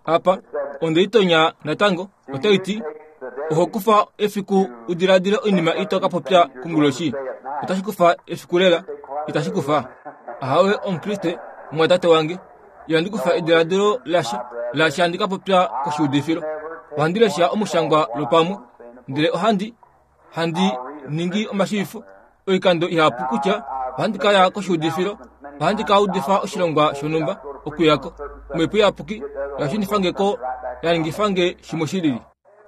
Apa, onde i tonya natango, otai ti, Oho kufa efiku u diladile oinima ito ka popya konguloshi. Otashi kufa efiku lela, itashi kufa? Ahawe, Omukriste, mumwatate wange. Ihandi kufa ediladilo lasha, lasha handi ka popya koshiudifilo. Ohandi lesha omushangwa lwopamwe, ndele ohandi handi ningi omashiivifo oikando ihapu kutya ohandi ka ya koshiudifilo, ohandi ka udifa oshilongwa shonhumba okuya ko. Omhepo Iyapuki oya shunifa nge ko, ya ningifa nge shimwe shi lili.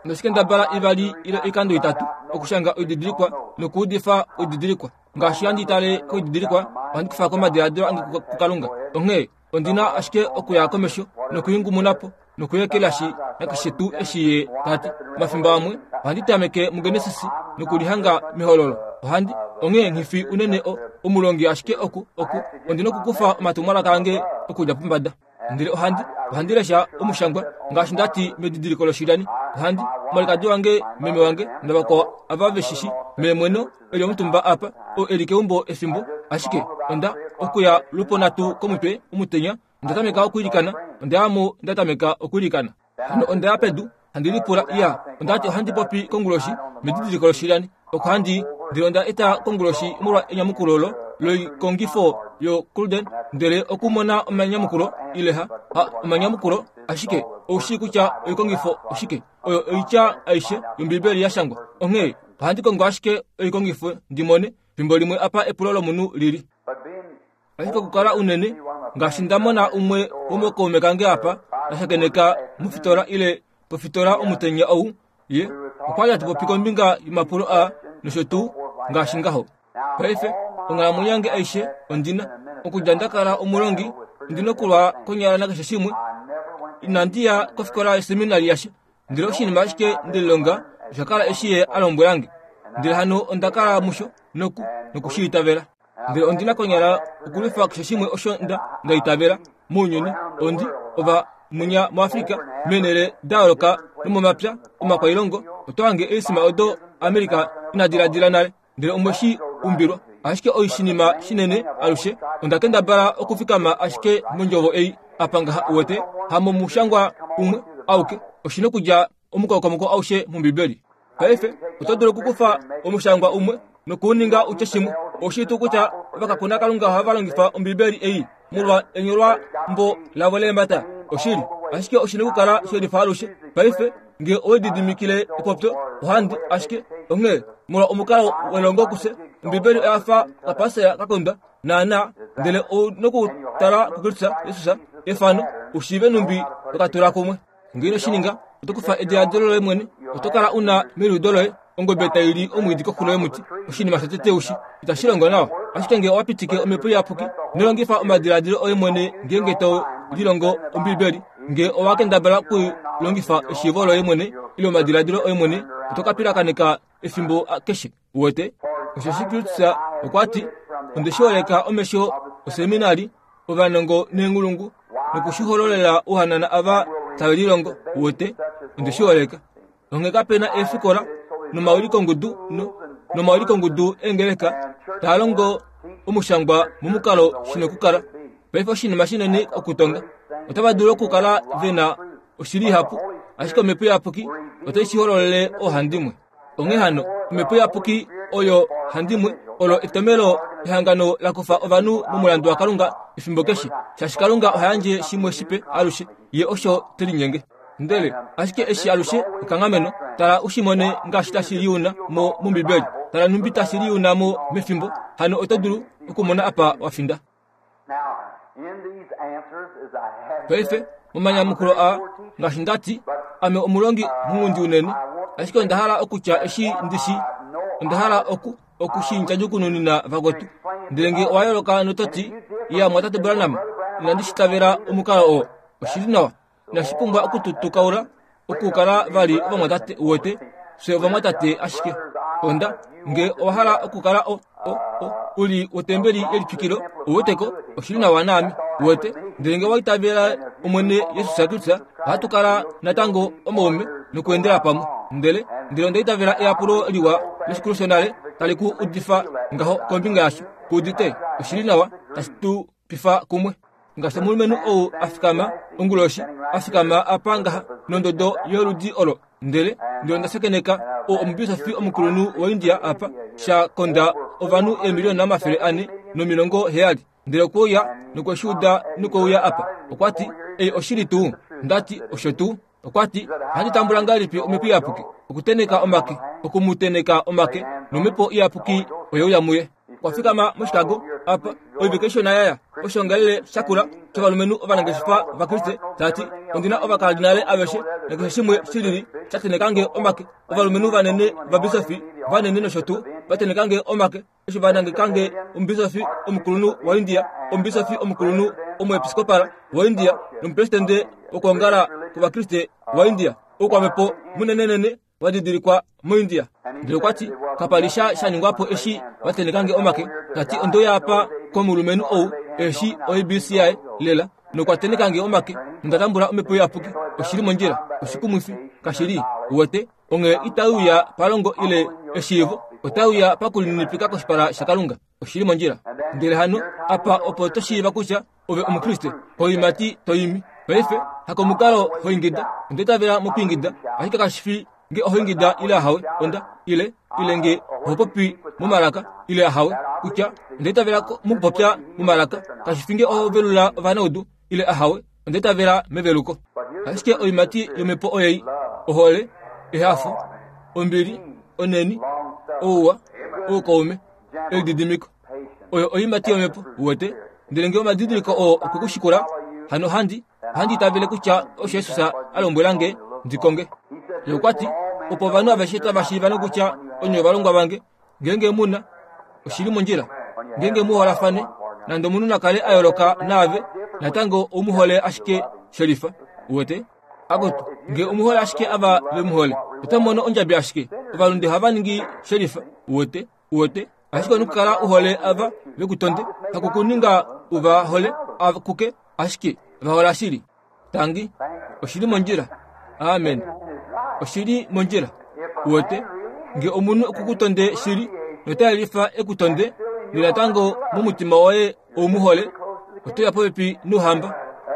Onde shi kendabala ivali ile oikando itatu okushanga oididilikwa nokuudifa oididilikwa. Ngaashi handi tale koididilikwa, ohandi kufa ko omadiladilo ange kuKalunga. Onghee ondi na ashike okuya komesho nokuingumuna po nokuyekelashi nakeshe tuu eshi ye ta ti. Omafimbo amwe ohandi tameke muGenesis nokulihanga mEhololo. Ohandi, onghee nghi fi unene o, omulongi ashike oku, oku, ondi nokukufa omatumwalaka ange okudja pombada. Ndele ohandi, ohandi lesha omushangwa, ngaashi nda ti medidiliko loshilyani. Ohandi, omwalikadi wange, meme wange, navakwao ava ve shi shi, meemweno, e li omutumba apa, oo e li keumbo efimbo, ashike onda, okuya lwoponhatu komutwe omutenya, onda tameka okwiilikana, onda ya mo nda tameka okwiilikana. Hano onda ya pedu, handi lipula, iya, onda ti ohandi popi konguloshi, medidiliko loshilyani, oko handi, ndele onda eta konguloshi molwa enyamukulo lo, loikongifo yoGolden, ndele okumona omanyamukulo, ile ha, ha, omanyamukulo, ashike ou shii kutya oikongifo oshike, oyo oitya aishe yOmbibeli ya shangwa. Onghee ohandi kongo ashike oikongifo ndi mone, fimbo limwe apa epulo lomunhu li li. Ashike okukala unene, ngaashi nda mona umwe womokaume kange apa, nda shakeneka mofitola ile pofitola omutenya ou, ye okwa li hatu popi kombinga yomapulo aa nosho tuu, ngaashi ngaho. Paife, onghalamwenyo yange aishe ondi na, okudja nda kala omulongi, ondi na okulwa konyala nakeshe shimwe. Inandi ya kofikola yoseminari yasha, ndele oshinima ashike nde lilonga osha kala eshi ye a lombwela nge. Ndele hano onda kala musho noku, noku shi itavela. Ndele ondi na konyala okulwifa keshe shimwe osho nda, nda itavela mounyuni. Ondi, ova munya moAfrica, meenhele da yooloka nomomapya omakwailongo, oto hange eesima odo America ina diladila nale, ndele omwe shi umbilwa. Ashike oshinima shinene alushe, onda kendabala okufikama ashike mondjovo ei apa ngaha, uwete, hamomushangwa umwe auke, oshi nokudja omukokomoko aushe mOmbibeli. Paife, oto dulu okukufa omushangwa umwe noku u ninga u tye shimwe. Oushili tuu kutya ovakakuna Kalunga ohava longifa Ombibeli ei molwa enyolwambo lavo leemhata? Oshili, ashike oshi na okukala she lifa alushe. Paife, nge owe lididimikile epopyo, ohandi, ashike, onghee, molwa omukalo welongo kufye, Ombibeli oya fa okapasela ka kondwa, naanaa, ndele ou nokutala kuKristus Jesus, efano, u shiive nhumbi to ka tula kumwe. Ngee ino shi ninga, oto kufa ediladilo loye mwene, oto kala u na meliudo loye ongobe tai li omwiidi koxulo yomuti. Oshinima shotete u shi, itashi longo nawa. Ashike ngee owa pitike Omhepo Iyapuki, ino longifa omadiladilo oye mwene ngeenge to lilongo Ombiibeli. Ngee owa kendabala okulongifa eshiivo loye mwene ile omadiladilo oye mwene, oto ka pilakaneka efimbo keshe. Uwete? Osheshi Kristus okwa ti, Onde shi holeka omesho oseminari, ovanongo neenghulungu, noku shi hololela ouhanana ava tave lilongo. Uwete? Onde shi holeka. Onghee kape na eefikola nomaulikongudu no, nomaulikongudu eengeleka taa longo omushangwa momukalo shi nokukala. Paife oshinima shinene okutonga. Otava dulu okukala ve na oshili ihapu, ashike Omhepo Iyapuki otai shi hololele oohandimwe. Onghee hano, omhepo iyapuki oyo handimwe olo etomelo ehangano la kufa ovanhu momulandu waKalunga efimbo keshe, shaashi Kalunga oha yandje shimwe shipe alushe, ye osho te linyenge. Ndele ashike eshi alushe ekanghameno, tala u shi mone ngaashi tashi liuna mo mOmbibeli, tala nhumbi tashi liuna mo mefimbo, hano oto dulu okumona apa wa finda. Paife, momanyamukulo aa, ngaashi nda ti, ame omulongi munghundi unene, ashike onda hala okutya eshi ndi shi, onda hala oku, oku shi ndjadjukununina vakwetu. Ndele nge owa yooloka noto ti, Iya, mwatate Branham, inandi shi tavela omukalo oo. Oshi li nawa. Inashi pumbwa oku tu tukaula okukala vali ovamwatate uwete, fye ovamwatate ashike. Onda, nge owa hala okukala o, o, o, u li wotembeli yelitwikilo, uweteko, oshi li nawa naame, uwete. Ndele nge owa itavela Omwene Jesus Kristus, ohatu kala natango omaume nokuendela pamwe. Ndele, ndele onda itavela eyapulo liwa leshikulu shonale tali ku udifa ngaho kombinga yasho. Ku udite? Oshi li nawa, tashi tu pifa kumwe. Ngaashi omulumenhu ou a fikama onguloshi, a fikama apa ngaha nondodo yoludi olo, ndele ndele onda shakeneka o omubisofi omukulunhu waIndia apa, sha konda ovanhu eemiliona 470. Ndele okwe uya nokwe shi uda nokwe uya apa. Okwa ti, Ei oshili tuu? Nda ti, Osho tuu. Okwa ti, Ohandi tambula ngahelipi Omhepo Iyapuki? Okutenheka omake, oku mu tenheka omake, nOmhepo Iyapuki oye uya muye. Okwa fikama moChicago, apa, oivike ishona ya ya, oshoongalele shakula shovalumenhu ovanangeshefa vaKriste, ta ti, Ondi na ovakardinale aveshe nakeshe shimwe shilili sha tenheka nge omake, ovalumenhu vanene vabisofi vanene nosho tuu, va tenheka nge omake. Eshi va nangeka nge omubisofi omukulunhu waIndia, omubisofi omukulunhu omuepiskopala waIndia nomupresidende wokwoongala kwOvakriste waIndia, oukwamhepo munenenene wa didilikwa moIndia. Ndele okwa ti, Kapa li sha sha ningwa po eshi va tenheka nge omake. Ta ti, Onde uya apa komulumenhu ou e shii oABC yaye lela, nokwa tenheka nge omake, nonda tambula Omhepo Iyapuki. Oshi li mondjila. Oshikumwifi, kashi li? Uwete? Onghee itai uya palongo ile eshiivo, otai uya pakulininipika koshipala shaKalunga. Oshi li mondjila. Ndele hano, apa opo to shiiva kutya ove Omukriste, koiimati to imi. Paife, hakomukalo ho ingida. Onda itavela mokwiingida, ashike kashi fi nge oho ingida ile ahawe, onda, ile, ile nge oho popi momalaka ile ahawe, kutya onda itavela mokupopya momalaka, kashi fi nge oho velula ovanaudu ile ahawe, Onda itavela meveluko. Ashike oiimati yOmhepo oyei, ohole, ehafo, ombili, onheni, ouwa, oukaume, elididimiko. Oyo oiimati yOmhepo, uwete. Ndele nge omadidiliko oo okwe ku shikula, hano ohandi, ohandi itavele kutya osho Jesus a lombwela nge ndi konge. Ye okwa ti, Opo ovanhu aveshe tava shiiva nokutya onye ovalongwa vange, Ngeenge mu na oshili mondjila, ngeenge mu holafane, nande omunhu na kale a yooloka naave, natango ou mu hole ashike shelifa. Uwete? Akutu, nge omu hole ashike ava ve mu hole, oto mono ondjabi ashike. Ovalunde ohava ningi shelifa. Uwete? Uwete? Ashike omu kala u hole ava ve ku tonde, haku ku ninga u va hole akuke, ashike va hola shili. Tangi, oshi li mondjila. Amen. Oshi li mondjila. Uwete, nge omunhu oku ku tonde shili, nota yelifa e ku tonde, nonatango momutima woye ou mu hole, oto ya popepi nouhamba.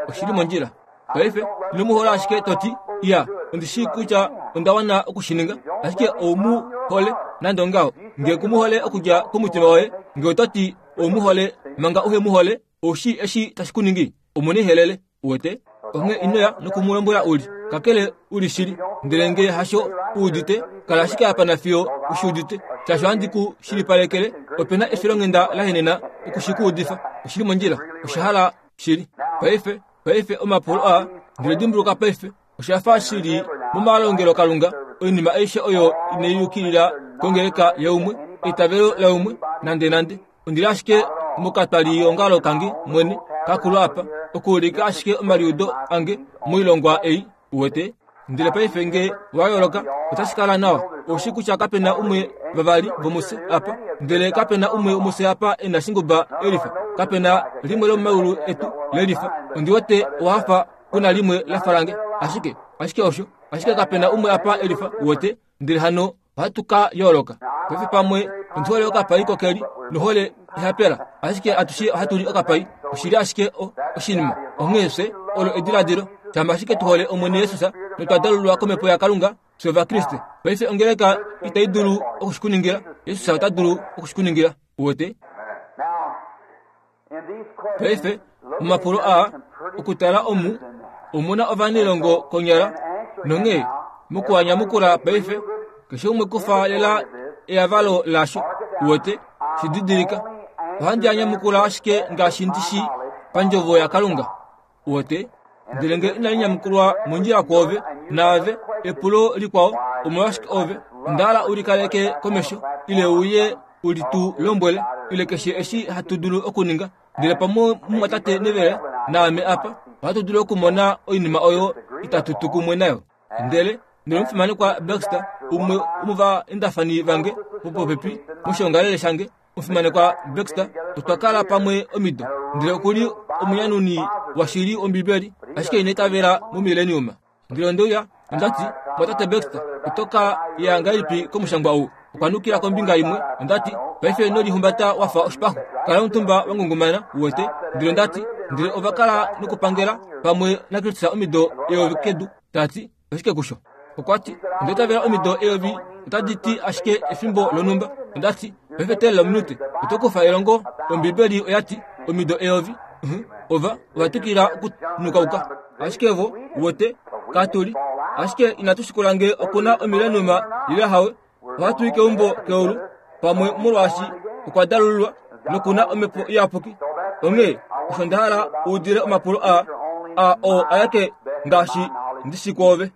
Oshi li mondjila. Paife, ino mu hola ashike to ti, Iya, ondi shii kutya onda wana oku shi ninga, ashike ou mu hole nande ongaho. Nge ku mu hole okudja komutima woye, nge oto ti ou mu hole manga uhe mu hole, Ou shii eshi tashi ku ningi? Omunihelele, uwete. Onghee ino ya noku mu lombwela u li, kakele u li shili. Ndele nge hasho u udite, kala ashike apa nafiyo u shi udite. Shaashi ohandi ku shilipalekele, ope na efilonghenda la henena oku shi ku udifa. Oshi li mondjila. Osha hala shili. Paife, paife omapulo aa, ndele dimbuluka paife, Osha fa shi li momalongelokalunga, oinima aishe oyo inai yukilila kongeleka yaumwe, eitavelo laumwe, nandenande. Ondi li ashike mokatwaliongalo kange mwene kakulu apa, okuulika ashike omaliudo ange moilongwa ei, uwete. Ndele paife nge wa yooloka, otashi kala nawa. Ou shii kutya kape na umwe vavali vomufye apa, ndele kape na umwe womufye apa e na shinguba elifa. Kape na limwe lomomaulu etu lelifa. Ondi wete owa hafa ku na limwe la fa lange. Ashike, ashike osho, ashike kape na umwe apa e lifa, uwete, ndele hano ohatu ka yooloka. Paife pamwe ondi hole okapai kokeli nohole ehapela, ashike atushe ohatu li okapai. Oshi li ashike o, oshinima. Onghee fye, olo ediladilo, shama ashike tu hole Omwene Jesus notwa dalulwa kOmhepo yaKalunga, fye Ovakriste. Paife ongeleka itai dulu oku shi ku ningila, Jesus ota dulu oku shi ku ningila, uwete. Paife, omapulo aa, okutala omu, omu na ovanailongo konyala, nonghee mokuanyamukula paife, keshe umwe kufa lela eyavalo lasho, uwete, shi didilika. Ohandi a nyamukula ashike ngaashi ndi shi pandjovo yaKalunga. Uwete? Ndele nge inali nyamukulwa mondjila kwoove, naave, epulo likwao, omolwashike ove, onda hala u likaleke komesho, ile uye u li tu lombwele, ile keshe eshi hatu dulu okuninga. Ndele pamwe mumwatate Neville naame apa, ohatu dulu okumona oinima oyo itatu tu kumwe nayo. Ndele ndele omufimanekwa Baxter, umwe womovaendafani vange vopopepi moshiongalele shange, Omufimanekwa Baxter, otwa kala pamwe omido, ndele oku li omunyanuni washili wOmbibeli, ashike ina itavela momileniuma. Ndele onde uya, onda ti, Mwatate Baxter, oto ka ya ngahelipi komushangwa ou? Okwa nukila kombinga imwe. Onda ti, Paife ino lihumbata wa fa oshipaxu. Kala omutumba wa ngungumana, uwete. Ndele onda ti, Ndele ova kala nokupangela pamwe naKristus omido eyovi kedu. Ta ti, Oshike kusho? Okwa ti, Onda itavela omido eyovi otadi ti ashike efimbo lonhumba. Onda ti, Paife teelela ominute. Oto kufa elongo, Ombibeli oya ti, omido eyovi. Uh-huh. Ova, ova twikila okunukauka. Ashike vo, uwete, katu li. Ashike inatu shikula nge oku na omilenuma ile hawe. Ohatu i keumbo keulu pamwe molwaashi okwa dalululwa noku na omhepo iyapuki. Onghee osho nda hala u udile omapulo aa, a oo ayake ngaashi ndi shi kwoove.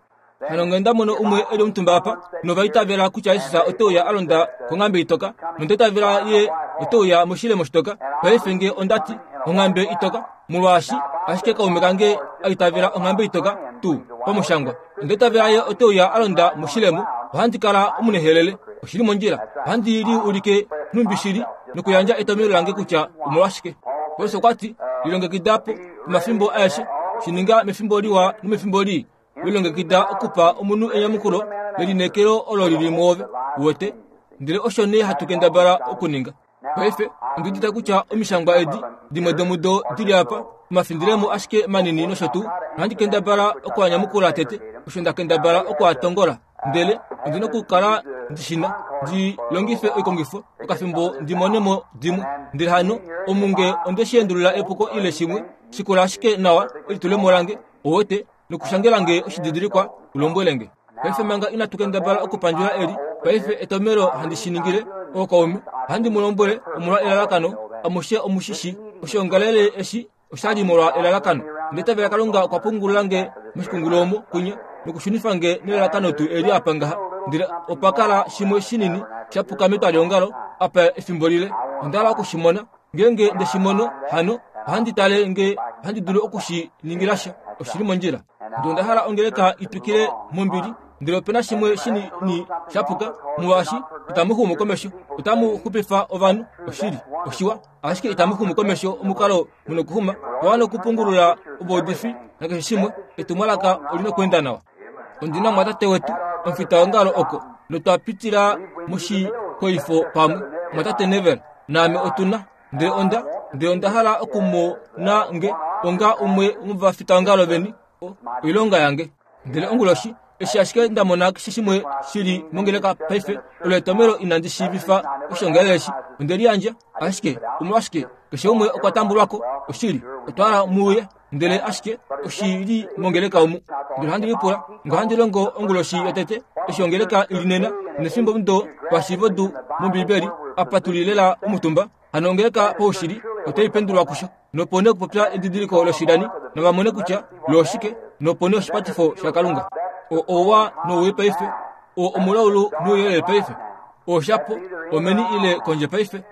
Hano nge nda mono umwe e li omutumba apa, nova itavela kutya Jesus ote uya a londa konghambe itoka, nonda itavela ye ote uya moshilemo shitoka, paife nge onda ti, onghambe itoka, molwaashi ashike kaume kange a itavela onghambe itoka tuu pamushangwa. Onda itavela ye ote uya a londa moshilemo, ohandi kala omunehelele. Oshi li mondjila. Ohandi li ulike nhumbi shili nokuyandja etomhelo lange kutya omolwashike. Paulus okwa ti, Lilongekida po pomafimbo aeshe, shi ninga mefimbo liwa nomefimbo lii. Lilongekida okupa omunhu enyamukulo lelineekelo olo li li mwoove. Uwete? Ndele osho nee hatu kendabala okuninga. Paife, ondi udite kutya omishangwa edi, dimwe domudo di li apa, omafindilemo ashike manini nosho tuu, ohandi kendabala oku a nyamukula tete, osho nda kendabala oku a tongola. Ndele ondi nokukala ndi shi na, ndi longife oikongifo okafimbo ndi mone mo dimwe. Ndele hano, omu nge onde shi endulula epuko ile shimwe, shikula ashike nawa elitulemo lange, uwete, nokushangela nge oshididilikwa u lombwele nge. Paife manga inatu kendabala okupandjula eli, paife etomelo handi shi ningile, ookaume, ohandi mu lombwele omolwa elalakano, amushe omu shi shi. Oshiongalele eshi osha li molwa elalakano. Ndele tavela Kalunga okwa pungulula nge moshikungulu omo kunya, nokushunifa nge nelalakano tuu eli apa ngaha. Ndele opa kala shimwe shinini sha puka metwaliongalo apa efimbo lile. Onda hala oku shi mona. Ngeenge nde shi mono, hano ohandi tale nge ohandi dulu oku shi ningila sha. Oshi li mondjila. Ndele onda hala ongeleka i twikile mombili, ndele ope na shimwe shinini sha puka, molwaashi itamu xumu komesho. Otamu xupifa ovanhu, oshili, oshiwa, ashike itamu xumu komesho omukalo mu nokuxuma. Owa wana okupungulula ovaudifi nakeshe shimwe, etumwalaka oli nokuenda nawa. Ondi na omwatate wetu, omufitaongalo oko, notwa pitila moshikoifo pamwe, omwatate Neville naame otu na. Ndele onda, ndele onda hala okumona nge onga umwe womovafitaongalo veni, oilonga yange. Ndele onguloshi, eshi ashike nda mona keshe shimwe shi li mongeleka paife, olo etomhelo inandi shiivifa oshiongalele eshi. Onde liyandja, ashike, omolwashike, keshe umwe okwa tambulwa ko, oshili, otwa hala mu uye. Ndele ashike oshi li mongeleka omu. Ndele ohandi lipula, nge ohandi longo onguloshi yotete, eshi ongeleka i li nena, nefimbo mudo pashiivodu mOmbiibeli, apa tu li lela omutumba, hano ongeleka paushili otai pendulwa kusho. Nopo nee okupopya edidiliko loshilani, nava mone kutya lo oshike, nopo nee oshipatifo shaKalunga. O ouwa nouwii paife, o omulaulu nouyelele paife, oshapo, omeni ile kondje paife,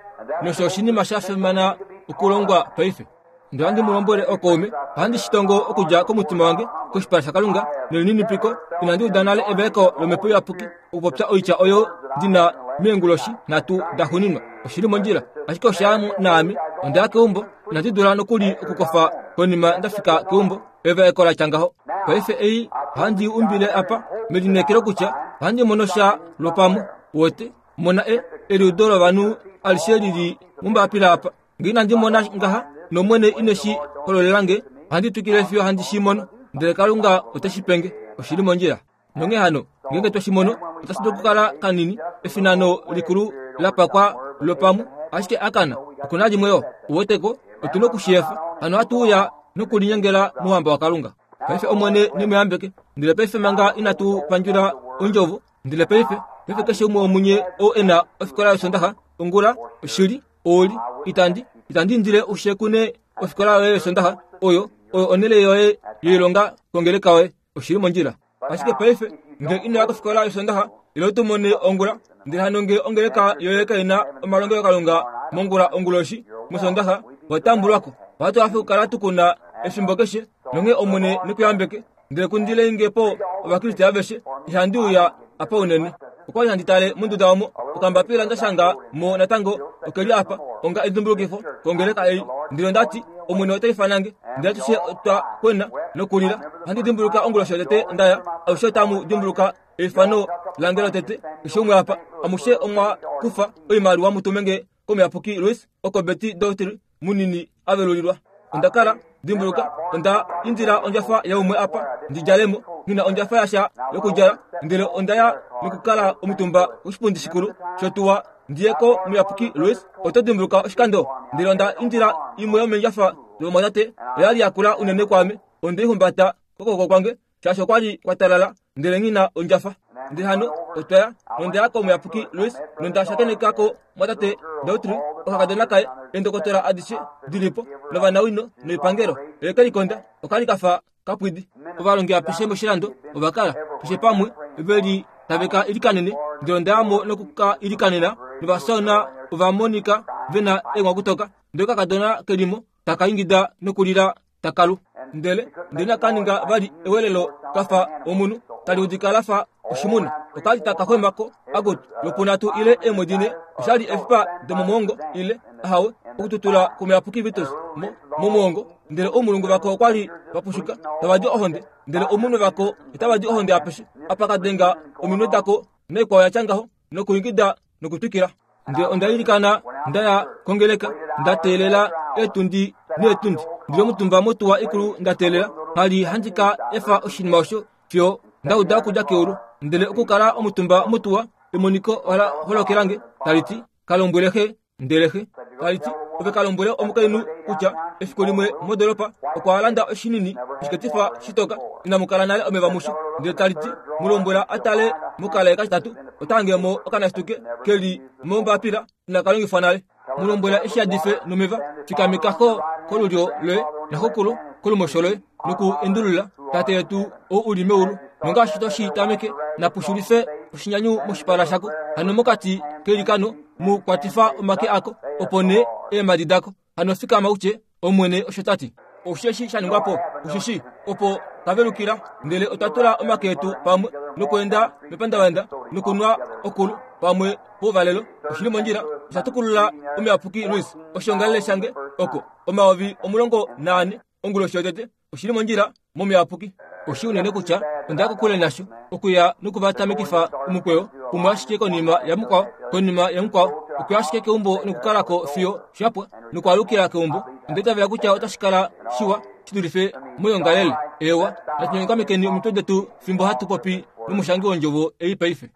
nosho oshinima sha fimana okulongwa paife. Ndele ohandi mu lombwele okaume, ohandi shi tongo okudja komutima wange koshipala shaKalunga nelininipiko. Inandi uda nale evaeko lOmhepo Iyapuki okupopya oitya oyo ndi na meenguloshi nhatu da xuninwa. Oshi li mondjila, ashike osha ya naame. Onda ya keumbo, inandi dula nokuli okukofa konima nda fika keumbo. Evaeko la tya ngaho. Paife ei ohandi i umbile apa melineekelo kutya ohandi mono sha lwopamwe. Uwete, mona e, eliudo lovanhu alishe li li mombapila apa. Nge inandi mona ngaha, nOmwene ine shi hololela nge, ohandi twikile fiyo handi shi mono. Ndele Kalunga ote shi pe nge. Oshi li mondjila. Nonghee hano, ngeenge twe shi mono, otashi dulu okukala kanini, efinano likulu la pakwa lwopamwe, ashike akana, oku na limwe yo. Uwete ko, otu na oku shi efa. Hano ohatu uya nokulinyengela mOuhamba waKalunga. Paife Omwene ne mu yambeke. Ndele paife manga inatu pandjula Ondjovo, ndele paife, paife keshe umwe womunye oo e na ofikola yOsondaxa, ongula, oshili, Oli, itandi, itandi indile u shekune ofikola yoye yOsondaxa, oyo, oyo onhele yoye yoilonga kongeleka yoye. Oshi li mondjila. Ashike paife, nge ino ya kofikola yOsondaxa, ile tu mone ongula, ndele hano nge ongeleka yoye kai na omalongelokalunga mongula onguloshi mOsondaxa, owa tambulwa ko. Ohatu hafe okukala tu ku na efimbo keshe, nonghee Omwene ne ku yambeke. Ndele kundilei nge po Ovakriste aveshe, ihandi uya apa unene. Okwa li handi tale monduda omo okambapila nda shanga mo natango oke li apa onga edimbulukifo kongeleka ei. Ndele onda ti, Omwene ota ifana nge. Ndele atushe otwa kwena nokulila. Ohandi dimbuluka onguloshi yotete nda ya. Alushe otamu dimbuluka eifano lange lotete, keshe umwe apa. Amushe omwa kufa oimaliwa mu tume nge komuyapuki Louis oko Betty Daughtry munini a velulilwa. Onda kala, dimbuluka, onda indila ondjafa yaumwe apa ndi djale mo, nghi na ondjafa yasha yokudjala, ndele onda ya nokukala omutumba koshipundi shikulu shotuwa ndi ye komuyapuki Louis. Oto dimbuluka oshikando? Ndele onda indila imwe yomeendjafa dovamwatate, oya li yakula unene kwaame, onde i humbata kokwooko kwange shaashi okwa li kwa talala ndele nghi na ondjafa. Ndele hano otwa ya, nonda ya komuyapuki Louis, nonda shakeneka ko mwatate Dautry, okakadona kaye, eendokotola adishe di li po, novanawino noipangelo. Oye ke likonda, oka li ka fa kapwidi. Ovalongi apeshe moshilando ova kala, keshe pamwe, ve li tave ka ilikanene. Ndele onda ya mo noku ka ilikanena, novasauna ova monika ve na eenghwakutoka. Ndele okakadona ke li mo, taka ingida nokulila taka lu. Ndele ndele inaka ninga vali ewelelo ka fa omunhu, tali udika la fa oshimuna. Oka li taka xwema ko akutu lwopunhatu ile eemwedi nhe. Osha li efipa domomwoongo ile, ahawe, okututula kwomuyapuki Vitus mo, momwoongo. Ndele oumulungu vako okwa li va pushuka, tava di ohonde, ndele oumunwe vako otava di ohonde apeshe apa ka denga ominwe dako naikwao ya tya ngaho, nokuingida nokutwikila. Ndele onda ilikana nda ya kongeleka, nda teelela eetundi neetundi. Ndi li omutumba motuwa ikulu nda teelela, ngha li handi ka efa oshinima osho fiyo nda uda okudja keulu. Ndele okukala omutumba motuwa, emoniko ola holokela nge, tali ti, Ka lombwele xe. Ndele xe tali ti, Ove ka lombwele omukainhu kutya efiku limwe modoolopa okwa landa oshinini oshiketifa shitoka inamu kala nale omeva musho. Ndele tali ti, Mu lombwela a tale mokalaye katitatu, ota hange mo okanasituke ke li mombapila inaka longifwa nale. Mu lombwela eshi yadife nomeva, fikameka xo kolulyo loye naxokulu kolumosho loye noku endulula, Tate yetu ou u li meulu, nongaashi to shi tameke, napu xulife oshinyanyu moshipala shako. Hano mokati keilikano mu kwatifa omake ako, opo nee eemhadi dako. Hano fikama u tye, Omwene osho ta ti. Osheshi sha ningwa po, osheshi opo twa velukila, ndele otwa tula omake etu pamwe nokweenda mepandavanda nokunwa okulu pamwe pouvalelo. Oshi li mondjila, osha tukulula omuyapuki Louis oshiongalele shange oko 14,000 onguloshi yotete. Oshi li mondjila momuyapuki. Oshi unene kutya onda ya kokule nasho, okuya noku va tamekifa omukweyo, umwe ashike konima yamukwao, konima yamukwao, okuya ashike keumbo nokukala ko fiyo sha pwa, nokwaalukila keumbo. Onda itavela kutya otashi kala shiwa shi dulife moyoongalele. Eewa, natu nyongamekeni omitwe detu fimbo hatu popi nomushangi wondjovo ei paife.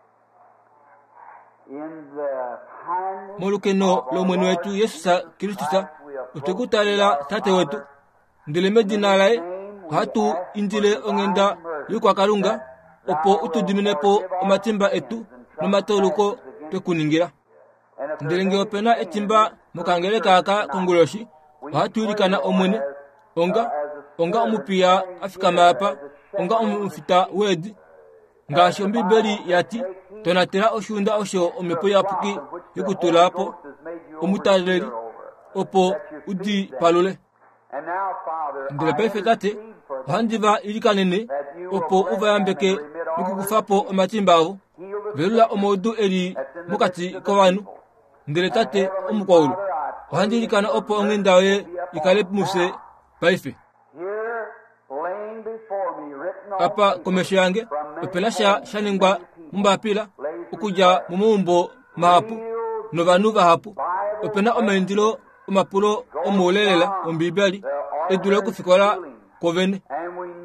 Molukeno lOmwene wetu Jesus Kristus, otwe ku taalela Tate wetu, Ndele medina laye ohatu indile onghenda yokwaKalunga opo u tu dimine po omatimba etu nomatauluko twe ku ningila. Ndele ngee ope na etimba mokangeleka aka konguloshi, ohatu ilikana Omwene, onga, onga omupiya a fikama apa, onga omufita weedi, ngaashi Ombibeli ya ti, tonatela oshiunda osho omhepo iyapuki yokutula po omutaleli, opo u di palule. Ndele paife Tate, ohandi va ilikanene opo u va yambeke nokukufa po omatimba avo. Velula omaudu e li mokati kovanhu. Ndele Tate omukwaulu, ohandi ilikana opo onghenda yoye i kale mufye paife. Apa komesho yange ope na sha sha ningwa mombapila okudja momaumbo mahapu novanhu vahapu. Ope na omaindilo omapulo omoule lela Ombiibeli e dule okufikola kwovene.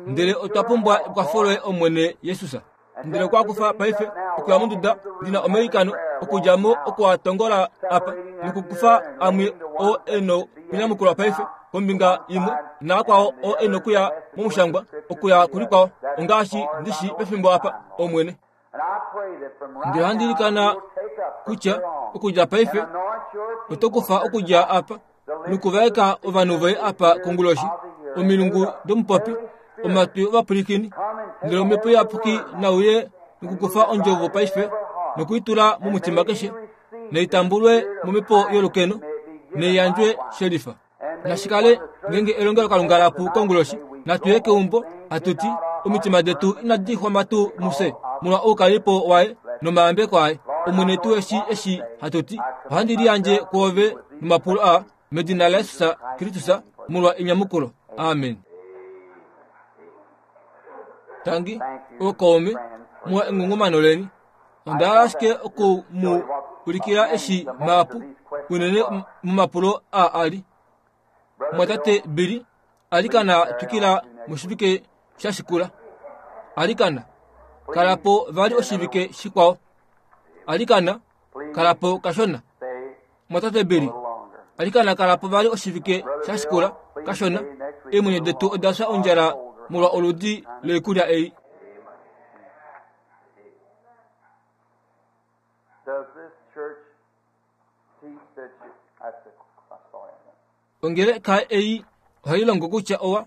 Ndele otwa pumbwa ekwafo loye Omwene Jesus. Ndele okwa kufa paife okuya monduda ndi na omailikano okudja mo oku a tongola apa nokukufa amwe oo e nokunyamukulwa paife kombinga imwe naakwao oo e nokuya momushangwa okuya kulikwao ongaashi ndi shi pefimbo apa Omwene. Ndele ohandi ilikana kutya okudja paife oto kufa okudja apa nokuvaeka ovanhu voye apa konguloshi, omilungu domupopi, omatwi ovapwilikini, ndele omhepo iyapuki nauye nokukufa ondjovo paife noku i tula momutima keshe, naitambulwe momhepo yolukeno, naiyandjwe shelifa. Nashi kale ngeenge elongelokalunga la pu konguloshi, natu ye keumbo hatu ti, Omitima detu inadi xwama tuu mufye molwa oukalipo waye nomayambeko aye. Omwene tu eshi eshi hatu ti, Ohandi liyandje kwoove nomapulo aa, medina laJesus Kristus, molwa enyamukulo. Amen. Tangi, ookaume, muwa engungumano leni. Onda hala ashike oku mu ulikila eshi mahapu unene momapulo aa a li. Mumwatate Billy, alikana twikila moshivike sha shikula. Alikana, kala po vali oshivike shikwao. Alikana, kala po kashona. Mumwatate Billy, alikana kala po vali oshivike sha shikula kashona. Eemwenyo detu oda fya ondjala molwa oludi loikulya ei. Does this church teach that you, that's the, I'm sorry. Ongeleka ei ohai longo kutya owa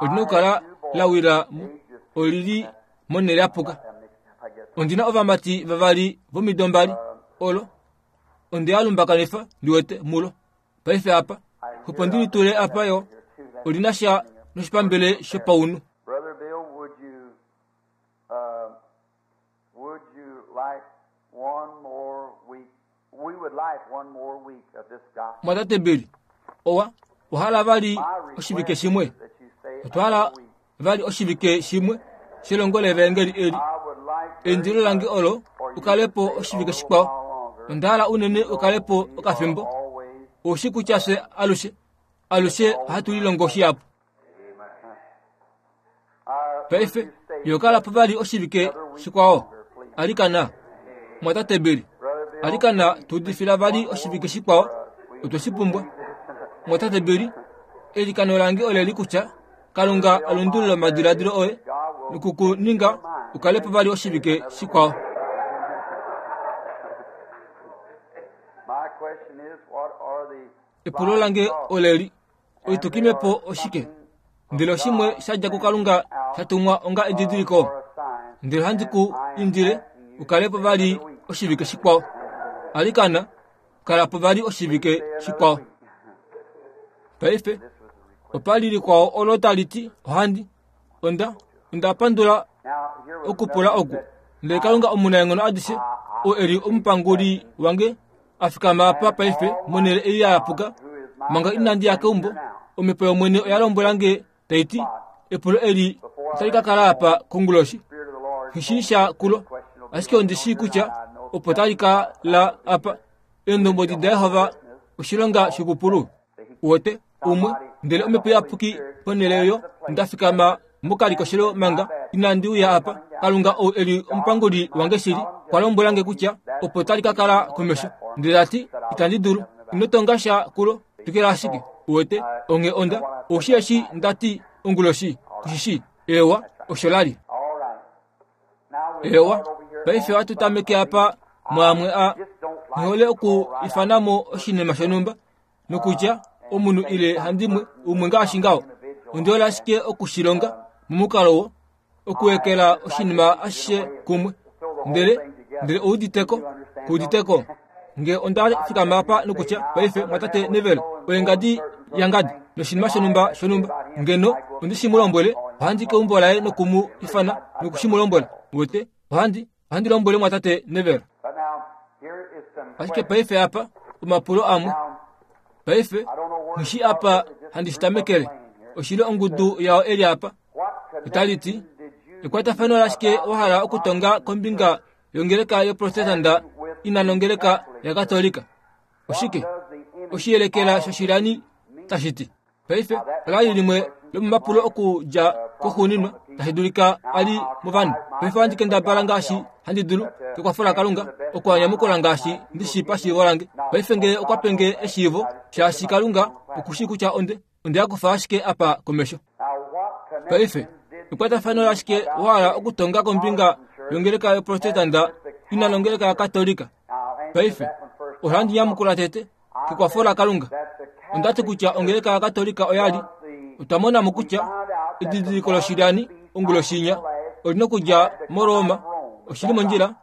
olina okukala la wila mo oli li monhele ya puka. Ondi na ovamati vavali vomido mbali olo onde a lumbakanifa ndi wete mulo. Paife apa, opo ndi litule apa yo oli na sha noshipambele shopaunhu. Brother Bill, would you would you like one more week? We would like one more week of this gospel. Mwatate Bill, owa owa hala vali oshivike shimwe. That you stay Otwa hala vali oshivike shimwe shelongo levaengeli eli. I would like very Eindilo lange olo for you u kale to po stay a oshivike little shikwao. while longer. Onda hala unene u kale po okafimbo. Always. Oushi kutya fye alushe alushe ohatu lilongo shihapu. Would Paife you stay yo kala po vali oshivike shikwao. Alikana, mwatate Bill, Brother Bill, alikana tu udifila vali oshivike shikwao. Otwe shi pumbwa. Mwatate Bill, eilikano lange oleli kutya Kalunga a lundulule omadiladilo oye noku ku ninga u kale po vali oshivike shikwao. my question is, what are the Epulo lange oleli, oitukimepo oshike? Ndele oshimwe sha dja kuKalunga sha tumwa onga edidiliko. for a sign? Ndele ohandi ku indile u kale po vali oshivike shikwao. Alikana, kala po vali oshivike shikwao. Paife, opa li likwao olo tali ti ohandi onda onda pandula Now, here was okupula oku. Ndele Kalunga omunaenghono adishe, oo e li omupanguli wange, a fikama apa paife monhele ei ya yapuka, manga inandi ya keumbo, omhepo yOmwene oya lombwela nge tai ti, epulo eli otali ka kala apa konguloshi. Spirit of the Lord. Nghi shii sha kulo, ashike ondi shii kutya opo tali ka la apa. Eendombwedi daJehova oshilonga shokupulu. Uwete, umwe, ndele omhepo iyapuki ponhele oyo nda fikama mokalikoshelo manga inandi uya apa. Kalunga ou e li omupanguli wange shili, okwa lombwela nge kutya opo tali ka kala komesho. Ndele ta ti, itandi dulu. Ino tonga sha kulo, twikila ashike. Uwete, onghee onda, ou shii eshi nda ti onguloshi, ku shi shii? Eewa, osho la li. All right. Now we'll Eewa, start over here paife on ohatu tameke apa mwaamwe a Just don't like nghi hole oku ifana mo oshinima shonhumba nokutya omunhu ile handimwe umwe ngaashi ngaho. Ondi hole ashike oku shi longa momukalo wo okuwekela oshinima ashishe kumwe. Ndele, ndele ou uditeko, ku uditeko. Nge onda fikama apa nokutya paife mwatate Neville oye ngadi yangadi noshinima shonhumba shonhumba, ngeno ondi shi mu lombwele, ohandi keumbo laye noku mu ifana noku shi mu lombwela. Uwete, ohandi, ohandi lombwele mwatate Neville. But now, here is some Ashike questions. paife apa omapulo amwe. Now, Paife, I don't know where nghi to shii start apa with. Just a handi shi group of tamekele. playing here. Oshili ongudu yao eli apa. What Otali ti, connection did you ekwatafano lashike wa hala okutonga kombinga yongeleka yoprotestanta ina nongeleka yakatolika? Oshike? does the image Oshiyelekela shoshilani tashi ti. Paife, ola li limwe lomomapulo okudja koxuuninwa tashi dulika a li movanhu. Paife ohandi kendabala ngaashi handi dulu kekwafo laKalunga oku a nyamukula ngaashi ndi shii pashiivo lange. Paife ngee okwa pe nge eshiivo, shaashi Kalunga oku shii kutya onde onde ya kufa ashike apa komesho. Now, what Paife, connection did ekwatafano lashike wa hala okutonga kombinga yongeleka yoprotestanta ina nongeleka yakatolika? Now, I'll answer Paife, that one first. ohandi nyamukula tete kekwafo laKalunga. That the Onda ti kutya ongeleka yakatolika oya li otwa mona mo kutya edidiliko loshilyani onguloshinya olina okudja moRoma. Oshili mondjila,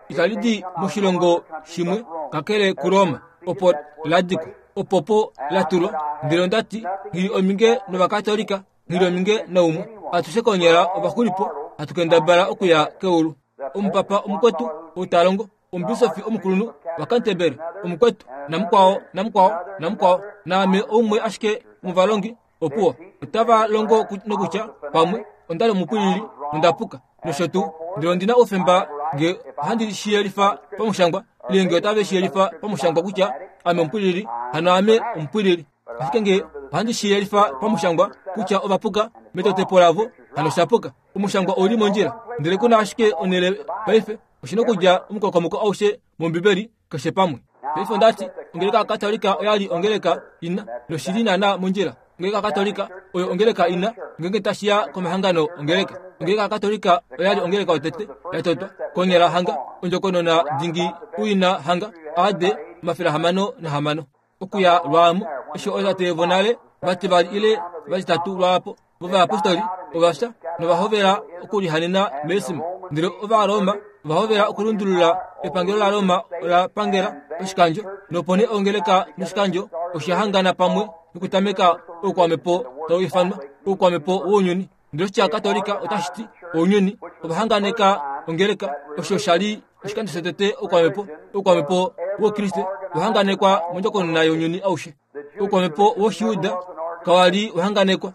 itali di moshilongo shimwe kakele kuRoma, opo la dikwa, opo po la tulwa. Ndele onda ti, nghi li ominge novakatolika, nghi li ominge naumwe. Atushe konyala ovaxulipo hatu kendabala okuya keulu. Omupapa omukwetu ou ta longo, omubisofi omukulunhu waCanterbury omukwetu, namukwao, namukwao, namukwao, naame oumwe ashike movalongi opuwo. Otava longo nokutya pamwe onda li omupwilili nonda puka nosho tuu, ndele ondi na oufemba Nge ohandi shi yelifa pamushangwa, ile nge otave shi yelifa pamushangwa kutya ame omupwilili, hano ame omupwilili. Ashike nge ohandi shi yelifa pamushangwa kutya ova puka metotepo lavo, hano sha puka. Omushangwa ou li mondjila. Ndele ku na ashike onhele paife, oshi na okudja omukokomoko aushe mOmbibeli, keshe pamwe. Paife onda ti, ongeleka yaKatolika oya li ongeleka ina, noshi li naana mondjila. Ongeleka yaKatolika oyo ongeleka ina, ngeenge tashi ya komahangano ongeleka. Ongeleka yaKatolika oya li ongeleka yotete ya totwa konyala hanga ondjokonona dingi uina hanga AD 606. Okuya lwaamo, eshi ootate vonale vativali ile vatitatu lwaapo vovayapostoli ova fya nova hovela okulihanena meesima. Ndele Ovaroma ova hovela okulundulula epangelo laRoma ola pangela oshikandjo, nopo nee ongeleka noshikandjo osha hangana pamwe nokutameka oukwamhepo tau ifanwa oukwamhepo wounyuni. Ndele oshitya Katolika otashi ti ounyuni. Ova hanganeka ongeleka, osho sha li oshikando shotete oukwamhepo, oukwamhepo wOukriste wa hanganekwa mondjokonona younyuni aushe. Oukwamhepo wOshijuda kawa li wa hanganekwa.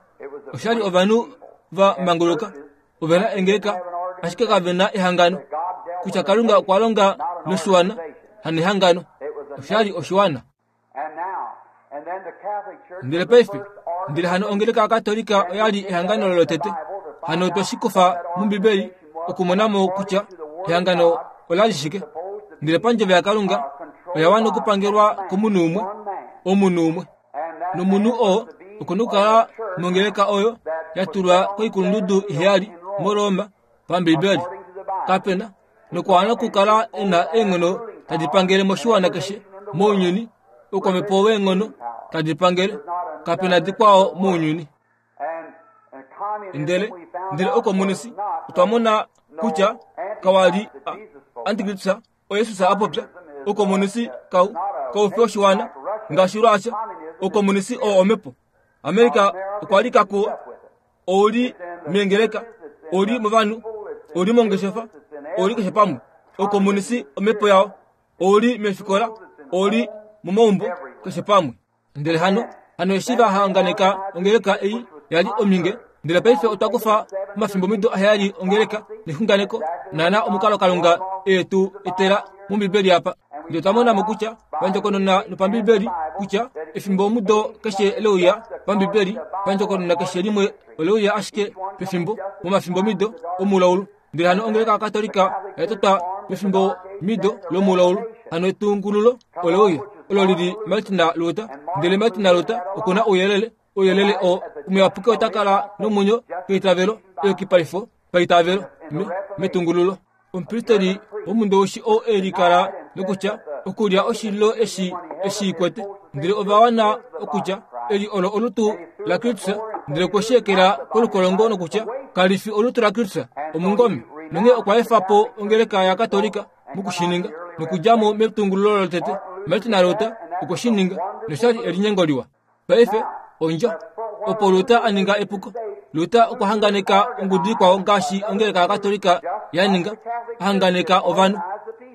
Osha li ovanhu va manguluka, ove na engeleka, ashike kave na ehangano. Kutya Kalunga okwa longa noshiwana, hanehangano. Osha li oshiwana. Ndele paife, ndele hano ongeleka yaKatolika oya li ehangano lotete. Hano otwe shi kufa mOmbibeli okumona mo kutya ehangano ola li shike. Ndele pandjovo yaKalunga oya wana okupangelwa komunhu umwe, omunhu umwe. Nomunhu oo oku na okukala mongeleka oyo ya tulwa koikulundudu iheyali moRoma paMbibeli. Kape na nokwa wana okukala e na eenghono tadi pangele moshiwana keshe mounyuni, oukwamhepo weenghono tadi pangele, kape na dikwao mounyuni. Ndele ndele oukomunisi otwa mona kutya kawa li antikristus oYesus a popya. Oukomunisi kau kau fi oshiwana ngaashi Russia. Oukomunisi oo omhepo. Amerika okwa li kakuwa ou li meengeleka, ou li movanhu, ou li mongeshefa, ou li keshe pamwe. Oukomunisi omhepo yao, ou li meefikola, ou li momaumbo, keshe pamwe. Ndele hano, hano eshi va hanganeka ongeleka ei ya li ominge, ndele paife otwa kufa omafimbomido aheyali ongeleka nexunganeko, naana omukalo Kalunga e tu etela mOmbibeli apa. Ndele otwa mona mo kutya pandjokonona nopambibeli kutya efimbomudo keshe leuya pambibeli, pandjokonona keshe limwe oleuya ashike pefimbo momafimbomido omulaulu. Ndele hano ongeleka yaKatolika oya totwa pefimbomido lomulaulu, hano etungululo oleuya olo lili Martin Luther. Ndele Martin Luther oku na ouyelele, ouyelele oo omuyapuki ota kala nomwenyo keitavelo, eyukipalifo paitavelo me, metungululo. Omupristeli womundowishi oo e likala nokutya okulya oshililo eshi eshi kwete, ndele ova wana okutya eli olo olutu laKristus, ndele okwe shi ekela kolukolongo nokutya kali fi olutu laKristus, omungome. Nonghee okwa efa po ongeleka yaKatolika moku shi ninga nokudja mo metungululo lotete. Martin Luther okwe shi ninga, nosha li elinyengo liwa. Paife, ondjo. Opo Luther a ninga epuko. Luther okwa hanganeka ongudu ikwao ngaashi ongeleka yaKatolika ya ninga, a hanganeka ovanhu.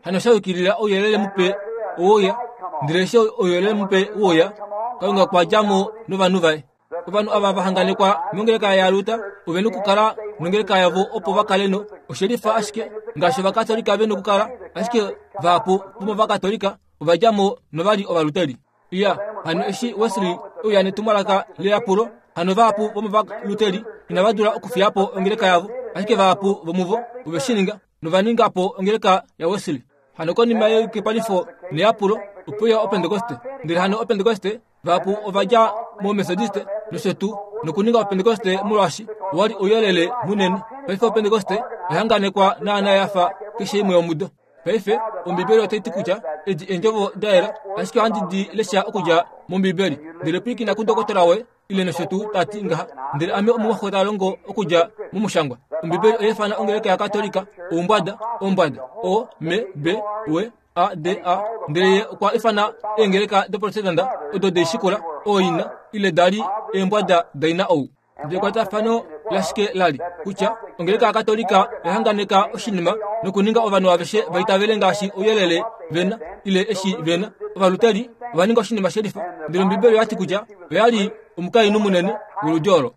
Hano sha yukilila ouyelele mupe oweuya, ndele eshi ouyelele mupe weuya, Kalunga okwa dja mo novanhu vaye. Ovanhu ava va hanganekwa mongeleka yaLuther ove nokukala nongeleka yavo opo va kale no oshelifa ashike ngaashi Ovakatolika ve nokukala, ashike vahapu vomovakatolika ova dja mo nova li Ovaluteri. Iya, hano eshi Wesley e uya netumwalaka leyapulo, hano vahapu vomovaluteri inava dula okufiya po ongeleka yavo, ashike vahapu vomuvo ove shi ninga, nova ninga po ongeleka yaWesley. Hano konima yeyukipalifo neyapulo, ope uya Opentekoste. Ndele hano Opentekoste, vahapu ova dja moMethodiste nosho tuu, nokuninga Opentekoste molwaashi owa li ouyelele munene. Paife Opentekoste oya hanganekwa naana ya fa keshe imwe yomudo. Paife, Ombibeli otai ti kutya edi eendjovo da yela, ashike ohandi di lesha okudja mOmbibeli. Ndele pwilikina kundokotola woye, ile nosho tuu, ta ti ngaha, Ndele ame omumwaxo ta longo okudja mOmushangwa. Ombibeli oya ifana ongeleka yaKatolika oumbwada, ombwada, O, M, B, W, A, D, A. Ndele ye okwa ifana eengeleka doProtestanta odo de i shikula, ooina, ile da li eembwada daina ou. Ndele ekwatafano lashike la li kutya ongeleka yaKatolika oya hanganeka oshinima nokuninga ovanhu aveshe va itavele ngaashi ouyelele ve na ile eshi ve na. Ovaluteri ova ninga oshinima she lifa, ndele Ombibeli oya ti kutya oya li omukainhu munene woludi olo.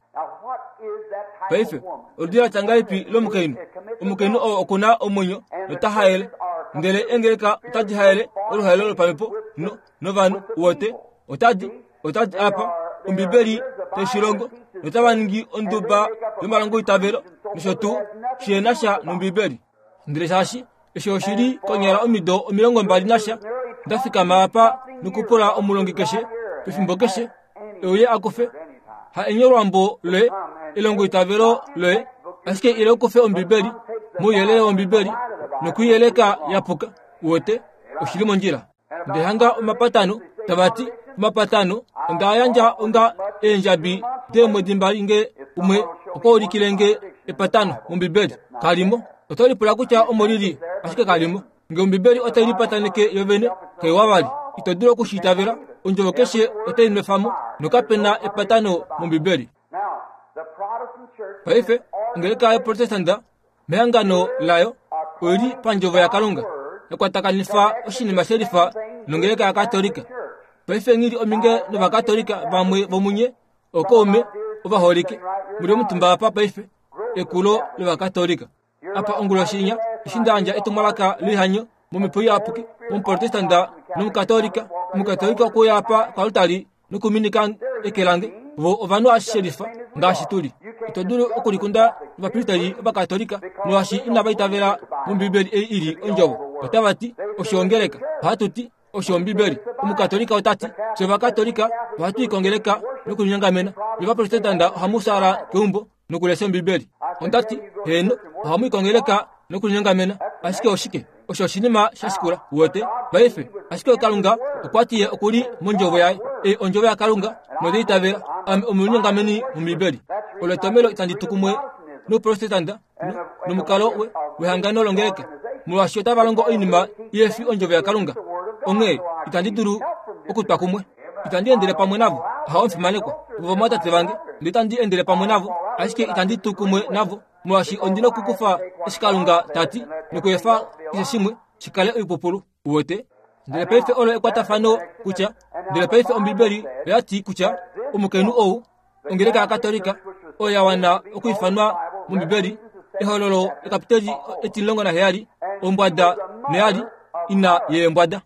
Paife, oludi la tya ngahelipi lomukainhu? Omukainhu oo oku na omwenyo nota haele, ndele eengeleka otadi haele oluhaelo lopamhepo no, novanhu wote otadi otadi apa Ombibeli tai shi longo notava ningi onduba yomalongoitavelo nosho tuu shi na sha nOmbibeli. Ndele shaashi eshi oshi li konyala omido 20 nasha, nda fikama apa nokupula omulongi keshe pefimbo keshe e uye a kufe ha enyolwambo loye elongoitavelo loye ashike ile u kufe Ombibeli mouyelele wOmbibeli nokuiyeleka ya puka uwete oshi li mondjila. Nde hanga omapatano tava ti omapatano onda yandja onga eendjabi deemwedi mbali nge umwe okwa ulikile nge epatano mOmbibeli. Kalimo. Oto lipula kutya omo li li, ashike kalimo. Nge Ombibeli otai lipataneke yo vene, kaiwa vali. Ito dulu oku shi itavela. Ondjovo keshe otai nwefa mo, nokape na epatano mOmbibeli. Paife, ongeleka yoProtestanta mehangano layo oi li pandjovo yaKalunga, ya kwatakanifa oshinima she lifa nongeleka yaKatolika. Paife nghi li ominge nOvakatolika vamwe vomunye, ookaume ovaholike, mu li omutumba apa paife, ekulo lOvakatolika. Apa onguloshi inya, eshi nda yandja etumwalaka loihanyo momhepo iyapuki, Omuprotestanta nOmukatolika, Omukatolika okwe uya apa koaltari nokuminika eke lange. Vo ovanhu ashishe lifa ngaashi tu li. Ito dulu okulikunda ovapristeri Ovakatolika molwaashi inava itavela mOmbibeli ei i li Ondjovo. Otava ti, Osho ongeleka. Ohatu ti, Osho Ombibeli. Omukatolika ota ti, Fye Ovakatolika ohatu i kongeleka nokulinyongamena. Nye Ovaprotestanta ohamu fyaala keumbo nokulesha Ombibeli. Onda ti, Heeno, ohamu i kongeleka nokulinyongamena. Ashike oshike? Osho oshinima sha shikula, uwete, paife. Ashike Kalunga okwa ti Ye oku li mOndjovo Yaye. Ei Ondjovo yaKalunga, nonde itavela. Ame omulinyongameni mOmbibeli. Olo etomelo itandi tu kumwe nouprotestanta nomukalo we, wehangano longeleka, molwaashi otava longo oinima ihe fi Ondjovo yaKalunga. Onghee itandi dulu okutwa kumwe. Itandi endele pamwe navo. Ahawe omufimanekwa. Ovo ovamwatate vange, ndele itandi endele pamwe navo, ashike itandi tu kumwe navo. Molwaashi ondi na okukufa eshi Kalunga ta ti nokuefa keshe shimwe shi kale oipupulu. Uwete? Ndele paife olo ekwatafano kutya, ndele paife Ombibeli oya ti kutya omukainhu ou, ongeleka yaKatolika, oyo ya wana okuifanwa mOmbibeli, Ehololo ekapiteli 17, ombwada noya li ina yeembwada.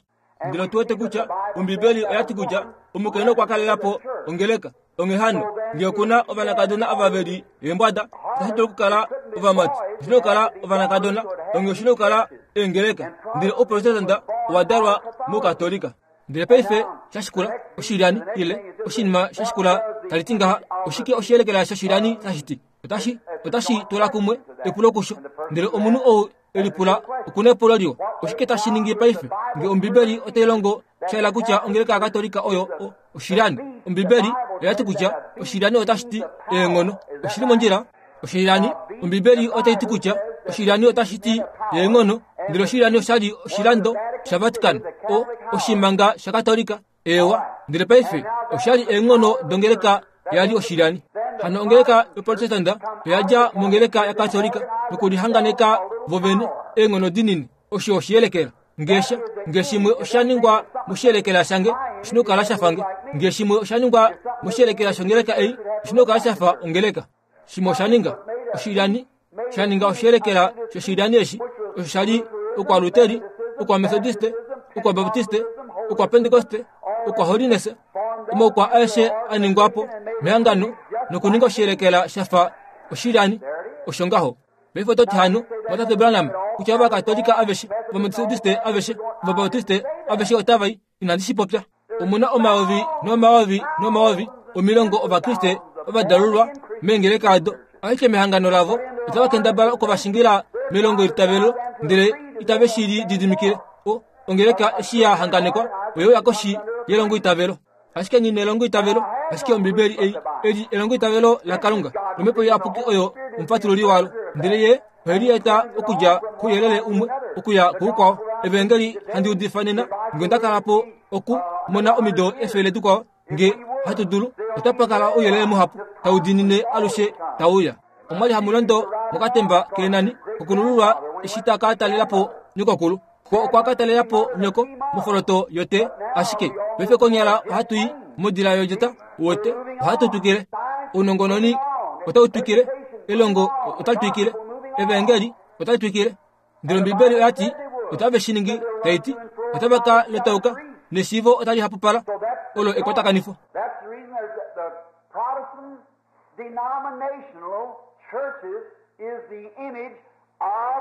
Ndele otu wete kutya Ombibeli oya ti kutya omukainhu okwa kalela po ongeleka. Onghee hano, ngee oku na ovanakadona ava ve li eembwada, itashi dulu okukala ovamati, oshi na okukala ovanakadona, onghee oshi na okukala eengeleka. Ndele Ouprotestanta owa dalwa mOukatolika. Ndele paife sha shikula oshilyani ile oshinima sha shikula tali ti ngaha, oshike oshiyelekela shoshilyani tashi ti? Otashi, otashi tula kumwe epulo kusho. Ndele omunhu ou e lipula oku na epulo liwa. Oshike tashi ningi paife nge Ombibeli otai longo sha yela kutya ongeleka yaKatolika oyo o, oshilyani? Ombibeli oya ti kutya oshilyani otashi ti eenghono. Oshi li mondjila? Oshilyani, Ombibeli otai ti kutya oshilyani otashi ti eenghono, ndele oshilyani osha li oshilando shaVatican, o, oshimanga shaKatolika. Eewa, ndele paife osha li eenghono dongeleka ya li oshilyani. Hano ongeleka yoProtestanta oya dja mongeleka yaKatolika nokulihanganeka vovene eenghono dinini. Osho oshiyelekela. Nge sha, nge shimwe osha ningwa moshiyelekela shange, oshi na okukala sha fa nge. Nge shimwe osha ningwa moshiyelekela shongeleka ei, oshi na okukala sha fa ongeleka. Shimwe osha ninga oshilyani, sha ninga oshiyelekela shoshilyani eshi, osho sha li Okwaluteri, Okwamethodisti, Okwabaptiste, Okwapentekoste, Okwaholiness, omaukwa aeshe a ningwa po mehangano nokuninga oshiyelekela sha fa oshilyani. Osho ngaho. Paife oto ti hano, Mwatate Branham, kutya Ovakatolika aveshe, Ovametodiste aveshe, Ovabaptiste aveshe otava i? Inandi shi popya. Omu na omayovi nomayovi nomayovi omilongo Ovakriste ovadalulwa meengeleka odo, ashike mehangano lavo otava kendabala oku va shingila melongoitavelo, ndele itave shi lididimikile. O, ongeleka eshi ya hanganekwa oye uya koshi yelongoitavelo. Ashike nghi nelongoitavelo, ashike Ombibeli ei eli elongoitavelo laKalunga, nOmhepo Iyapuki oyo omufatululi walo. Ndele Ye ohe li eta okudja kouyelele umwe okuya koukwao. Evaengeli handi udifa nena, nge onda kala po oku mona omido efele dikwao, nge hatu dulu, otapa kala ouyelele muhapu tau diinine alushe tau uya. Omwa li hamu londo mokatemba keenani kokulululwa eshi ta ka talela po nyokokulu. Ko okwa ka talela po nyoko mofoloto yote, ashike paife konyala ohatu i modila yodjeta wote, ohatu twikile. Ounongononi otau twikile, elongo otali twikile, evaengeli. Otai twikile. Ndele Ombibeli oya ti otave shi ningi, tai ti otava ka letauka neshiivo otali hapupala. Olo ekwatakanifo. That's the reason there's the Protestant denominational churches is the image of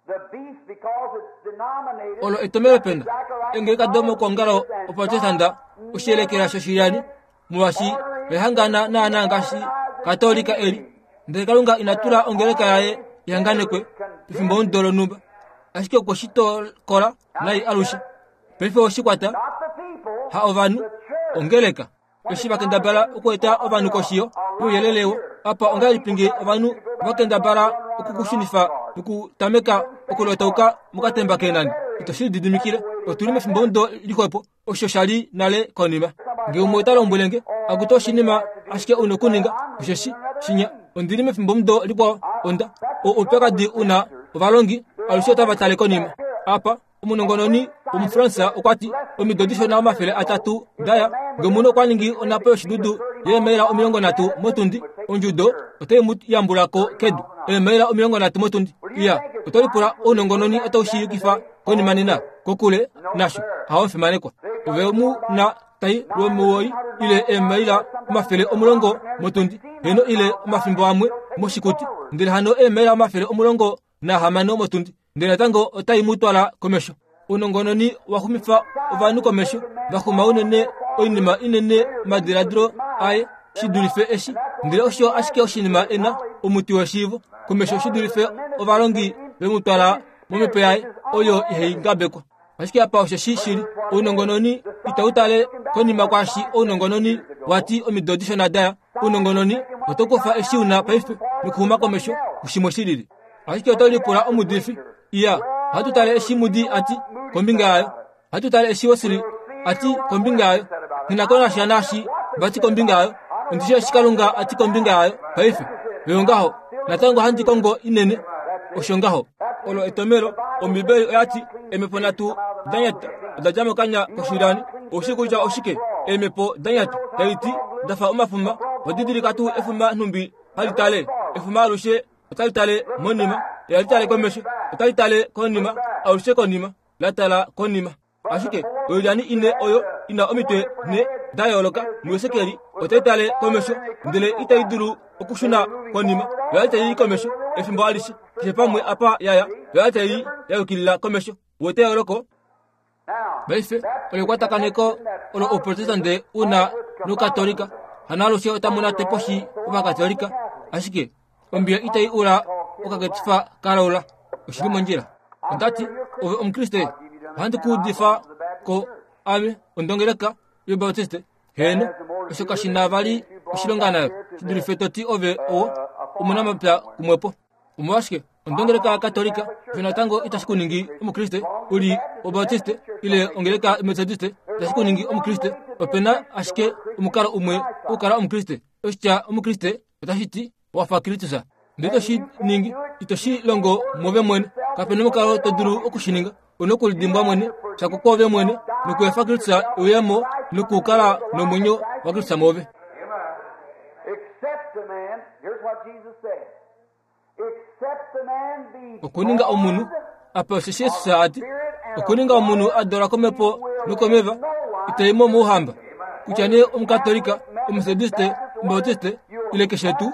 the beast because it's denominated. Olo etomelo pena engeleka domokuongalo oprotestanta oshiyelekela shoshilyani molwaashi oya naanaa ngaashi katolika eli. Ndele Kalunga ina tula ongeleka yaye ihanganekwe pefimbo omudo lonhumba, ashike okwe shi tokola nai alushe. Paife oshi kwata Not the people, ha ovanhu, ongeleka. Eshi va kendabala okueta ovanhu koshiyo youyelele wo apa ongahelipi nge ovanhu va kendabala okukushunifa nokutameka okulotauka mokatemba keenani? Ito shi lididimikile. Otu li mefimbomudo lixwepo, osho sha li nale konima. Nge umwe ota lombwele nge, akutu oshinima ashike u nokuninga, osheshi, shinya, ondi li mefimbomudo likwao, onda, o oupyakadi u na ovalongi, alushe otava tale konima. Apa, Omunongononi Omufransa okwa ti, Omido dishona 300 da ya, nge omunhu okwa ningi onhapo yoshidudu yeemaila 30 motundi, ondjudo otai mu yambula ko kedu. Eemaila 30 motundi! Iya, oto lipula ounongononi otau shi yukifa konima nena? Kokule nasho, hao omufimanekwa. Ove mu na tai lwomuwoi ile eemaila 110 motundi, heeno ile omafimbo amwe moshikuti, ndele hano eemaila 16 motundi. Ndele natango otai mu twala komesho. Ounongononi wa xumifa ovanhu komesho, va xuma unene oinima inene omadiladilo aye shi dulife eshi. Ndele osho ashike oshinima e na omuti weshiivo komesho shi dulife ovalongi ve mu twala momhepo yaye oyo ihai ngabekwa. Ashike apa osho shi shili, ounongononi itau tale konima kwaashi ounongononi wa ti omido dishona daya. Ounongononi oto kufa eshi u na paife nokuxuma komesho kushimwe shi lili. Ashike oto lipula omudifi, Iya, ohatu tale eshi Moody a ti kombinga yayo. Ohatu tale eshi Wesley a ti kombinga yayo. Nghi na ko nasha naashi va ti kombinga yayo. Ondi shii eshi Kalunga a ti kombinga yayo paife. Oyo ngaho. Natango ohandi kongo inene. Osho ngaho. Olo etomelo. Ombibeli oya ti, Eemhepo nhatu da nyata oda dja mokanya koshilyani. Ou shii kutya oshike eemhepo da nyata tadi ti da fa omafuma? Owa didilika tuu efuma nhumbi hali tale? Efuma alushe otali tale monima, ihali tale komesho, otali tale konima, alushe konima, la tala konima. Ashike oilyani ine oyo i na omitwe nhe da yooloka muHesekiel otai tale komesho, ndele itai dulu okushuna konima. Oya li tai i komesho efimbo alishe, keshe pamwe apa ya ya, oya li tai ya yukilila komesho. Uwete eyooloko? Paife olo ekwatakaneko olo Ouprotestante u na nOukatolika. Hano alushe otamu nate poshi Ovakatolika, ashike ombiya itai ula okaketifa ka laula. Oshi li mondjila. Onda ti, Ove Omukriste, ohandi ku udifa ko ame ondongeleka yObaptiste. Heeno, osho kashi na vali oshilonga nayo, shi dulife to ti ove owo omunamapya kumwepo. Omolwashike ondongeleka yaKatolika osho natango itashi ku ningi Omukriste u li Obautiste ile ongeleka Metodiste itashi ku ningi Omukriste? Ope na ashike omukalo umwe okukala Omukriste. Oshitya Omukriste otashi ti wa fa Kristus. Ndele ito shi ningi, ito shi longo mwove mwene. Kape na omukalo to dulu oku shi ninga. U na okulidimbwa mwene, shako kwoove mwene, nokuefa Kristus e uye mo nokukala nomwenyo waKristus mwoove. Except a man, here's what Jesus said. Okuninga omunhu, apa osheshi Jesus a ti, okuninga omunhu a dalwa komhepo nokomeva, ita i mo mouhamba. Kutya nee Omukatolika, Omumetodiste, Omubautiste, ile keshe tuu,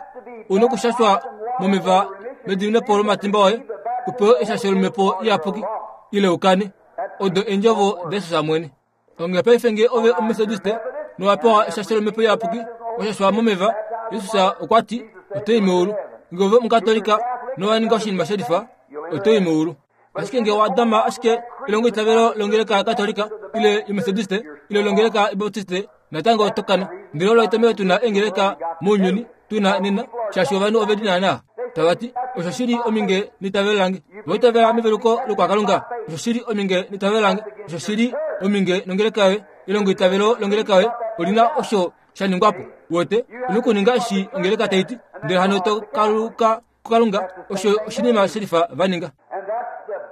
ou na okushashwa momeva mediminepo lomatimba oye, u pewe eshasho lomhepo iyapuki, ile u kane. Odo eendjovo daJesus mwene. Onghee paife nge ove Omumetodiste nowa pewa eshasho lOmhepo Iyapuki, wa shashwa momeva, Jesus okwa ti, oto i meulu. Nge ove Omukatolika nowa ninga oshinima she lifa, oto i meulu. Ashike nge owa dama ashike elongoitavelo longeleka yaKatolika ile yOmetodiste ile longeleka yObaptiste, natango oto kana. Ndele olo etomhelo tu na eengeleka mounyuni tu na nena, shaashi ovanhu ove li naanaa tava ti, Osho shi li ominge neitavelo lange. Owa itavela meveluko lokwakalunga? Osho shi li ominge neitavelo lange. Osho shi li ominge nongeleka yoye. Elongoitavelo longeleka yoye oli na osho sha ningwa po. Uwete, u na okuninga eshi ongeleka tai ti, ndele hano to kaluka kuKalunga. Osho oshinima shelifa va ninga.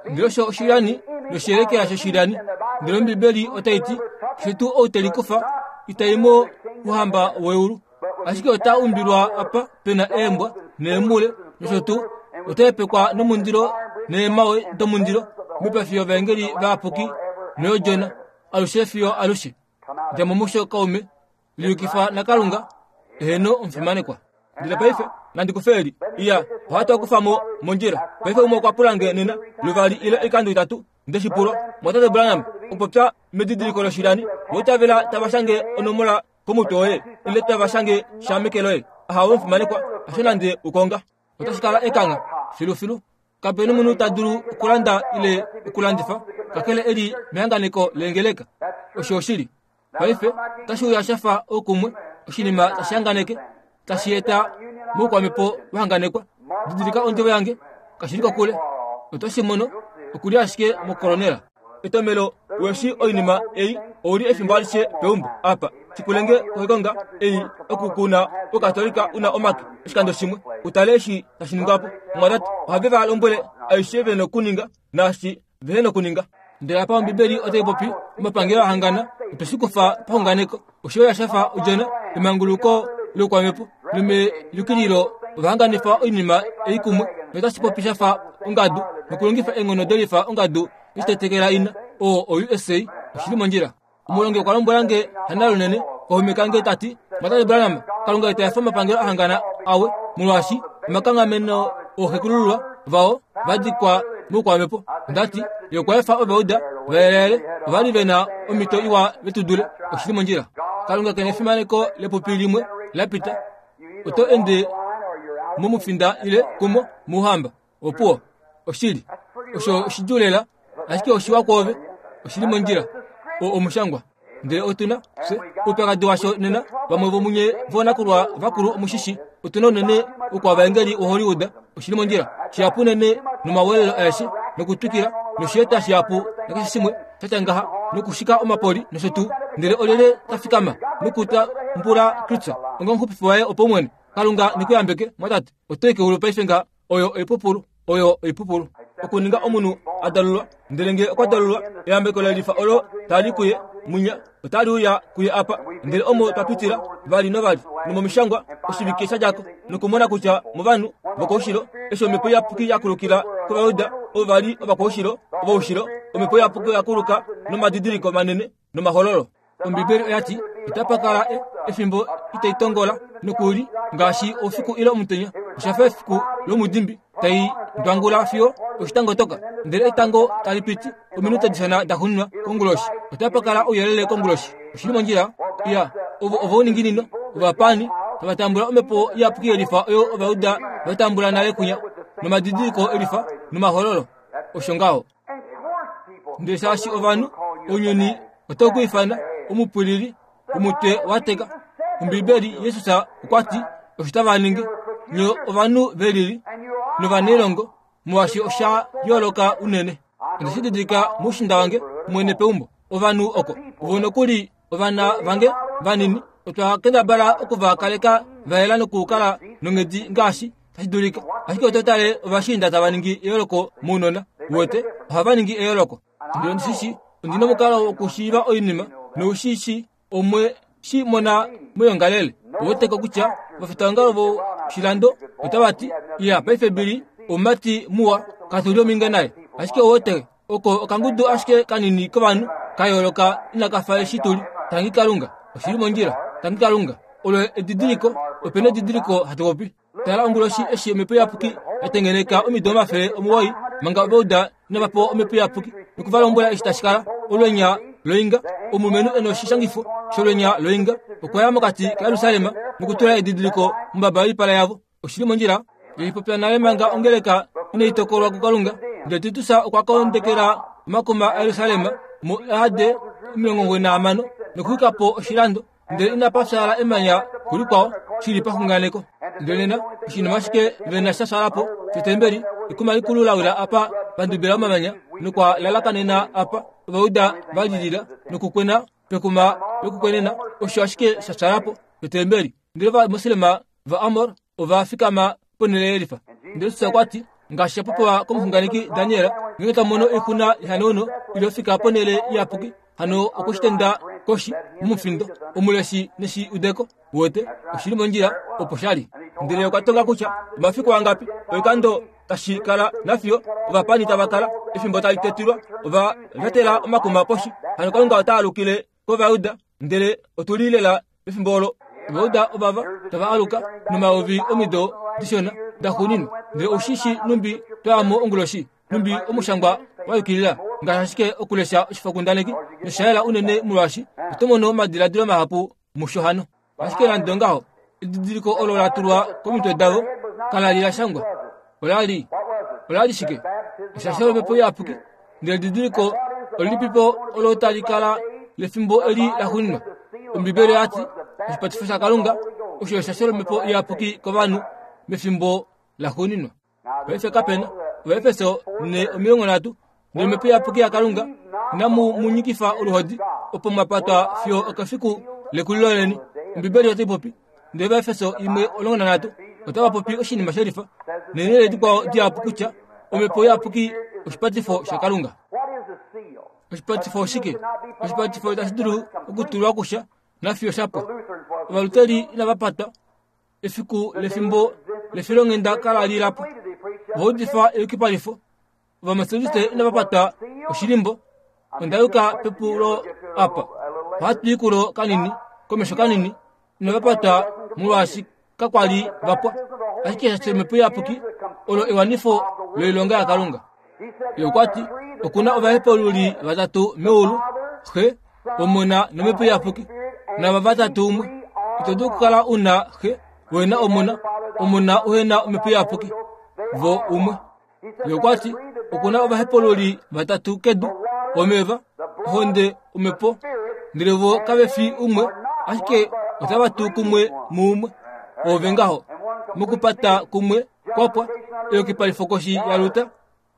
Ndele osho oshilyani noshiyelekela shoshilyani. Ndele Ombibeli otai ti, Keshe tuu ou te likufa, ita i mo mouhamba weulu. Ashike ota umbilwa apa pe na eembwa neemule nosho tuu, ota hepekwa nomundilo. Neemawe domundilo moipafi yovaengeli vayapuki noyOdjona, alushe fiyo alushe. Dja mo musho kaume, liyukifa naKalunga, eheno omufimanekwa. Ndele paife, nandi kufe eli. Iya, ohatu a kufa mo mondjila. Paife umwe okwa pula nge nena, luvali ile oikando itatu, nde shi pulwa, Mwatate Branham, okupopya medidiliko loshilani, vo itavela tava shange onomola komutwe woye, ile tava shange sha meke loye. Ahawe omufimanekwa, hasho nande ukonga. Otashi kala ekangha, filufilu. Kape nomunhu ta dulu okulanda ile okulandifa, kakele e li mehanganeko leengeleka. Osho oshili. Paife, otashi uya sha fa oukumwe, oshinima tashi hanganeke, tashi eta moukwamhepo wa hanganekwa. Didilika ondjovo yange, kashi li kokule. Oto shi mono, oku li ashike mokolonela. Etomelo weshi oinima ei ouli efimbo alishe peumbo apa. Shikulenge koikonga ei oku kuna Ukatolika una omake oshikando shimwe utale eshi tashi ningwa po. Omwatate ohave va lombwele aishe ve nokuninga naashi vehe nokuninga. Ndele apa Ombibeli otai popi omapangelo a hangana otwe shi kufa paxunganeko. Osho ya shafa odjona emanguluko loukwamhepo nomeyukililo ova hanganifa oinima ei kumwe notashi popi sha fa ongadu nokulongifa eenghono delifa ongadu yeshitetekela ina oo o-USA oshi li mondjila. Omulongi okwa lombwela nge hana lunene kaume kange ta ti, Mwatate Branham, Kalunga ita efa omapangelo a hangana awe, molwaashi omakanghameno ooxekulululwa vao va dikwa moukwamhepo. Onda ti, Ye okwa efa Ovauda va yeleyele, ova li ve na omhito iwa ve tu dule. Oshi li mondjila. Kalunga ke na efimaneko lepupi limwe la pita. Oto ende momufinda ile kumo mouhamba. Opuwo, oshili. Osho oshidjuu lela, ashike oshiwa kwoove. Oshi li mondjila. O omushangwa. Ndele otu na, fye, oupyakadi washo nena, vamwe vomunye voonakulwa vakulu omushishi, otu na unene oukwavaengeli woHollywood, oshi li mondjila, shihapu unene nomawelelo aeshe, nokutwikila, noshieta shihapu nakeshe shimwe sha tya ngaha, nokushika omapoli nosho tuu. Ndele olyelye ta fikama nokutambula Kristus onga omuxupifi waye wopaumwene? Kalunga ne ku yambeke, mwatate. Oto i keulu paife nga Oyo oipupulu, oyo oipupulu. Okuninga omunhu a dalulwa, ndele nge okwa dalulwa, eyambeko lelifa olo tali kuye mwinya otali uya kuye apa. Ndele omo twa pitila vali novali nomomishangwa oshivike sha dja ko, nokumona kutya movanhu vokoushilo, eshi Omhepo Iyapuki ya kulukila kOvajuda ovo va li ovakoushilo, ovoushilo, Omhepo Iyapuki oya kuluka nomadidiliko manene nomahololo. Ombibeli oya ti, Itapa kala e, efimbo itai tongola nokuli ngaashi oufiku ile omutenya. Osha fa efiku lomudimbi tai ndwangula fiyo oshitango toka, ndele etango tali piti ominute dishona da xuninwa konguloshi. Otapa kala ouyelele konguloshi. Oshi li mondjila? Iya, ovo ovouninginino, ovapaani, tava tambula omhepo iyapuki yelifa oyo Ovajuda va tambula nale kunya, nomadidiliko elifa nomahololo. Osho ngaho. Ndele shaashi ovanhu, ounyuni otau ku ifana omupwilili, omutwe wa teka. Ombibeli, Jesus okwa ti, osho tava ningi, nye ovanhu ve lili novanailongo, molwaashi osha yooloka unene. Onde shi didilika moushinda wange mwene peumbo. Ovanhu oko, vo nokuli ovana vange vanini, otwa kendabala oku va kaleka va yela nokukala nonghedi ngaashi tashi dulika. Ashike oto tale ovashiinda tava ningi eyooloko mounona, uwete, ohava ningi eyooloko. Ndele ondi shi shii, ondi nomukalo wokushiiva oinima, nou shi shii, omwe shi mona moyongalele. Ouweteko kutya ovafitaongalo voshilando otava ti, Iya, paife Billy omumati muwa, katu li ominge naye. Ashike ouwete, oko okangudu ashike kanini kovanhu ka yooloka inaka fa eshi tu li. Tangi Kalunga, oshi li mondjila. Tangi Kalunga. Olo edidiliko, ope na edidiliko hatu popi. Tala onguloshi eshi Omhepo Iyapuki ya tengeneka omido 900 manga Ovauda inava pewa Omhepo Iyapuki noku va lombwela eshi tashi kala olwenya loinga. Omulumenhu e noshishangifo sholwenya loinga okwa ya mokati kaJerusalem nokutula edidiliko mombaba yoipala yavo. Oshi li mondjila? Ye popya nale manga ongeleka inai tokolwa kuKalunga. Ndele Titus okwa kondekela omakuma aJerusalem muAD 96 nokuxwika po oshilando. Ndele inapa fyaala emanya kulikwao shi li paxunganeko. Ndele nena oshinima ashike ve na sha fyaala po shotembeli, ekuma likulu la wila apa va ndubila omamanya nokwa lalakanena apa Ovauda va lilila nokukwena pekuma lokukwenena, osho ashike sha fyaala po shotembeli. Ndele Ovamoslema vaAmor ova fikama ponhele yelifa. Ndele Jesus okwa ti, ngaashi sha popiwa komuxunganeki Daniel, ngeenge ta mono oixuna yehanauno ile ofika ponhele iyapuki, hano okwe shi tenda koshi momufindo. Omuleshi neshi udeko, uwete, oshi li mondjila opo sha li. Ndele okwa tonga kutya omafiku angapi oikando tashi kala nafiyo ovapani tava kala efimbo tali tetilwa ova lyatela omakuma poshi hano kalunga ota alukile kovayuda ndele otu li lela pefimbo olo ovayuda ovava tava aluka nomayovi omido dishona daxuuninwa ndele oushi shi numbi twayamo onguloshi numbi omushangwa wa yukilila ngaashi ashike okulesha oshifokundaneki nosha yela unene molwaashi oto mono omadiladilo mahapu musho hano ashike nande ongaho edidiliko olo la tulwa komitwe davo kala li la shangwa ola li ola li shike eshasho lomhepo iyapuki ndele edidiliko olilipipo olo tali kala lefimbo eli la xuninwa ombibeli oya ti oshipatifo shakalunga osho eshasho lomhepo iyapuki kovanhu mefimbo la xuninwa paife kapena ovaefeso ne 30 nomhepo iyapuki yakalunga inamu mu nyikifa oluhodi opo mwa patwa fiyo okefiku lekulilo leni ombibeli otai popi ndele vaefeso 1:13 otava popi oshinima shelifa neenhele dikwao dihapu kutya omhepo iyapuki oshipatifo shakalunga oshipatifo oshike oshipatifo itashi dulu okutulwa kusha nafiyo shapwa ovaluteli inava patwa efiku lefimbo lefilonghenda kala li lapo ova udifa eyukipalifo ovametodiste inava pata oshilimbo onda yuka pepulo apa ohatu i kulo kanini komesho kanini inava pata molwaashi kakwa li va pwa ashike eshasho lomhepo iyapuki olo ewanifo loilonga yakalunga ye okwa ti oku na ovahepaululi vatatu meulu xe omona nomhepo iyapuki nava vatatu umwe ito dulu okukala u na xe wena omona omona uhena omhepo iyapuki vo umwe ye okwa ti oku na ovahepaululi vatatu kedu omeva ohonde omhepo ndele vo kave fi umwe ashike otava tu kumwe muumwe ove ngaho mokupata kumwe kwapwa eyukipalifo koshi yaluta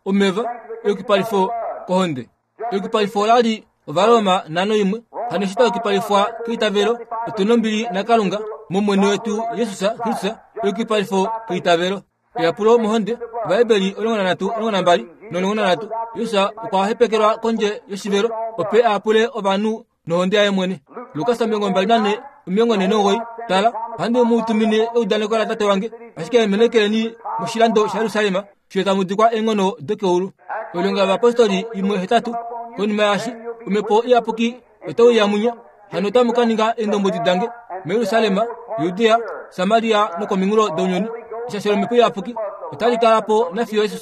omeva eyukipalifo kohonde eyukipalifo ola li ovaroma nano imwe hano eshi twayukipalifwa keitavelo otu nombili nakalunga momwene wetu jesus kristus eyukipalifo keitavelo eyapulo mohonde ovaheberi 13 12 no13 jesus okwa hepekelwa kondje yoshivelo ope a yapule ovanhu nohonde yaye mwene lukas 24 49 tala ohandi mu tumine eudaneko latate wange ashike menekeleni moshilando shajerusalem fiyo tamu dikwa eenghono dokeulu oilonga yovapostoli 1:8 konima yaashi omhepo iyapuki otauya munye hano otamu ka ninga eendombwedi dange mujerusalem judea samaria nokominghulo dounyuni eshasho lomhepo iyapuki otali kala po nafiyo jesus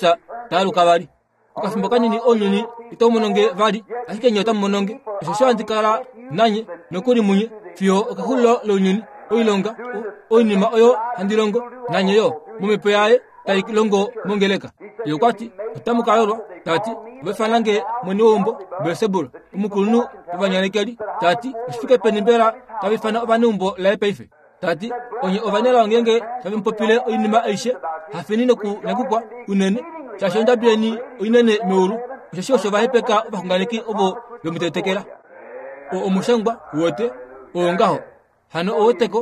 ta aluka vali okafimbo kanini ounyuni itau mono nge vali ashike nye otamu mono nge osho sho handi kala nanye nokuli munye fiyo okexulilo lounyuni oilonga oinima oyo handi longo nanye yo momhepo yaye tai longo mongeleka ye okwa ti otamu ka yolwa ta ti ova ifana nge mwene weumbo belsebul omukulunhu wovanyanekeli ta ti oshifike peni mbela tava ifana ovaneumbo laye paife ta ti onye ovanelao ngeenge tave mu popile oinima aishe hafeni nokunyakukwa unene shaashi ondjabi yeni oinene meulu osheshi osho va hepeka ovaxunganeki ovo ve mu tetekela o omushangwa wete oo ngaho hano oweteko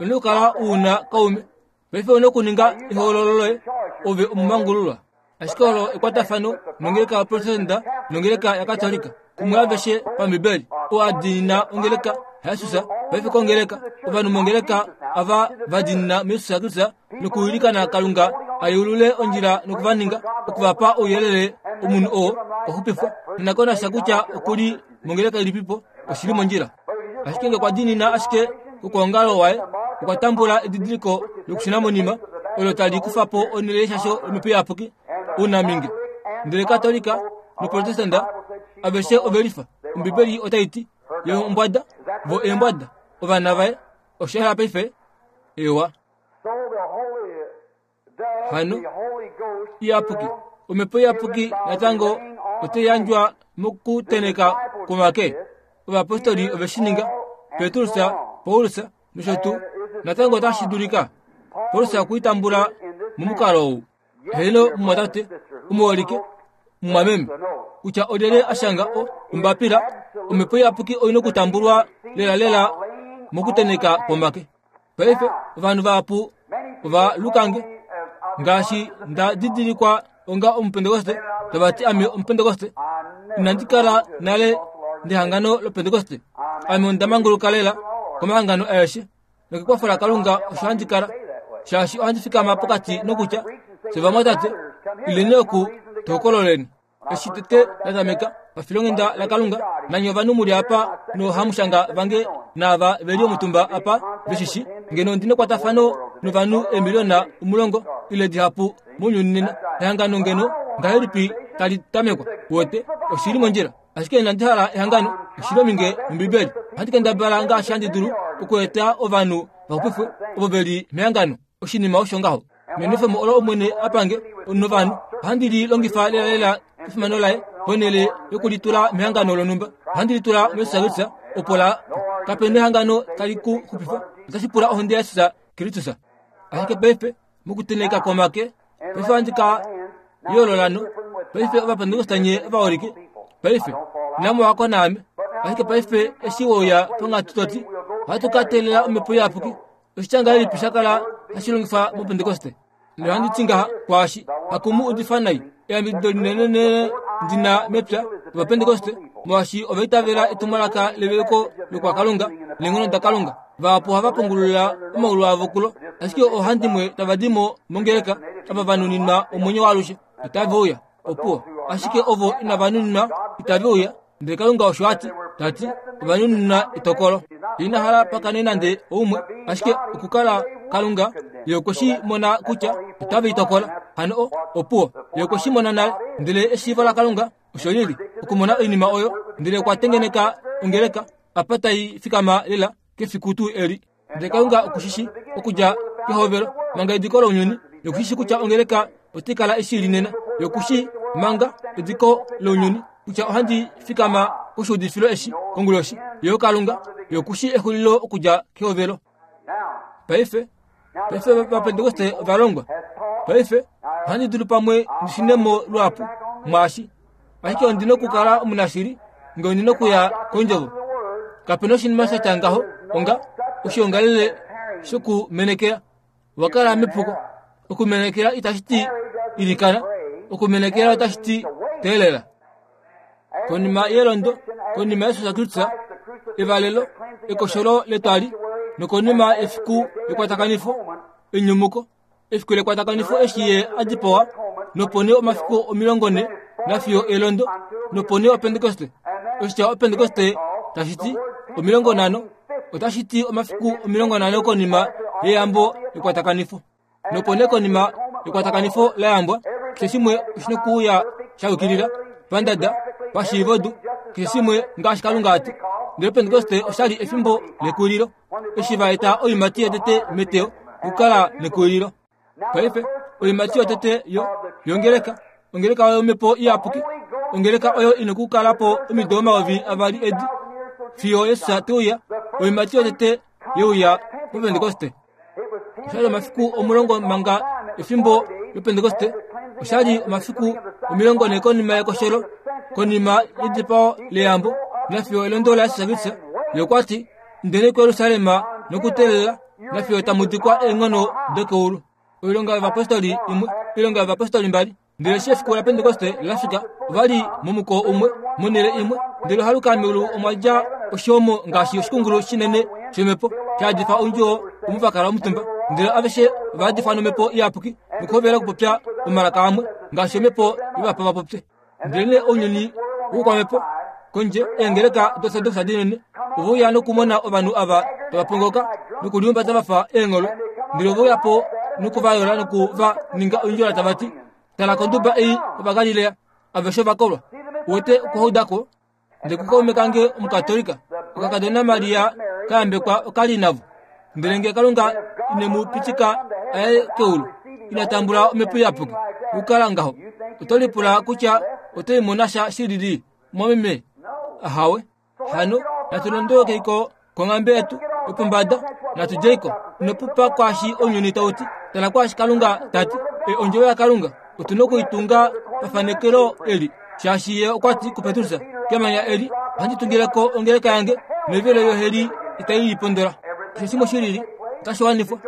one okukala u na kaume paife one okuninga ehoololo loye ove omumangululwa ashike olo ekwatafano nongeleka yaprotestanta nongeleka yakatolika kumwe aveshe pambibeli oo a diinina ongeleka yajesus paife kongeleka ovanhu mongeleka ava va diinina mujesus kristus nokuilikana kalunga a yeulule ondjila noku va ninga oku va pa ouyelele omunhu oo okwa xupifwa ninakonasha kutya okuli mongeleka ilipipo oshili mondjila ashike nge okwa diinina ashike kokwoongalo waye okwa tambula edidiliko lokushuna monima olo tali kufa po onhele yeshasho lomhepo iyapuki ounaminge ndele katolika noprotestanta aveshe ove lifa ombibeli otai ti ye ombwada vo eembwada ovana vaye osha hala paife ewa hano iyapuki omhepo iyapuki natango otai yandjwa mokuteneka kwomake ovapostoli ove shi ninga petrus paulus nosho tuu natango otashi dulika paulus okuitambula momukalo ou heeno mumwatate omuholike mumwameme kutya olyelye a shanga ombapila omhepo iyapuki oi na okutambulwa lelalela mokuteneka kwomake paife ovanhu vahapu ova lukange ngaashi nda didilikwa onga omupentekoste tava ti ame omupentekoste inandi kala nale ndehangano lopentekoste ame onda manguluka lela komahangano aeshe nokekwafo lakalunga osho handi kala shaashi ohandi fikama pokati nokutya fye vamwatate Ileni oku, tu hokololeni. Eshi tete la tameka pafilonghenda laKalunga, nanye ovanhu mu li apa noohamushanga vange naava ve li omutumba apa ve shi shi, ngeno ondi nekwatafano novanhu eemiliona omulongo ile dihapu mounyuni nena, ehangano ngeno ngahelipi tali tamekwa? Uwete, oshi li mondjila. Ashike inandi hala ehangano, oshi li ominge nOmbibeli. Ohandi kendabala ngaashi handi dulu okueta ovanhu va xupifwe ovo ve li mehangano. Oshinima osho ngaho. Nenwefemo olo Omwene a pange novanhu, ohandi li longifa lelalela kefimano laye, ponhele yokulitula mehangano lonhumba. Ohandi litula muJesus opo la kape nehangano tali ku xupifa. Otashi pula ohonde yaJesus Kristus. Ashike paife, mokutenheka kwomake, paife ohandi ka yoolola no paife Ovapentekoste nye ovaholike. Paife, inamu wako naame. Ashike paife eshi we uya ponghatu to ti, ohatu ka teelela Omhepo Iyapuki. Oshitya ngahelipi sha kala hashi longifwa mOpentekoste? Ndele ohandi ti ngaha kwaashi, haku mu udifa nai, eyambidido linenenene ndi na mepya lOvapentekoste, molwaashi ova itavela etumwalaka leveluko lokwakalunga neenghono daKalunga. Vahapu ohava pungulula omaulu avo kulo, ashike oohandimwe tava di mo mongeleka ava va nuninwa omwenyo waalushe otave uya. Opuwo. Ashike ovo inava nuninwa itave uya. Ndele Kalunga osho a ti, ta ti, ova nuninwa etokolo. Ina hala pa kane nande oumwe, ashike okukala Kalunga, ye okwe shi mona kutya otave i tokola. Hano o, opuwo. Ye okwe shi mona nale. Ndele eshiivo laKalunga osho li li, okumona oinima oyo, ndele okwa tengeneka ongeleka apa tai fikama lela kefiku tuu eli. Ndele Kalunga oku shi shii okudja kehovelo manga ediko lounyuni, ye oku shi shii kutya ongeleka otai kala eshi li nena. Ye oku shii manga ediko lounyuni kutya ohandi fikama koshuudifilo eshi konguloshi. Ye oKalunga, ye oku shii exulilo okudja kehovelo. Paife, paife Ovapentekoste ova longwa. Paife, ohandi dulu pamwe ndi shune mo luhapu mwaashi, ashike ondi nokukala omunashili nge ondi nokuya kondjovo. Kape na oshinima sha tya ngaho onga oshiongalele shokumenekela. Owa kala mepuko. Okumenekela itashi ti ilikana. Okumenekela otashi ti teelela. Konima yelondo, konima yesu shaKristus, evalelo, ekosholo letwali, nokonima efiku lekwatakanifo, enyumuko, efiku lekwatakanifo eshi ye a dipawa, nopo nee omafiku 40 nafiyo elondo, nopo nee Opentekoste. Oshitya Opentekoste tashi ti 50, otashi ti omafiku 50 konima yeyambo lekwatakanifo. Nopo nee konima yekwatakanifo la yambwa, keshe shimwe oshi nokuuya sha yukilila, pandada, pashiivodu, keshe shimwe ngaashi Kalunga a ti. Ndele Opentekoste osha li efimbo lekulilo. Eshi va eta oiimati yotete meteyo, okukala nekulilo. Paife, oiimati yotete yo, yongeleka, ongeleka oyo Omhepo Iyapuki, ongeleka oyo i nokukala po omido 2000 edi, fiyo Jesus te uya, oiimati yotete ye uya poPentekoste. Osha li omafiku 10 manga efimbo lOpentekoste, osha li omafiku 40 konima yekosholo, konima yedipao leyambo, nafiyo elondo laJesus Kristus. Ye okwa ti, Indeni kuJerusalem nokuteelela nafiyo tamu dikwa eenghono dokeulu. Oilonga yOvapostoli imwe, Oilonga yOvapostoli mbali. Ndele eshi efiku laPentekoste la fika, ova li momukoo umwe, monhele imwe. Ndele ohaluka meulu omwa dja oshomo ngaashi oshikungulu shinene shomhepo, sha yadifa oundjuwo omo va kala omutumba. Ndele aveshe ova yadifwa nomhepo iyapuki nokuhovela okupopya omalaka amwe, ngaashi omhepo ye va pa va popye. Ndelenee ounyuni woukwamhepo kondje eengeleka dOrtodoks dinene ove uya nokumona ovanhu ava tava pongoka nokulihumbata va fa eengholwe, ndele ove uya po noku va yola noku va ninga oindjola tava ti, Tala konduba ei Ovagalilea, aveshe ova kolwa. Uwete okuhauda ko? Ndele kukaume kange Omukatolika, okakadona Maria ka yambekwa oka li navo. Ndele nge Kalunga ine mu pitika a ye keulu, ina tambula Omhepo Iyapuki, okukala ngaho, oto lipula kutya oto i mona sha shilili, mumwameme? Ahawe. Hano natu londolokeiko konghambe yetu yopombada, natu djeiko. Ino pupa kwaashi ounyuni tau ti, tala kwaashi Kalunga ta ti. E ondjovo yaKalunga otu noku i tunga pafanekelo eli, shaashi Ye okwa ti kuPetrus, Kemanya eli ohandi tungile ko ongeleka yange, noivelo yoheli itai i pondola. Keshe shimwe shi lili otashi wanifwa.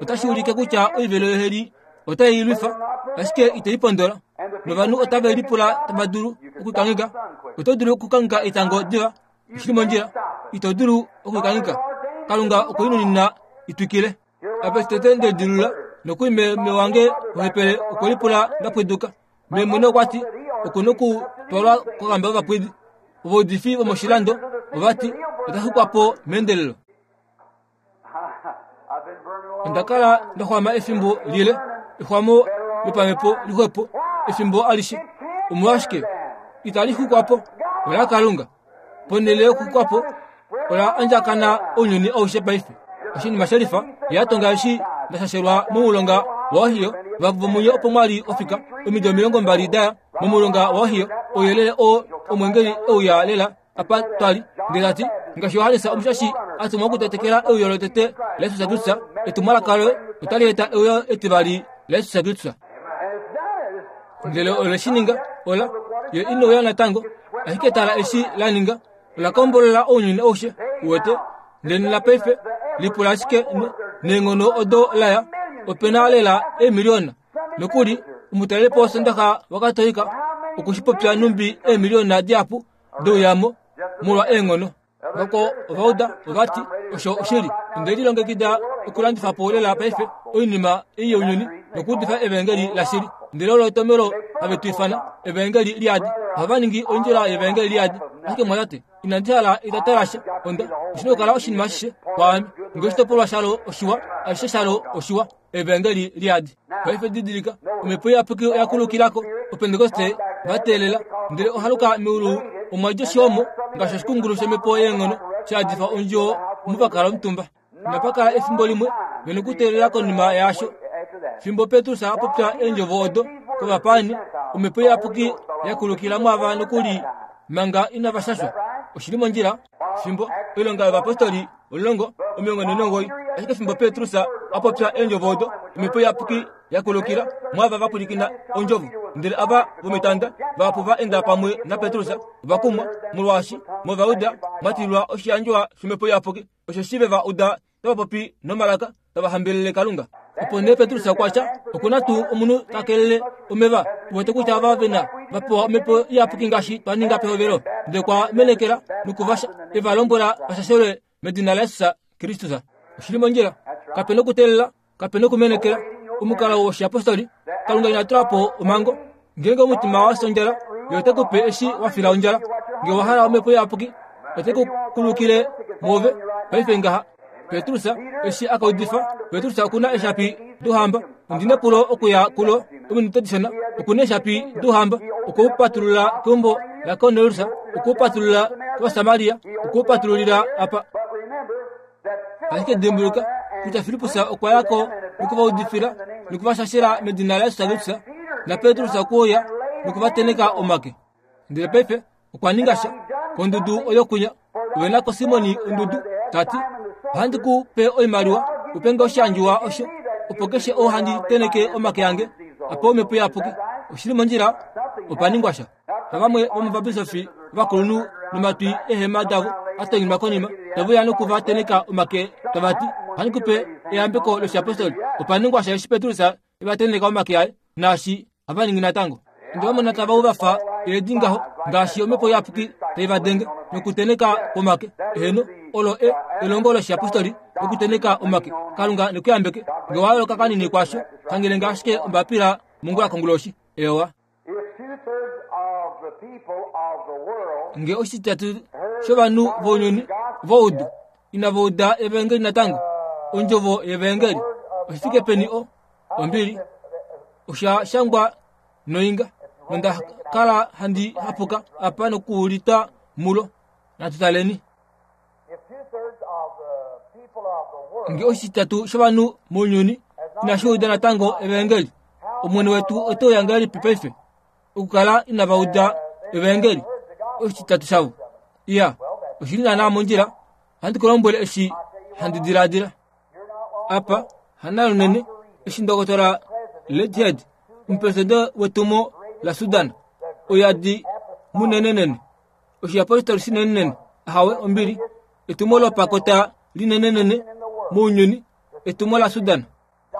Otashi ulike kutya oivelo yoheli otai i lwifa, ashike itai pondola. Novanhu otave lipula tava dulu okukangheka. Oto dulu okukangheka etango diva, oshi li mondjila. Ito dulu okukangheka. Kalunga okwe i nunina i twikile. Apa eshi tete nde lidilulula, nokuli meme wange wohepele okwe lipula nda pwiduka. Memwene okwa ti oku nokutwalwa kokamba yovapwidi. Ovaudifi vomoshilando ova ti ota xukwa po meendelelo. Onda kala nda xwama efimbo lile, exwamo lopamhepo lixwepo efimbo alishe. Omolwashike itali xukwa po? OlaKalunga. Ponhele yokuxukwa po, ola andjakana ounyuni aushe paife. Oshinima she lifa, ye a tonga eshi nda shashelwa momulonga waOhio, vahapu vomunye opo mwa li ofika omido 20 da ya momulonga waOhio, ouyelele oo omweengeli e uya lela apa twa li, ndele ta ti, Ngaashi Johannes Omushashi a tumwa okutetekela euyo lotete laJesus Kristus, etumwalaka loye otali eta euyo etivali laJesus Kristus. Ndele ole shi ninga, ola, ye ine uya natango, ashike tala eshi la ninga, ola kombolola ounyuni aushe, uwete. Ndele nena paife, lipula ashike neenghono odo la ya, ope na lela eemiliona. Nokuli, omutalelipo wOsondaxa waKatolika oku shi popya nhumbi eemiliona dihapu deuyamo molwa eenghono. Vako ova uda, ova ti, Osho oshili. Onde lilongekida okulandifa po lela paife oinima ei younyuni nokuudifa Evaengeli lashili. Ndele olo etomhelo have tu ifana Evaengeli liyadi. Ohava ningi ondjila yEvaengeli liyadi. Ashike mwatate, inandi hala etata lasha. Onda, oshi na okukala oshinima ashishe kwaame. Nge oshitopolwa shalo oshiwa, ashishe shalo oshiwa. Evaengeli liyadi. Paife didilika, Omhepo Iyapuki oya kulukila ko, Opentekoste va teelela, ndele ohaluka meulu omwa dja oshihomo ngaashi oshikungulu shomhepo yeenghono sha yadifa ondjuwo omo va kala omutumba. Inapa kala efimbo limwe ve nokuteelela konima yaasho. Fimbo Petrus a popya eendjovo odo kovapaani, Omhepo Iyapuki ya kulukila mwaava nokuli manga inava shashwa. Oshi li mondjila? Fimbo Oilonga yOvapostoli 10, 49, Ashike fimbo Petrus a popya eendjovo odo, Omhepo Iyapuki ya kulukila mwaava va pwilikina ondjovo. Ndele ava vomitanda vahapu va enda pamwe naPetrus ova kumwa, molwaashi mOvajuda mwa tililwa oshiyandjwa shOmhepo Iyapuki, osheshi ve va uda tava popi nomalaka tava hambelele Kalunga. Opo nee Petrus okwa tya, Oku na tuu omunhu ta kelele omeva? Tu wete kutya ava ve na va pewa omhepo iyapuki ngaashi twa ninga pehovelo. Ndele okwa menekela noku va e va lombwela va shashelwe medina laJesus Kristus. Oshi li mondjila. Kape na okuteelela, kape na okumenekela. Omukalo woshiyapostoli, Kalunga ina tula po omhango. Ngeenge omutima wa fya ondjala, Ye ote ku pe eshi wa fila ondjala. Nge owa hala omhepo iyapuki, ote ku kulukile mwoove paife ngaha. Petrus eshi a ka udifa, Petrus oku na eeshapi douhamba. Ondi nepulo okuya kulo ominute dishona. Oku na eeshapi douhamba. Okwe u patulula keumbo laKornelius, okwe u patulula kOvasamaria, okwe u patululila apa. Ashike dimbuluka kutya Filippus okwa ya ko noku va udifila noku va shashela medina laJesus Kristus, naPetrus okwe uya noku va tenheka omake. Ndele paife okwa ninga sha kondudu oyo kwinya. Ove na ko Simoni ondudu, ta ti, Ohandi ku pe oimaliwa u pe nge oshiandjiwa osho, opo keshe ou handi tenheke omake ange a pewe Omhepo Iyapuki. Oshi li mondjila, opa ningwa sha. Navamwe vomovabisofi ovakulunhu nomatwi eehema davo a tonyenwa konima, tave uya noku va tenheka omake tava ti, Ohandi ku pe eyambeko loshiyapostoli. Opa ningwa sha eshi Petrus e va tenheka omake aye, naashi hava ningi natango. Onde va mona tava u va fa eedi ngaho, ngaashi omhepo iyapuki tai va denge nokutenheka kwomake. Eheno, olo e, elongo loshiyapostoli lokutenheka omake. Kalunga ne ku yambeke. Nge wa yooloka kanini kwaasho, shangele nge ashike ombapila mongula konguloshi. Eewa. Nge oshititatu shovanhu vounyuni voudu inava uda evaengeli natango, ondjovo yevaengeli, oshi fike peni o, ombili, osha shangwa noinga, nonda kala handi hapuka apa nokuulita mulo. Natu taleni. Nge oshititatu shovanhu mounyuni inashi uda natango evaengeli, Omwene wetu ote uya ngahelipi paife okukala inava uda evaengeli? Oshititatu shavo. Iya, oshi li naanaa mondjila. Ohandi ku lombwele eshi handi diladila. Apa, hanalunene, eshi ndokotola Ledhead, omupresidente wetumo laSudan, oyadi munenenene, oshiyapostoli shinenenene, ahawe, ombili, etumo lopakota linenenene mounyuni, etumo laSudan.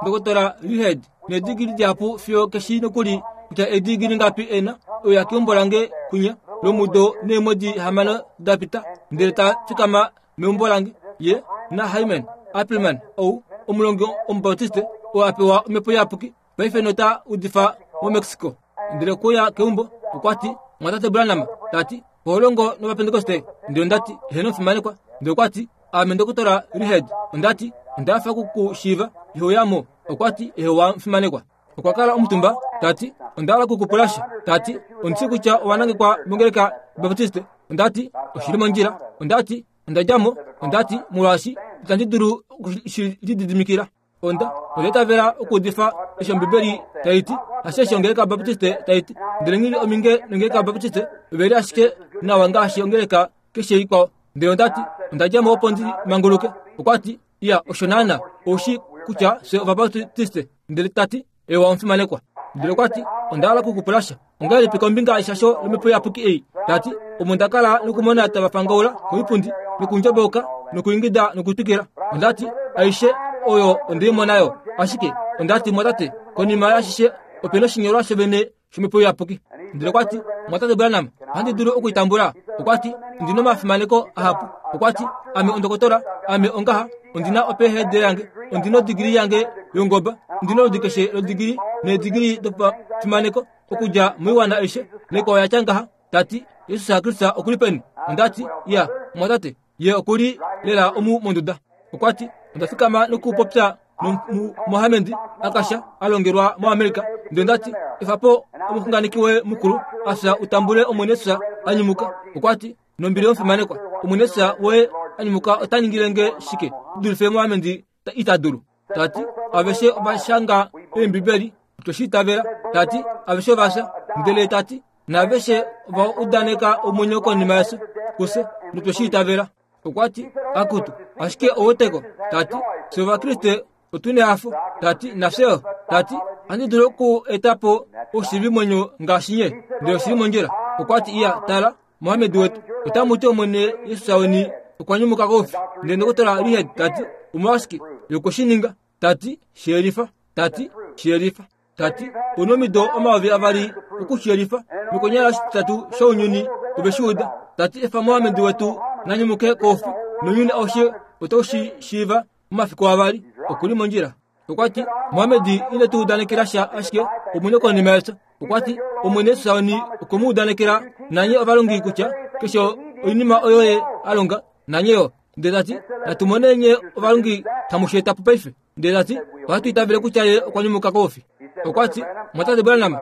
Ndokotola Reed needigili dihapu fiyo keshi nokuli kutya eedigili ngapi e na, oya keumbo lange kwinya lomudo neemwedi hamano da pita, ndele ta fikama meumbo lange, ye naHyman Appleman, ou omulongi Omubautiste oo a pewa Omhepo Iyapuki paife nota udifa moMexico. Ndele okwe uya keumbo, okwa ti, Mumwatate Branham, ta ti, oho longo nOvapentekoste? Ndele onda ti, Heeno, omufimanekwa. Ndele okwa ti, Aame Ndokotola Reed. Onda ti, Onda hafa oku ku shiiva. Iho uya mo? Okwa ti, Eewa, omufimanekwa. Okwa kala omutumba, ta ti, Onda hala oku ku pula sha. Ta ti, Ondi shii kutya owa nangekwa mongeleka yObaptiste. Onda ti, Oshi li mondjila. Onda ti, Onda dja mo. Onda ti, Molwaashi itandi dulu oku shi lididimikila. Onda onda itavela okuudifa eshi Ombibeli tai ti, hashe eshi ongeleka yObaptiste tai ti. Ndele nghi li ominge nongeleka yObaptiste, ove li ashike nawa ngaashi ongeleka keshe ikwao. Ndele onda ti, Onda dja mo opo ndi manguluke. Okwa ti, Iya, osho naana, ou shii kutya fye Ovabaptiste. Ndele ta ti, Ewa omufimanekwa. Ndele okwa ti, Onda hala oku ku pula sha. Ongahelipi kombinga yeshasho lomhepo iyapuki ei? Ta ti, Omo nda kala nokumona tava fangaula koipundi nokundjobouka nokuingida nokutwikila. Onda ti, Aishe oyo onde i mona yo. Ashike, onda ti, Mwatate, konima yaashishe ope noshinyolwa shovene shomhepo iyapuki. Ndele okwa ti, Mwatate Branham, ohandi dulu oku i tambula? Okwa ti, Ondi na omafimaneko ahapu. Okwa ti, Ame ondokotola, ame ongaha, ondi na oPhD yange, ondi na odigili yange yongoba, ondi na oludi keshe lodigili needigili dopafimaneko okudja moiwana aishe, naikwao ya tya ngaha. Ta ti, Jesus Kristus oku li peni? Onda ti, Iya, mumwatate, Ye oku li lela omu monduda. Okwa ti, Onda fikama nokupopya nomumohamedi a kasha a longelwa moAmerica. Ndele onda ti, Efa po omuxunganeki woye mukulu a fya u tambule Omwene Jesus a nyumuka. Okwa ti, Nombili yomufimanekwa, Omwene Jesus woye a nyumuka ota ningile nge shike dulife Mohamedi ita dulu? Ta ti, Aveshe ova shanga Eembibeli, otwe shi itavela. Ta ti, Aveshe ova fya. Ndele ta ti, Naaveshe ova udaneka omwenyo konima yefyo kufye, notwe shi itavela. Okwa ti, Akutu, ashike oweteko. Ta ti, Fye Ovakriste otu nehafo. Ta ti, Nafye yo. Ta ti, Ohandi dulu oku eta po oushiivimwenyo ngaashi nye, ndele oshi li mondjila. Okwa ti, Iya, tala, Mohammed wetu, otamu ti Omwene Jesus weni okwa nyumuka koufi. Ndele ndokotola Reed ta ti, Omolwashike ye okwe shi ninga? Ta ti, Shi yelifa. Ta ti, Shi yelifa. Ta ti, Ou omido 2000 oku shi yelifa, nokonyala oshititatu shounyuni ove shi uda. Ta ti, Efa Mohammed wetu na nyumuke koufi, nounyuni aushe otau shi shiiva momafiku avali. Oku li mondjila. Okwa ti, Mohammed ine tu udanekela sha ashike omwenyo konima yefyo. Okwa ti, Omwene Jesus weni okwe mu udanekela nanye ovalongi kutya keshe oinima oyo ye a longa nanye yo. Ndele ta ti, Natu mone nye ovalongi tamu shi eta po paife. Ndele ta ti, Ohatu itavele kutya ye okwa nyumuka koufi. Okwa ti, Mwatate Branham,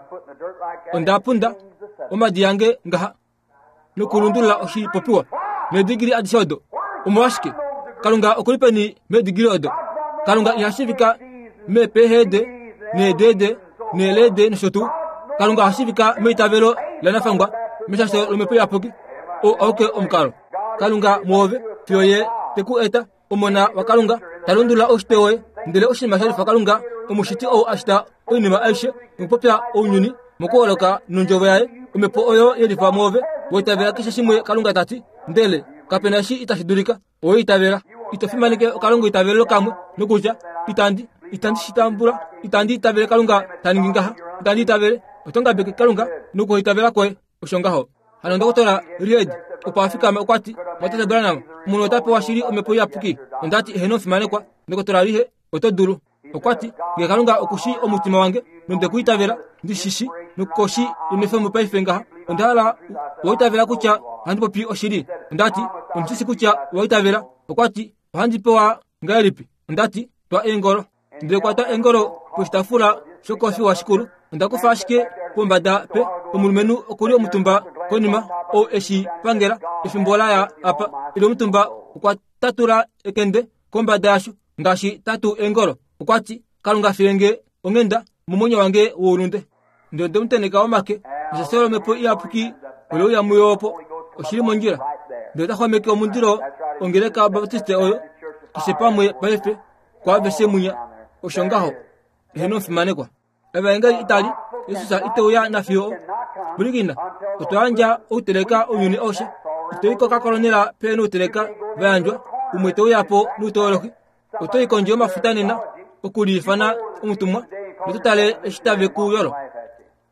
onda punda omadi yange ngaha nokulundulula oshipopiwa needigili adishe odo. Omolwashike? Kalunga oku li peni meedigili odo? Kalunga iha shiivika meepeehede needeede neeleede nosho tuu. Kalunga oha shiivika meitavelo lanafangwa meshasho lomhepo iyapuki. Oo auke omukalo. Kalunga mwoove fiyo ye te ku eta Omona waKalunga ta lundulula oushitwe woye, ndele oshinima sha lifa Kalunga, omushiti ou a shita oinima aishe nokupopya ounyuni mokuholoka nondjovo yaye, omhepo oyo ye lifa mwoove, wa itavela keshe shimwe Kalunga ta ti, ndele kape na eshi itashi dulika, owe itavela. Ito fimaneke okalongo itavelelo kamwe nokutya, Itandi, itandi shi tambula, itandi itavele Kalunga ta ningi ngaha, itandi itavele. Oto ngabeke Kalunga nokuhaitavela kwoye. Osho ngaho. Hano ndokotola Reed opo a fikama okwa ti, Mwatate Branham, omunhu ota pewa shili omhepo iyapuki. Onda ti, Eheno omufimanekwa, ndokotola Reed, oto dulu. Okwa ti, Nge Kalunga oku shii omutima wange, nonde ku itavela, ndi shi shi, nokoshi yomefyo paife ngaha, onda hala wa itavela kutya ohandi popi oshili. Onda ti, Ondi shi shi kutya owa itavela. Okwa ti, Ohandi pewa ngahelipi? Onda ti, Twa eengolo. Ndele kwata engolo poshitaafula shokofiwa shikulu. Onda kufa ashike pombada pe omulumenhu oku li omutumba konima ou eshi pangela efimbo la ya apa ile omutumba okwa tatula ekende kombada yasho ngaashi tatu engolo. Okwa ti, Kalunga file nge onghenda momwenyo wange woulunde. Ndele onde mu tenheka omake, neshasho lomhepo iyapuki ole uya muyo opo. Oshi li mondjila. Ndele ota xwameke omundilo ongeleka yObaptiste oyo keshe pamwe paife kwaaveshe munya. Osho ngaho. Eheno omufimanekwa. Evaengeli itali, Jesus ite uya nafiyo. Pwilikina, otwa yandja outeleka ounyuni aushe. Ito i kokakolonela pe nouteleka va yandjwa, umwe te uya po nouteolohi. Oto i kondje yomafuta nena okuliifana omutumwa noto tale eshi tave ku yolo.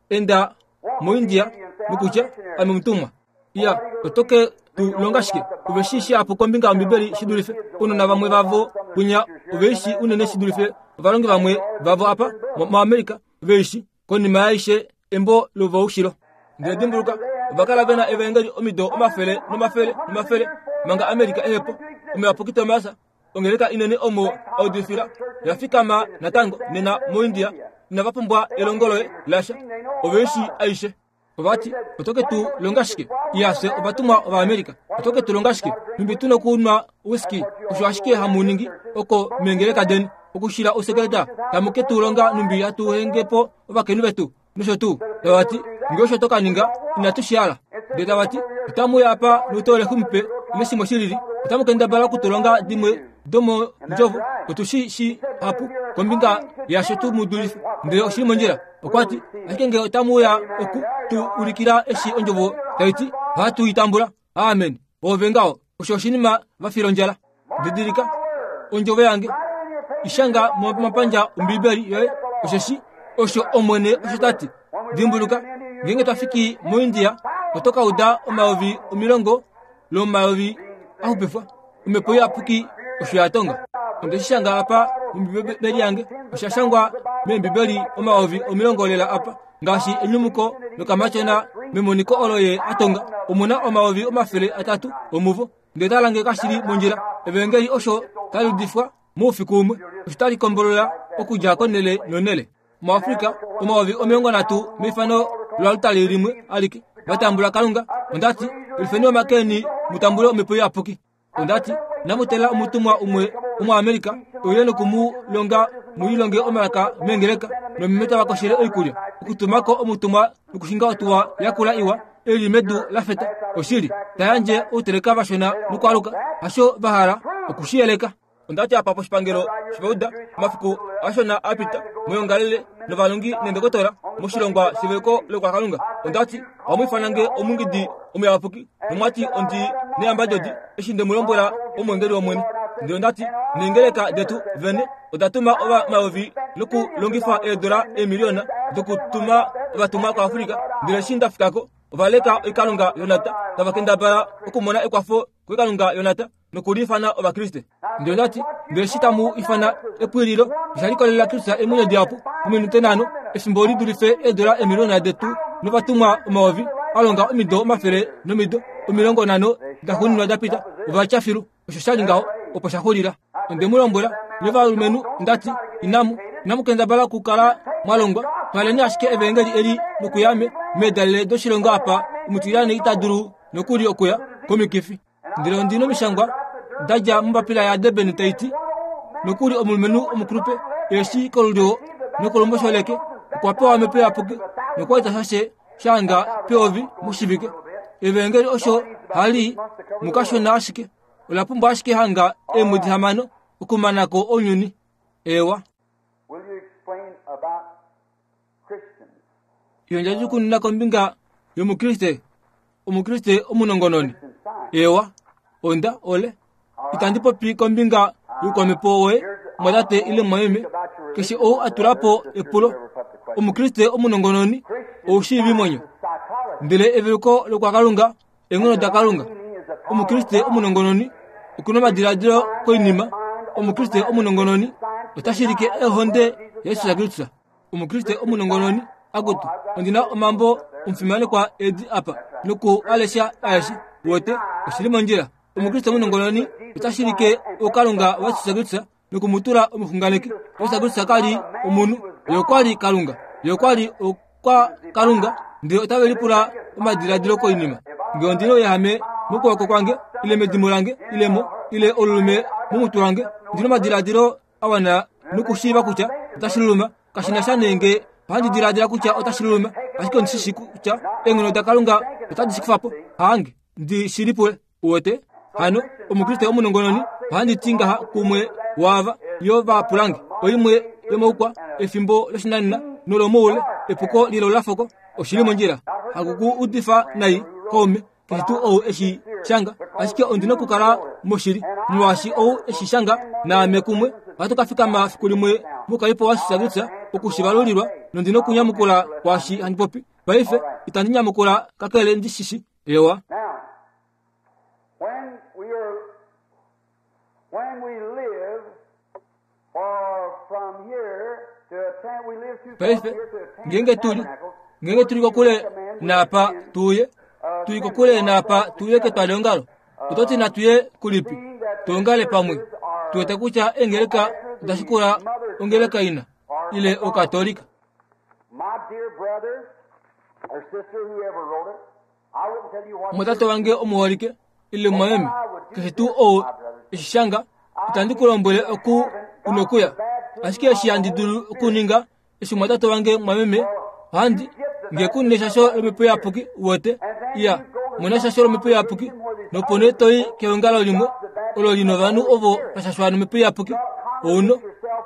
Enda moIndia nokutya ame omutumwa. Iya, oto ke tu longa shike? Ove shii shihapu kombinga yOmbibeli shi dulife ounona vamwe vavo kwinya. Ove i shii unene shi dulife ovalongi vamwe vavo apa moAmerica ve i shi. Konima yaaishe. Embo lovaushilo. Ndele dimbuluka, ova kala ve na evaengeli omido omafele nomafele nomafele manga Amerika ehe po. Omuyapuki Tomas, ongeleka inene omo a udifila, ya fikama natango nena moIndia. Inava pumbwa elongo loye lasha. Ove shii aishe. Ova ti, Oto ke tu longa shike? Iya, fye ovatumwa Ovaamerica. Oto ke tu longa shike? Nhumbi tu nokunwa whisky? Osho ashike hamu ningi oko meengeleka deni, okushila ousekeleta. Tamu ke tu longa nhumbi hatu henge po ovakainhu vetu, nosho tuu. Tava ti, Nge osho to ka ninga, inatu shi hala. Ndele tava ti, Otamu uya apa noutoleki mupe, ile shimwe shi lili. Otamu kendabala oku tu longa dimwe domondjovo. Otu shi shii hapu kombinga yasho tu mu dulife. Ndele oshi li mondjila. Okwa ti, Ashike nge otamu uya oku tu ulikila eshi ondjovo tai ti, ohatu i tambula. Amen. Oove ngaho. Osho oshinima va fila ondjala. Didilika ondjovo yange. I shanga momapandja Ombibeli yoye, osheshi osho Omwene osho ta ti. Dimbuluka, ngeenge twa fiki moIndia, oto ka uda omayovi omilongo lomayovi a xupifwa. Omhepo Iyapuki osho ya tonga. Onde shi shanga apa mOmbibeli yange. Osha shangwa mEembibeli omayovi omilongo lela apa, ngaashi enyumuko lokamatyona memoniko olo ye a tonga. Omu na 300 omuvo. Ndele tala nge kashi li mondjila. Evangeli osho tali udifwa moufiku umwe, osho tali kombolola okudja konhele nonhele. MuAfrika, 30,000 meifano loaltari limwe alike va tambula Kalunga. Onda ti, Lifeni omake eni mu tambule Omhepo Iyapuki. Onda ti, Inamu teelela omutumwa umwe Omuamerika e uye noku mu longa mu lilonge omalaka meengeleka nomeme tava koshele oikulya, okutuma ko omutumwa nokushinga otuwa yakula iwa e li medu la feta, oshili, ta yandje outeleka vashona nokwaaluka. Hasho va hala oku shi yeleka. Onda ti apa poshipangelo shOvauda omafiku ashona a pita, moyongalele novalongi neendokotola moshilongwa sheveko lokwakalunga. Onda ti, Ohamu ifana nge omungidi omuyapuki, nomwa ti ondi neyambadodi eshi nde mu lombwela omwengeli wOmwene. Ndele onda ti, Neengeleka detu vene oda tuma omayovi nokulongifa eedola eemiliona dokutuma ovatumwa koAfrika, ndele eshi nda fika ko, ova leka oikalunga yonata, tava kendabala okumona ekwafo koikalunga yonata. nokuliifana Ovakriste. Ndele onda ti, Ndele eshi tamu ifana epwiililo, osha likolelela Kristus eemwenyo dihapu mominute nhano, efimbo li dulife eedula eemiliona detu novatumwa omayovi a longa omido omafele nomido 50 daxuuninwa da pita, ova tya filu. Osho sha li ngaho, opo sha xulila. Onde mu lombwela, nye ovalumenhu, nda ti, Inamu, inamu kendabala okukala mwa longwa. Twaleni ashike evaengeli eli nokuya me, meedalele doshilongo apa omutilyane ita dulu nokuli okuya, komikifi. Ndele ondi nomishangwa da dja mombapila yaDurban tai ti, Nokuli omulumenhu omukulupe eshi kolulyo nokolumbosho leke okwa pewa omhepo iyapuki nokwa eta sha she sha hanga peyovi moshivike. Evaengeli osho hali mukashona ashike ola pumbwa ashike hanga eemwedi hamano okumana ko ounyuni. Eewa. Yondja kombinga yOmukriste, Omukriste omunongononi. Eewa, onda, ole. Itandi popi kombinga youkwamhepo woye, mwatate ile mwameme, keshe ou a tula po epulo. Omukriste omunongononi, oushiivimwenyo. Ndele eveluko lokwaKalunga, eenghono daKalunga. Omukriste omunongononi oku na omadiladilo koinima. Omukriste omunongononi ota shilike ohonde yaJesus Kristus. Omukriste omunongononi, akutu, ondi na omambo omufimanekwa edi apa noku a lesha aeshe. Wote, oshi li mondjila. Omukriste omunongononi ota shilike oukalunga waJesus Kristus noku mu tula omuxunganeki. Jesus Kristus ka li omunhu, ye okwa li Kalunga. Ye okwa li okwa Kalunga, ndele otave lipula omadiladilo koinima. Nge ondi na ouyahame mokwooko kwange, ile medimo lange, ile mo, ile olulume momutwe wange, ndi na omadiladilo a wana nokushiiva kutya otashi luluma. Kashi na sha nee nge ohandi diladila kutya otashi luluma, ashike ondi shi shii kutya eenghono daKalunga otadi shi kufa po. Haange ndi shi lipule. Uwete? Hano, Omukriste omunongononi, ohandi ti ngaha kumwe waava yo va pulange, oimwe yomoukwa, efimbo loshinanena nolomoule, epuko lilaulafoko, oshi li mondjila. Haku ku udifa nai, kaume, keshe tuu ou e shi shanga, ashike ondi nokukala moshili, molwaashi ou e shi shanga naame kumwe, ohatu ka fikama fiku limwe mokaipo waSisakutsa oku shi valulilwa, nondi nokunyamukula kwaashi handi popi. Paife, itandi nyamukula kakele ndi shi shi. Ewa. When we are, when we live, for from here to attend, we live too far Paife, here to attend ngeenge the tu li tabernacle. Ngeenge tu li kokule naapa tu uye, tu li kokule naapa tu uye ketwaliongalo, oto ti natu ye kulipi? Tu ongale pamwe. Tu wete kutya eengeleka oda shikula ongeleka ina, ile Okatolika. Omwatate wange omuholike, ile mumwameme, keshe tuu ou eshi shanga, itandi ku lombwele oku u nokuya. Ashike eshi handi dulu okuninga, eshi mwatate wange mwameme ohandi nge ku neshasho lomhepo iyapuki uwete iya mona eshasho lomhepo iyapuki nopo nee toyi keongalo limwe olo li novanhu ovo va shashwa nomhepo iyapuki ouno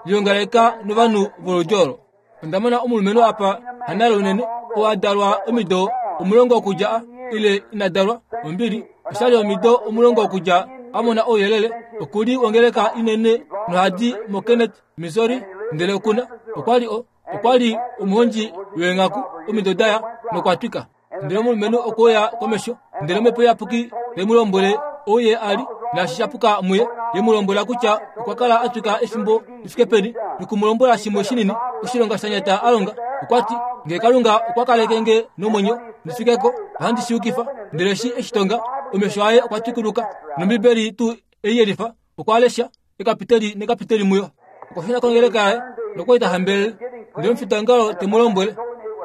liongaleka novanhu voludi olo onda mona omulumenhu apa hanale unene oo a dalwa omido 10 okudja ile ina dalwa ombili oshali omido 10 okudja a mona ouyelele oku li wongeleka inene nohadi moKenneth Missouri, ndele okuna okwa li o okwa li omuhondji weenghaku omido daya nokwa twika. Ndele omulumenhu okwe uya komesho, ndele Omhepo Iyapuki ye mu lombwele ou ye a li, naashi sha puka muye, ye mu lombwela kutya okwa kala a twika efimbo li fike peni, noku mu lombwela shimwe shinini, oshilonga sha nyata a longa. Okwa ti, Nge Kalunga okwa kaleke nge nomwenyo ndi fike ko, ohandi shi yukifa. Ndele eshi e shi tonga, omesho aye okwa twikuluka, nOmbibeli tuu ei yelifa, okwa lesha ekapiteli nekapiteli muyo. Okwa shuna kongeleka yaye nokwa li ta hambelele. Ndele omufitaongalo te mu lombwele,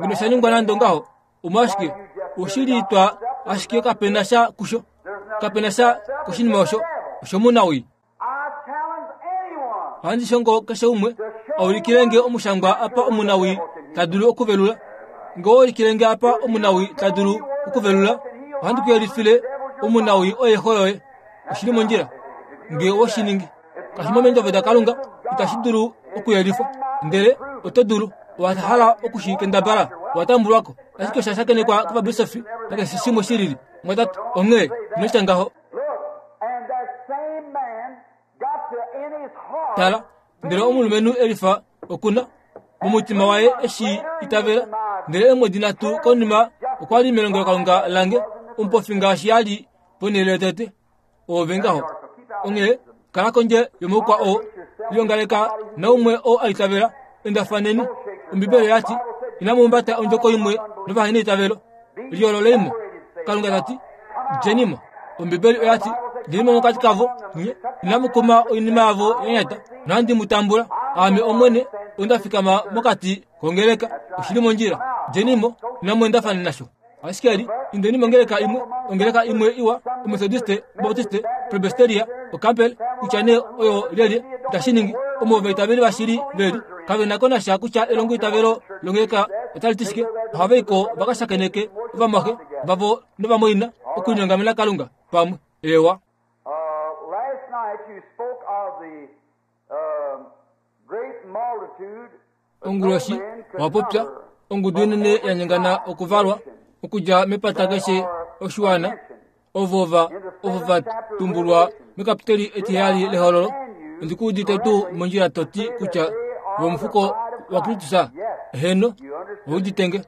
Ngeno sha ningwa nande ongaho, omolwashike oshili twa ashike kape na sha kusho, kape na sha koshinima osho, oshomunawii. Ohandi shongo keshe umwe a ulikile nge omushangwa apa omunawii ta dulu okuvelula. Nge owa ulikile nge apa omunawii ta dulu okuvelula, ohandi ku yelifile omunawii oye xo yoye. Oshi li mondjila nge owe shi ningi. Kashi mo mEendjovo daKalunga, itashi dulu okuyelifwa. Ndele oto dulu, owa hala oku shi kendabala, owa tambulwa ko. Ashike osha shakenekwa kovabisofi nakeshe shimwe shi lili. Mwatate, onghee ino tya ngaho. Tala, ndele omulumenhu Elifa oku na momutima waye eshi itavela. Ndele eemwedi nhatu konima okwa li melongelokalunga lange, omupofi ngaashi a li ponhele yotete. Oove ngaho. Onghee kala kondje yomoukwa oo. Liongaleka naumwe oo a itavela. Endafaneni. Ombibeli oya ti, Inamu humbata ondjoko imwe novaheneitavelo. Liyoololei mo. Kalunga ta ti, Djeni mo. Ombibeli oya ti, Djeni mo mokati kavo, nye inamu kuma oinima yavo ya nyata, nohandi mu tambula. Aame Omwene, onda fikama mokati kongeleka. Oshi li mondjila. Djeni mo, inamu endafana nasho. Ashike li indeni mongeleka imwe, ongeleka imwe iwa, Omethodiste, Baptiste, Presbyteria, Ocampbell, kutya nee oyo lyelye, itashi ningi. Omo ovaitaveli vashili ve li, kave na ko nasha kutya elongoitavelo longeleka otali ti shike. Ohava i ko va ka shakeneke ovamwaxe vavo novamwaina okulinyongamena Kalunga pamwe. Eewa. Last night you spoke of the great multitude Onguloshi owa popya ongudu inene ya nyengana okuvalwa okudja mepata keshe oshiwana ovo va ovo va tumbulwa mekapiteli etiheyali lehololo. Ondi ku udite tuu mondjila to ti kutya vo omufuko waKristus? Heeno, ou udite nge.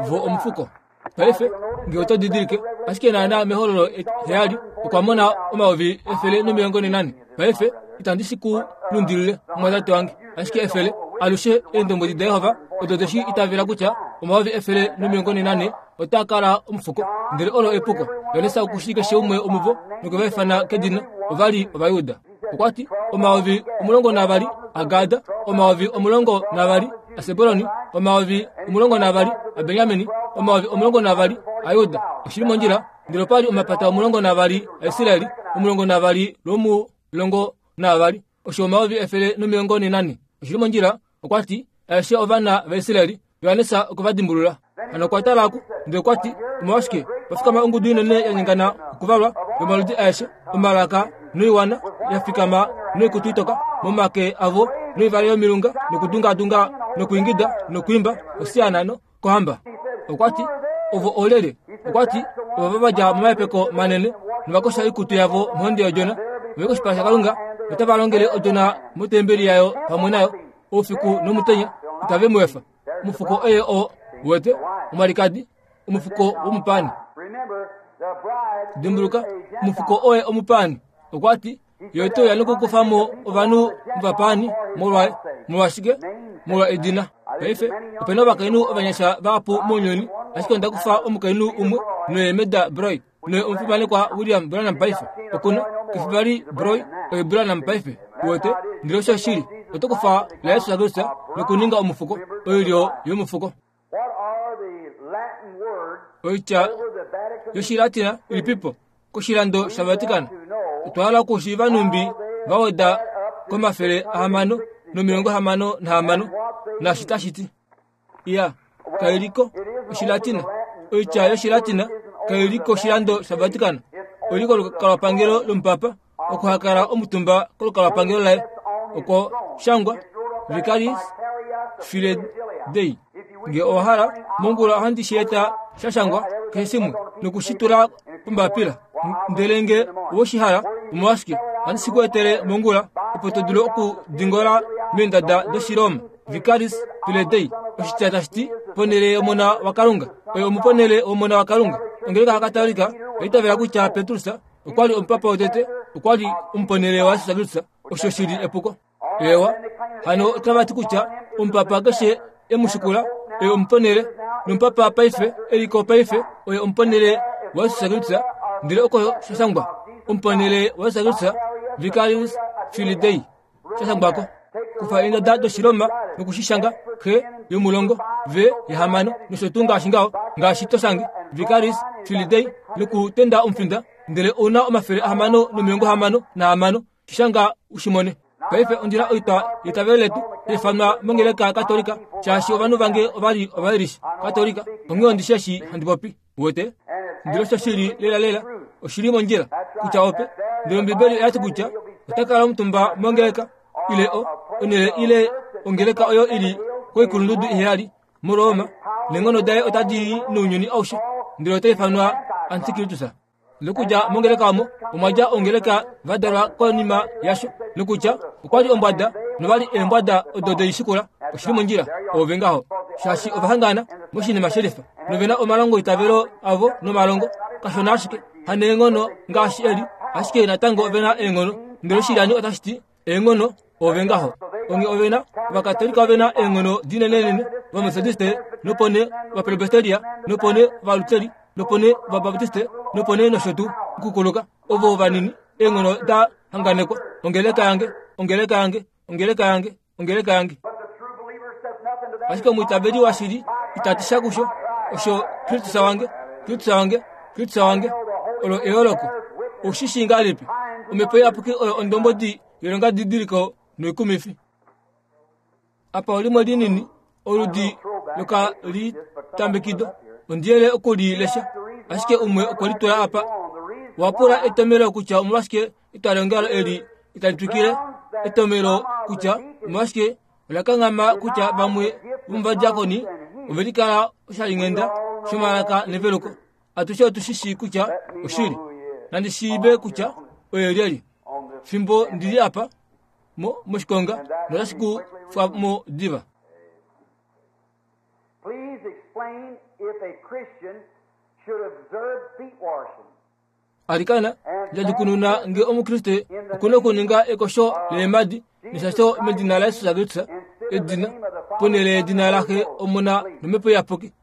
Vo omufuko. Paife, nge oto didilike, ashike naana mehololo heyali okwa mona 144,000. Paife, itandi shi ku lundilile, omumwatate wange, ashike efele, alushe Eendombwedi daJehova odo de shi itavela kutya 144,000 otaa kala omufuko. Ndele olo epuko. Johannes oku shii keshe umwe womuvo nokwe va ifana kedina. Ova li Ovajuda. Okwa ti, 12,000 aGad, 12,000 aSebulon, 12,000 aBenjamin, 12,000 aJuda. Oshi li mondjila, ndele opa li omapata 12 aIsrael, 12 lwomulongo naavali, osho 144,000. Oshi li mondjila, okwa ti, aeshe ovana vaIsrael, Johannes okwe va dimbulula. Hano okwa tala ku, ndele okwa ti, Omolwashike pa fikama ongudu inene ya nyengana okuvalwa, yomaludi aeshe, omalaka noiwana, ya fikama noikutu itoka momake avo noivale yomilunga nokudungaadunga nokwiingida nokwiimba, Hosiana kohamba. Okwa ti, Ovo oolyelye? Okwa ti, Ovo va dja momahepeko manene nova kosha oikutu yavo mohonde yOdjona, ove koshipala shaKalunga notava longele Odjona motembeli yayo pamwe nayo oufiku nomutenya, itave mu efa. Omufuko oye oo, wete, omwalikadi, omufuko womupaani. Dimbuluka, omufuko oye omupaani. Okwa ti, Ye ote uya nokukufa mo ovanhu movapaani molwaye. Molwashike? Molwa edina. Paife, ope na ovakainhu ovanyasha vahapu mounyuni, ashike onda kufa omukainhu umwe noye Meda Broy, noye omufimanekwa William Branham paife. Oku na, kefi vali Broy, oye Branham paife. Uwete? Ndele osho oshili. Oto kufa laJesus Kristus nokuninga omufuko, oilyo yomufuko. Oitya yOshilatina ilipipo koshilando shaVatican? Otwa hala okushiiva nhumbi va weda komafele 666 naashi tashi ti. Iya, kai li ko Oshilatina. Oitya yOshilatina kai li koshilando shaVatican. Oi li kolukalwapangelo lomupapa oko ha kala omutumba kolukalwapangelo laye oko shangwa Vicarius Filii Dei. Nge owa hala, mongula ohandi shi eta sha shangwa keshe shimwe noku shi tula pombapila. Ndele nge owe shi hala, omolwashike ohandi shi ku etele mongula opo to dulu okudingola meendada dOshiroma. Vicarius Filii Dei, oshitya tashi ti ponhele yOmona waKalunga. Oye omuponhele wOmona waKalunga. Ongeleka yaKatolika oya itavela kutya Petrus okwa li omupapa wotete, okwa li omuponhele waJesus Kristus. Osho shi li epuko. Eewa, hano otava ti kutya omupapa keshe e mu shikula oye omuponhele, nomupapa paife e li ko paife oye omuponhele waJesus Kristus. Ndele oko sha shangwa, omuponhele waJesus Kristus, Vicarius Filii Dei. sha shangwako. Kufa eendada dOshiroma noku shi shanga, Xe yomulongo, V yehamano, nosho tuu ngaashi ngaho, ngaashi to shange, Vicaris Filii Dei, nokutenda omufinda, ndele ou na 666, shi shanga u shi mone. Paife ondi na oitwa yeitavelo letu ya ifanwa mongeleka yaKatolika, shaashi ovanhu vange ova li Ovairish Katolika, onghee ondi shi eshi handi popi. Uwete? Ndele osho shi li lelalela, oshi li mondjila kutya ope. Ndele Ombibeli oya ti kutya ota kala omutumba mongeleka ile o, onhele ile ongeleka oyo i li koikulundudu iheyali muRoma, neenghono daye otadi i nounyuni aushe, ndele ota ifanwa Antikristus. Nokudja mongeleka omo omwa dja ongeleka va dalwa konima yasho, nokutya okwa li ombwada nova li eembwada odo de i shikula. Oshi li mondjila, ove ngaho, shaashi ova hangana moshinima shelifa nove na omalongoitavelo avo nomalongo kashona ashike haneenghono ngaashi eli, ashike natango ove na eenghono. Ndele oshilyani otashi ti eenghono ove ngaho. Onge ove na Ovakatolika ove na eenghono dinenenene, Ovametodiste, nopo nee Ovapresbiteria, nopo nee Ovaluteri, nopo nee Ovabaptiste, nopo nee nosho tuu, okukuluka. Ovo vanini, eenghono da hanganekwa. Ongeleka yange, ongeleka yange, ongeleka yange, ongeleka yange. Ashike omwiitaveli washili ita ti sha kusho, osho Kristus wange, Kristus wange, Kristus wange. Olo eyooloko. Ou shi shii ngahelipi? Omhepo Iyapuki oyo ondombwedi yoilongadidiliko noikumifi. Apa olimwe linini, oludi lokalitambekido. Ondi yele oku li lesha, ashike umwe okwe li tula apa. Owa pula etomhelo kutya omolwashike etwalongalo eli itali twikile, etomhelo kutya omolwashike ola kanghama kutya vamwe vomovadiakoni ove likala oshalinghenda shomalaka neveluko. Atushe otu shi shii kutya oshili. Nandi shiive kutya oye lyelye. Fimbo ndi li apa mo, moshikonga notashi ku fwa mo diva. Please explain if a Christian should observe feet washing. Alikana, ndjadjukununa nge Omukriste oku na okuninga ekosho leemhadi neshasho medina laJesus Kristus, edina, ponhele yedina laXe, Omona nOmhepo Iyapuki.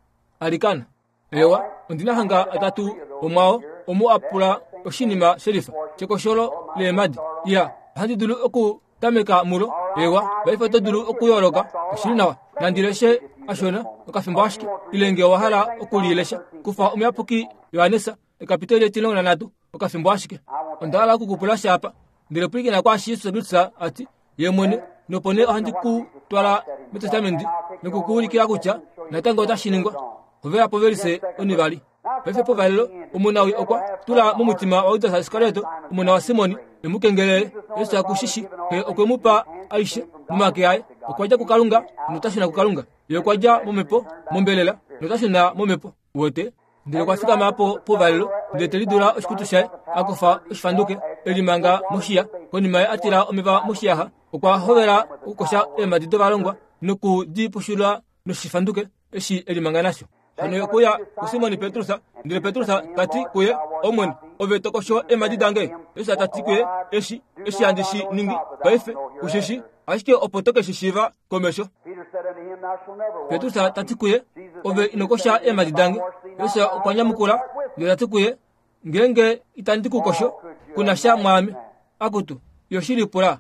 Alikana. Ewa, ondi na hanga atatu omwao omu a pula oshinima shelifa shekosholo leemhadi. Ya, ohandi dulu okutameka mulo. Ewa, paife oto dulu okuyooloka. Oshi li nawa. Nandi leshe ashona okafimbo ashike, ile nge owa hala oku li lesha, kufa Omuyapuki Johannes ekapiteli etilongo nanhatu, okafimbo ashike. Onda hala oku ku pula sha apa. Ndele pwilikina kwaashi Jesus Kristus a ti, Ye mwene, nopo nee ohandi ku twala mEtestamenti noku ku ulikila kutya natango otashi ningwa. Hovela povelise onivali. Paife povalelo, omunawii okwa tula momutima waJudas Iskarioto, omona waSimon, e mu kengelele. Jesus oku shi shi, Xe okwe mu pa aishe momake aye. Okwa dja kuKalunga nota shuna kuKalunga. Ye okwa dja momhepo, mombelela, nota shuna momhepo. Uwete? Ndele okwa fikama po povalelo, ndele te lidula oshikutu shaye, a kufa oshifanduke, e limanga moshiya. Konima ye a tila omeva moshiyaxa, okwa hovela okukosha eemhadi dovalongwa noku di pushula noshifanduke eshi e limanga nasho. Hano ye okwe uya kuSimon Petrus, ndele Petrus ta ti kuye, Omwene, Ove to kosho eemhadi dange? Jesus ta ti kuye, Eshi, eshi handi shi ningi paife, ku shi shii, ashike opo to ke shi shiiva komesho. Petrus ta ti kuye, Ove ino kosha eemhadi dange. Jesus okwa nyamukula ndele ta ti kuye, Ngeenge itandi ku kosho, ku na sha mwaame. Akutu, yo shi lipula.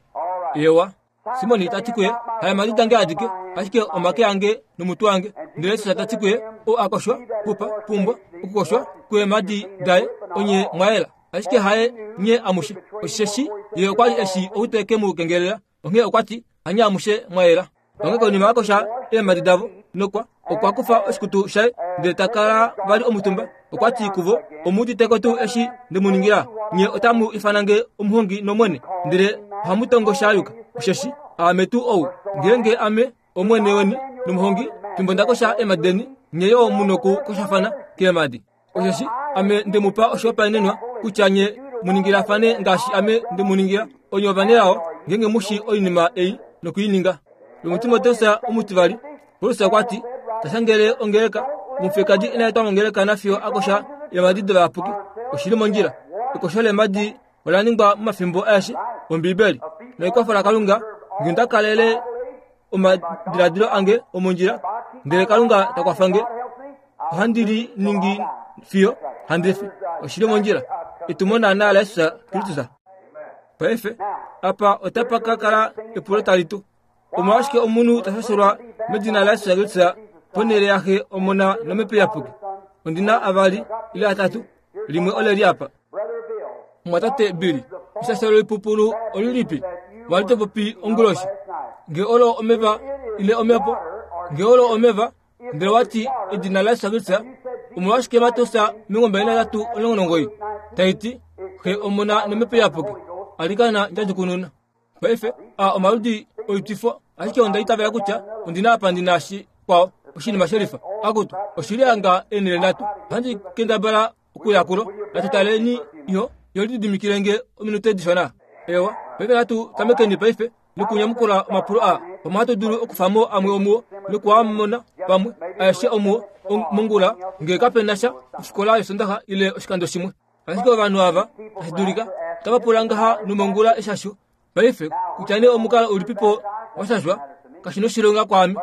Eewa. Simoni ta ti kuye, Haemhadi dange adike, ashike omake ange nomutwe wange. Ndele Jesus ta ti kuye, Ou a koshwa, pupa, pumbwa okukoshwa kweemhadi daye, onye mwa yela, ashike haye nye amushe. Osheshi ye okwa li e shii ou te ke mu kengelela, onghee okwa ti, Hanye amushe mwa yela. Onghee konima a kosha eemhadi davo nokwa okwa kufa oshikutu shaye ndele ta kala vali omutumba. Okwa ti kuvo, Omu udite ko tuu eshi nde mu ningila? Nye otamu ifana nge omuhongi nOmwene, ndele ohamu tongo sha yuka, osheshi aame tuu ou. Ngeenge ame Omwene weni nomuhongi, fimbo nda kosha eemhadi deni, nye yo mu nokukoshafana keemhadi. Osheshi ame nde mu pa oshihopaenenwa kutya nye mu ningilafane ngaashi ame nde mu ningila. Onye ovanelao ngeenge mu shii oinima ei noku i ninga. LomuTimoteus omutivali, Paulus okwa ti, ta shangele ongeleka, omufiyekadi ina etwa mongeleka nafiyo a kosha eemhadi dovayapuki. Oshi li mondjila. Ekosho leemhadi ola ningwa momafimbo aeshe Ombibeli. Noekwafo laKalunga, nge onda kalele omadiladilo ange omondjila, ndele Kalunga ta kwafa nge, ohandi li ningi fiyo handi fi. Oshi li mondjila. Etumo naanaa laJesus Kristus. Paife, apa otapa ka kala epulo tali tu. Omolwashike omunhu ta shashelwa medina laJesus Kristus ponhele yaXe, Omona nOmhepo Iyapuki? Ondi na avali ile atatu. Limwe ole li apa. Mumwatate Billy, eshashelo loipupulu olilipi wa li to popi onguloshi? Nge olo omeva ile omhepo? Nge olo omeva, ndele wa ti edina laJesus Kristus, omolwashike Mateus 23:19 tai ti, Xe, Omona nOmhepo Iyapuki? Alikana ndjadjukununa. Paife, a omaludi oitwifo, ashike onda itavela kutya ondi na apa ndi na shikwao, oshinima shelifa. Akutu, oshi li hanga eenhele nhatu. Ohandi kendabala okuya kulo. Natu taleni yo, yo lididimikile nge ominute dishona. Ewa, paife natu tamekeni paife nokunyamukula omapulo aa. Pamwe ohatu dulu okufa mo amwe omuo noku a mona pamwe aeshe omuo mongula nge kape na sha ofikola yOsondaxa ile oshikando shimwe. Ashike ovanhu ava, tashi dulika, otava pula ngaha nomongula eshasho paife, kutya nee omukalo ulipipo wa shashwa, kashi noshilonga kwaame.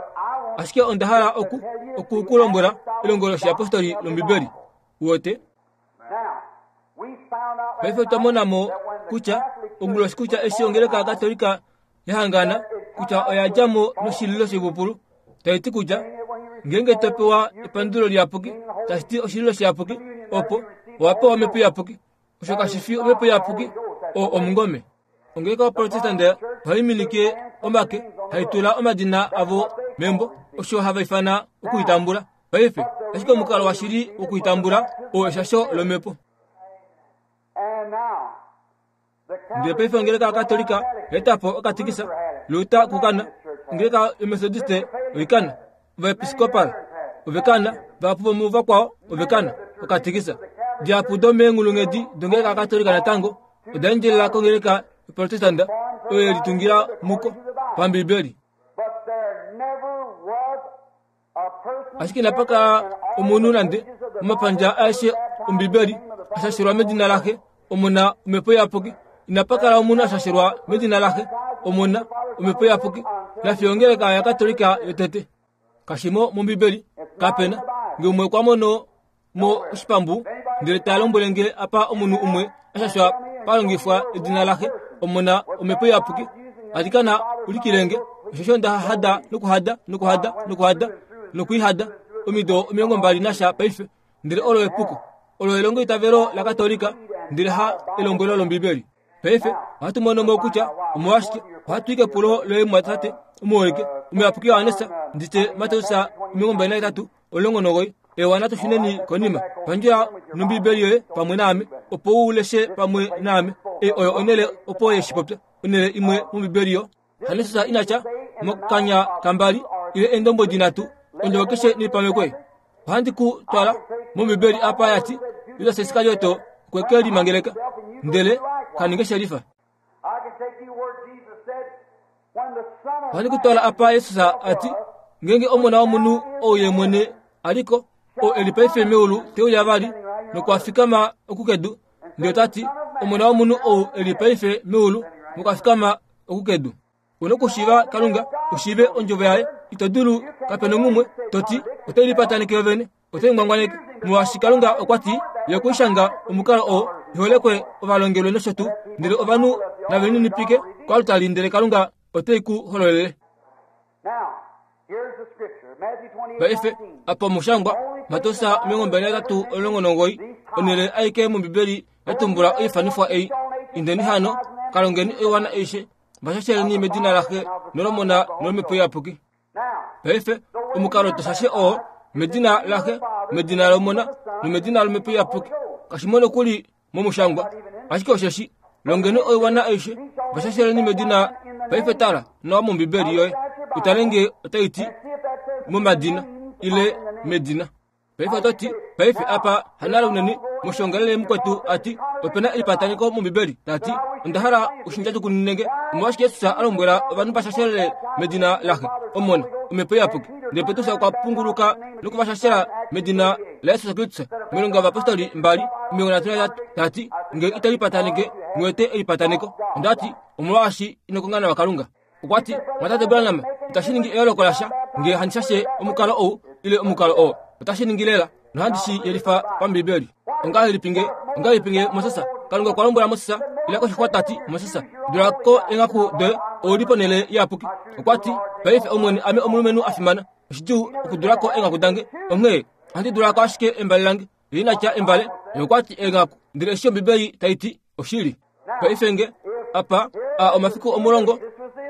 Ashike onda hala oku, oku ku lombwela elongo loshiyapostoli lOmbibeli. Uwete? Paife otwa mona mo kutya, onguloshi kutya eshi ongeleka yaKatolika ya hangana, kutya oya dja mo noshililo shoipupulu, tai ti kutya ngeenge to pewa epandulo liyapuki, tashi ti oshililo shiyapuki, opo owa pewa omhepo iyapuki. Osho kashi fi omhepo iyapuki, oo omungome. Ongeleka yoProtestante ohai minike omake, hai tula omadina avo membo, osho hava ifana okuitambula. Paife, ashike omukalo washili wokuitambula oo eshasho lomhepo. Ndele paife ongeleka yaKatolika oya po okatikisa, Luther okukana, ongeleka yoMethodiste oikana, Ovaepiskopal ovekana, vahapu vomuvakwao ovekana okatikisa. Dihapu domeenghulunghedi dongeleka yaKatolika natango oda endjelela kongeleka yoProtestanda oyo ye litungila muko paMbibeli. Ashike inapa kala omunhu nande omapandja aeshe Ombibeli a shashelwa medina laXe, Omona, Omhepo Iyapuki. Inapa kala omunhu a shashelwa medina laXe, Omona, Omhepo Iyapuki, nafiyo ongeleka yaKatolika yotete. Kashi mo mOmbibeli, kape na. Nge umwe okwa mono mo oshipambu ndele ta lombwele nge apa omunhu umwe a shashwa pa longifwa edina laxe, Omona, Omhepo Iyapuki, alikana ulikile nge. Osheshi onda hada nokuhada nokuhada nokuhada nokuihada omido 20 nasha paife, ndele olo epuko. Olo elongoitavelo laKatolika, ndele ha elombwelo lOmbibeli. Paife ohatu mono mo kutya omolwashike ohatu i kepulo loye mumwatate omuholike omuyapuki Johannes nditye Mateus 23 19. Ewa natu shuneni konima. Pandjula nOmbibeli yoye pamwe naame opo u leshe pamwe naame. Ei oyo onhele opo ye shi popya, onhele imwe mOmbibeli yo. Johannes ina tya mokanya kambali ile eendombwedi nhatu, ondjovo keshe neipamekwe. Ohandi ku twala mOmbibeli apa ya ti Judas Iskarioto okwe ke limangeleka ndele ka ninge shelifa. Ohandi ku twala apa Jesus a ti ngeenge Omona womunhu ou ye mwene a li ko, oo e li paife meulu te uya vali nokwa fikama oku kedu. Ndele ta ti, Omona womunhu ou e li paife meulu mokafikama oku kedu. U nokushiiva Kalunga, u shiive ondjovo yaye. Ito dulu, kape nomumwe, to ti, Otai lipataneke yovene, otai ngwangwaneke. Molwaashi Kalunga okwa ti, Ye okwe i shanga omukalo oo, iholekwe ovalongelwe nosho tuu, ndele ovanhu nave lininipike koaltari ndele Kalunga ote ku hololele. Paife, apa omushangwa, Mateus 23:19, onhele aike mOmbibeli ya tumbula oifanifwa ei. Indeni hano, ka longeni oiwana aishe, va shasheleni medina laXe nolOmona nolOmhepo Iyapuki. Paife, omukalo to shashe oo, medina laXe, medina lOmona nomedina lOmhepo Iyapuki, kashi mo nokuli momushangwa, ashike osheshi longeni oiwana aishe, va shasheleni medina. Paife tala nawa mOmbibeli yoye u tale nge otai ti momadina ile medina. Paife oto ti, Paife apa hanale unene moshongalele mukwetu a ti ope na elipataneko mOmbibeli, ta ti, Onda hala u shi ndjadjukunune nge. Omolwashike Jesus a lombwela ovanhu va shashelele medina laXe, Omona, Omhepo Iyapuki? Ndele Petrus okwa punguluka noku va shashela medina laJesus Kristus. Moilonga yOvapostoli 2:33, ta ti, Nge ito lipataneke, mu wete elipataneko. Onda ti, Omolwaashi ino konga nawa Kalunga. Okwa ti, Mwatate Branham, itashi ningi eyooloko lasha nge handi shashe omukalo ou ile omukalo oo. Otashi ningi lela, nohandi shi yelifa paMbiibeli. Ongahelipi nge, ongahelipi nge Moses, Kalunga okwa lombwela Moses, ila koshixwa ta ti, Moses, dula ko eenghaku doye, ou li ponhele iyapuki. Okwa ti, Paife, Omwene, ame omulumenhu a fimana. Oshidjuu okudula ko eenghaku dange, onghee ohandi dula ko ashike embale lange. Ye ina tya embale, ye okwa ti eenghaku. Ndele eshi Ombibeli tai ti, oshili. Paife nge, apa, a omafiku omulongo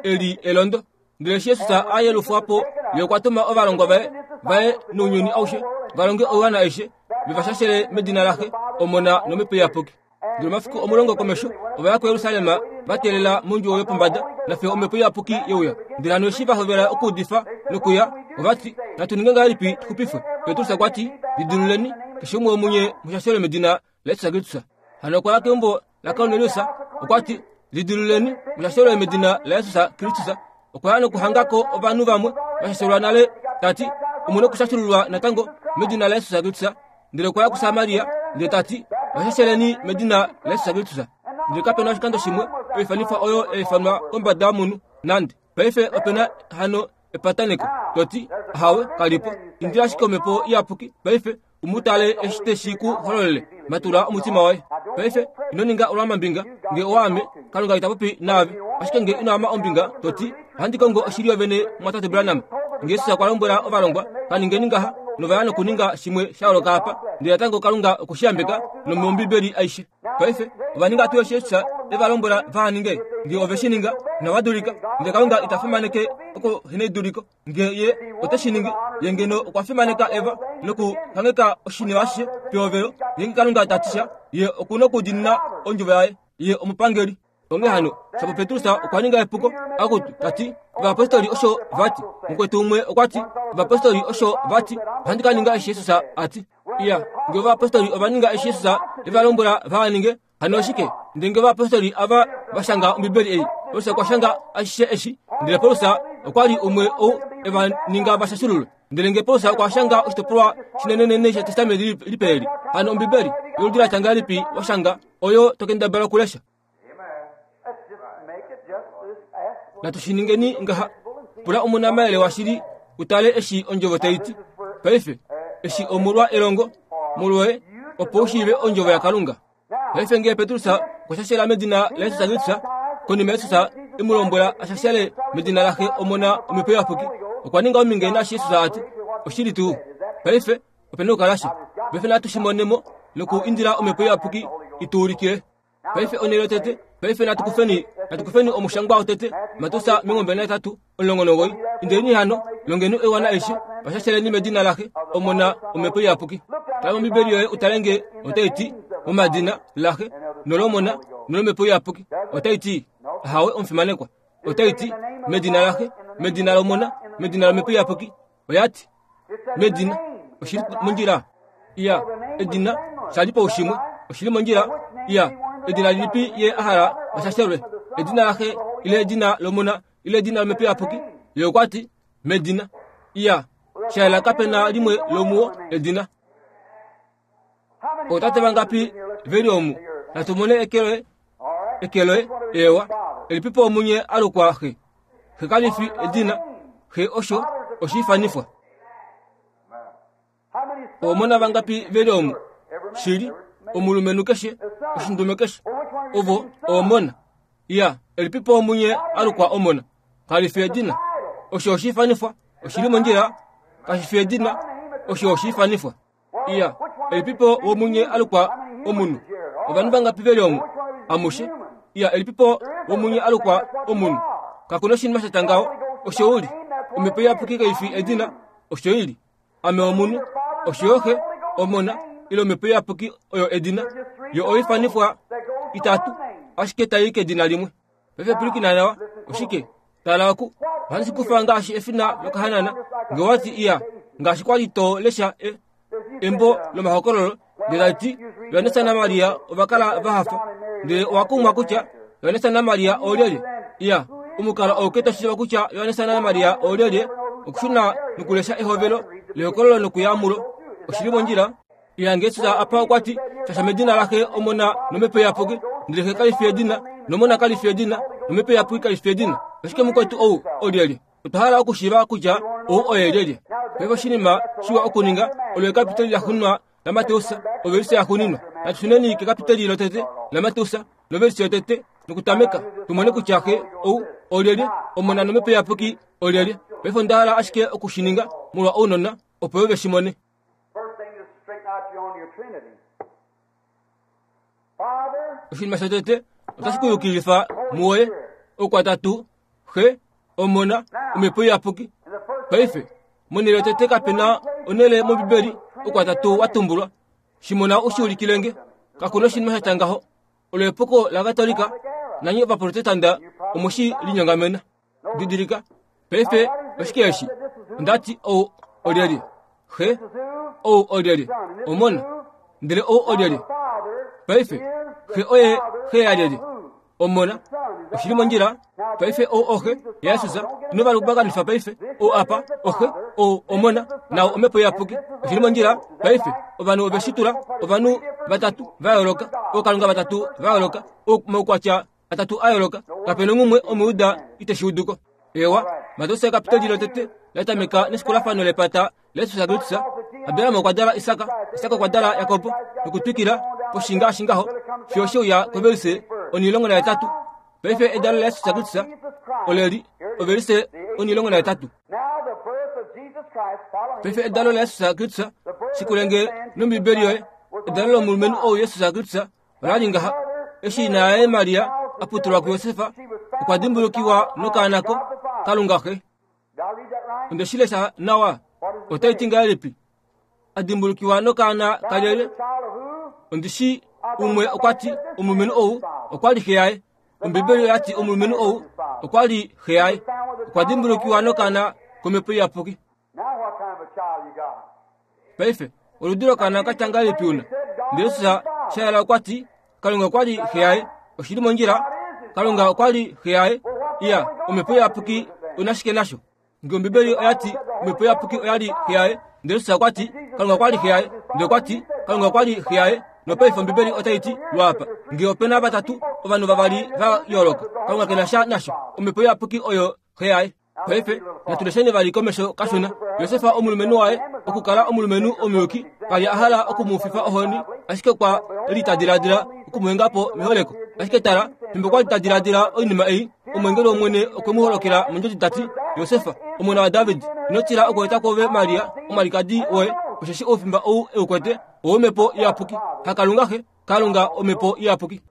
e li elondo. Ndele eshi Jesus a yelufwa po, ye okwa tuma ovalongwa vaye vaye nounyuni aushe va longe oiwana aishe, ve va shashele medina laXe, Omona nOmhepo Iyapuki. Ndele omafiku omulongo komesho ova ya kuJerusalem va teelela mondjuwo yopombada nafiyo Omhepo Iyapuki ye uya. Ndele hano eshi va hovela okuudifa nokuya, ova ti, Natu ninge ngahelipi tu xupifwe? Petrus okwa ti, Lidiluleni, keshe umwe womunye mu shashelwe medina laJesus Kristus. Hano okwa ya keumbo laKornelius, okwa ti, Lidiluleni, mu shashelwe medina laJesus Kristus. Okwa ya nokuhanga ko ovanhu vamwe va shashelwa nale, ta ti, Omu nokushashululwa natango medina laJesus Kristus. Ndele okwa ya kuSamaria, ndele ta ti, Va shasheleni medina laJesus Kristus. Ndele kape na oshikando shimwe oifanifwa oyo ya ifanwa kombada yomunhu nande. Paife ope na hano epataneko, to ti, Ahawe, kali po. Indila ashike Omhepo Iyapuki paife, u mu tale eshi te shi ku hololele. Matula omutima woye. Paife, ino ninga olwamambinga. Nge owaame, Kalunga ita popi naave. Ashike nge ino ama ombinga, to ti, Ohandi kongo oshili yovene, Mumwatate Branham. Nge Jesus okwa lombwela ovalongwa, Ka ningeni ngaha, nova ya nokuninga shimwe sha yooloka apa, ndele natango Kalunga oku shi yambeka nomOmbibeli aishe. Paife, ova ninga tuu eshi Jesus e va lombwela vaha ninge? Nge ove shi ninga, inava dulika. Ndele Kalunga ita fimaneke okuheneduliko. Nge Ye ote shi ningi, Ye ngeno okwa fimaneka Eva nokukangheka oshinima ashishe pehovelo. Ngeenge Kalunga ta ti sha, Ye oku nokudiinina ondjovo yaye. Ye omupangeli. Onghee hano, shapo Petrus okwa ninga epuko, akutu, ta ti, Ovayapostoli osho va ti. Mukwetu umwe okwa ti, Ovayapostoli osho va ti, ohandi ka ninga eshi Jesus a ti. Iya, nge ovayapostoli ova ninga eshi Jesus e va lombwela va ninge, hano oshike? Ndele nge ovayapostoli ava va shanga Ombibeli ei, Paulus okwa shanga ashishe eshi, ndele Paulus okwa li umwe ou e va ninga va shashululwe. Ndele nge Paulus okwa shanga oshitopolwa shinenenene shEtestamenti Lipe eli, hano Ombibeli yoludi la tya ngahelipi wa shanga oyo to kendabala okulesha? Natu shi ningeni ngaha, pula omunamayele washili u tale eshi ondjovo tai ti. Paife, eshi omolwa elongo molwoye opo u shiive ondjovo yaKalunga. Paife ngee Petrus okwa shashela medina laJesus Kristus, konima Jesus e mu lombwela a shashele medina laXe Omona Omhepo Iyapuki, okwa ninga ominge naashi Jesus a ti, Oshili tuu. Paife ope na okukala sha. Paife natu shi mone mo noku indila Omhepo Iyapuki i tu ulikile. Paife onhele yotete, paife natu kufeni, natu kufeni omushangwa wotete, Mateus 23:19. Indeni hano, longeni oiwana aishe, va shasheleni medina laXe, Omona, Omhepo Iyapuki. Tala mOmbibeli yoye u tale nge otai ti momadina laXe nolOmona nolOmhepo Iyapuki. Otai ti, Ahawe omufimanekwa. Otai ti medina laXe, medina lOmona, medina lOmhepo Iyapuki. Oya ti, medina oshili mondjila iya edina sha li paushimwe oshili mondjila iya edina lilipi ye a hala vashashelwe edina laxe ile edina lomona ile edina lomhepo iyapuki ye okwa ti medina iya sha yela kape na limwe lomuwo edina Ootate vangapi ve li omu? Natu mone eke loye, eke loye, ewa. Elipipo omunye a lukwa xe? Xe kali fi edina, xe osho oshiifanifwa. Omona vangapi ve li omu? Shili, omulumenhu keshe, oshindume keshe, ovo omona. Ya, elipipo omunye a lukwa omona? Kali fi edina, osho oshiifanifwa. Oshi li mondjila, kashi fi edina, osho oshiifanifwa. Iya, elipipo womunye a lukwa omunhu? Ovanhu vangapi ve li omu? Amushe. Iya, elipipo womunye a lukwa omunhu? Kaku na oshinima sha tya ngaho. Osho u li. Omhepo Iyapuki kai fi edina, osho i li. Ame omunhu, osho yo Xe, Omona, ile Omhepo Iyapuki oyo edina. Yo oifanifwa itatu, ashike tai i kedina limwe. Paife pwilikina nawa. Oshike? Tala oku. Ohandi shi kufa ngaashi efina lokahanana. Nge wa ti iya, ngaashi kwa li to lesha e, embo lomahokololo, ndele tali ti, Johannes naMaria ova kala va hafa. Ndele owa kumwa kutya Johannes naMaria oolyelye. Iya, omukalo auke to shiiva kutya Johannes naMaria oolyelye, okushuna nokulesha ehovelo lehokololo nokuya mulo. Oshi li mondjila? Iya, nge Jesus apa okwa ti, Shasha medina laXe, Omona nOmhepo Iyapuki, ndele Xe kali fi edina, nOmona kali fi edina, nOmhepo Iyapuki kali fi edina. Ashike mukwetu ou olyelye? Otwa hala okushiiva kutya ou oye lyelye. Paife oshinima shiwa okuninga olo ekapiteli laxuuninwa laMateus, ovelise yaxuuninwa. Natu shuneni kekapiteli lotete laMateus, novelise yotete, nokutameka tu mone kutya Xe ou olyelye, Omona nOmhepo Iyapuki olyelye. Paife onda hala ashike oku shi ninga molwa ounona, opo yo ve shi mone. Oshinima shotete otashi ku yukilifa muwoye oukwatatu Xe, Omona, Omhepo Iyapuki. Paife, monhele yotete kape na onhele mOmbibeli oukwatatu wa tumbulwa. Shi mona u shi ulikile nge. Kaku na oshinima sha tya ngaho. Olo epuko laKatolika, nanye Ovaprotestanda omu shi linyongamena. Didilika, paife oshike eshi? Onda ti ou olyelye? Xe. Ou olyelye? Omona. Ndele ou olyelye? Paife, xe oye xe yalyelye? Omona. Oshi li mondjila? Paife ou oxe yaJesus. Ino va lubakanifa paife. Ou apa, oxe, ou omona, naau omhepo iyapuki. Oshi li mondjila? Paife, ovanhu ove shi tula, ovanhu vatatu va yooloka, ookalunga vatatu va yooloka, omaukwatya atatu a yooloka. Kape na umwe Omujuda ite shi udu ko. Eewa, Mateus ekapiteli lotete la tameka nesikulafano lepata laJesus Kristus. Abraham okwa dala Isak, Isak okwa dala Jakob, nokutwikila poshi ngaashi ngaho fiyo she uya kovelise onilongo nahetatu. Paife edalo laJesus Kristus ole li ovelise onilongo nahetatu. Paife edalo laJesus Kristus, shikulenge nOmbibeli yoye, edalo lomulumenhu ou Jesus Kristus Ola li ngaha, eshi ina yaye Maria a putulwa kuJosef, okwa dimbulukiwa nokaana ko Kalunga Xe. Onde shi lesha nawa? Otai ti ngahelipi? A dimbulukiwa nokaana kalyelye? Ondi shi umwe okwa ti omulumenhu ou okwa li xe yaye. Ombibeli oya ti omulumenhu ou okwa li xe yaye. Okwa dimbulukiwa nokaana komhepo iyapuki. Paife, oludi lokaana ka tya ngahelipi una? Ndele Jesus sha yela okwa ti, Kalunga okwa li xe yaye. Oshi li mondjila? Kalunga okwa li xe yaye. Iya, Omhepo Iyapuki ona shike nasho? Nge Ombibeli oya ti Omhepo Iyapuki oya li xe yaye, ndele Jesus okwa ti Kalunga okwa li xe yaye, ndele okwa ti Kalunga okwa li xe yaye, nopaife Ombibeli otai ti lwaapa, nge ope na vatatu, ovanhu vavali va yooloka, Kalunga ke na sha nasho. Omhepo Iyapuki oyo xe yaye. Paife natu lesheni vali komesho kashona. Josef omulumenhu waye okukala omulumenhu omuyuki ka li a hala oku mu fifa ohoni, ashike okwa li ta diladila oku mu henga po meholeko. Ashike tala, fimbo kwa li ta diladila oinima ei, omweengeli wOmwene okwe mu holokela mondjodi ta ti, Josef, omona waDavid, ino tila okweeta kwoove Maria, omwalikadi woye, osheshi oufimba ou e u kwete owOmhepo Iyapuki. HaKalunga Xe, Kalunga Omhepo Iyapuki.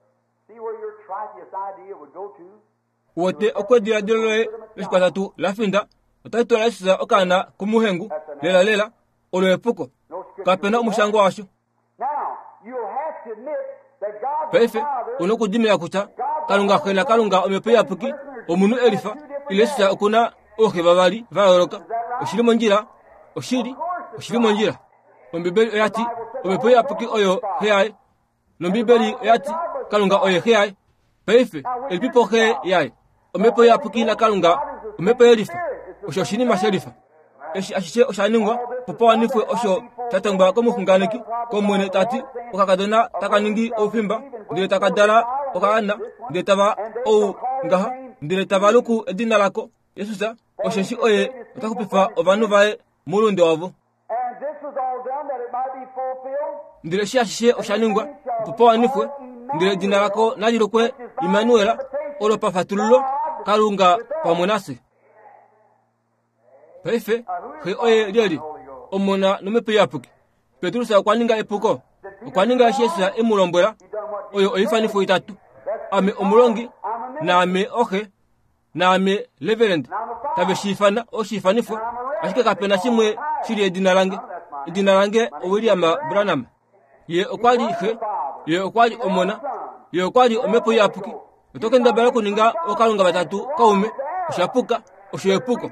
Wote okwediladilo loye loshikwatatu la finda otali twala Jesus okaana kumuhengu lela lela olo epuko. Kape na omushango washo. Paife una okudimina kutya Kalunga xe naKalunga Omhepo Iyapuki omunhu e lifa ile Jesus oku na ooxe vavali va yooloka. Oshi li mondjila? Oshili, oshi li mondjila. Ombibeli oya ti Omhepo Iyapuki oyo xe yaye. nOmbibeli oya ti Kalunga oye xe yaye. Paife, elipipo xe yaye? Omhepo Iyapuki naKalunga, Omhepo yelifa. Osho oshinima shelifa. Eshi ashishe osha ningwa opo pa wanifwe osho sha tongwa komuxunganeki kOmwene ta ti, Okakadona taka ningi oufimba. Ndele taka dala okaana, ndele tava ou ngaha, ndele tava luku edina lako Jesus, osheshi oye ota xupifa ovanhu vaye moulunde wavo. Ndele eshi ashishe osha ningwa opo pa wanifwe, ndele edina lako nali lukwe Immanuel, olo pafatululo Kalunga pamwe nafye. Paife Xe oye lyelye? Omona nOmhepo Iyapuki. Petrus okwa ninga epuko. Okwa ninga eshi Jesus e mu lombwela. Oyo oifanifo itatu. Ame omulongi, naame oxe, naame reverend. Tave shi ifana oshiifanifo, ashike kape na shimwe shi li edina lange. Edina lange oWilliam Branham. Ye okwa li Xe, Ye okwa li Omona, Ye okwa li Omhepo Iyapuki. Oto kendabala okuninga ookalunga vatatu kaume, osha puka, osho epuko.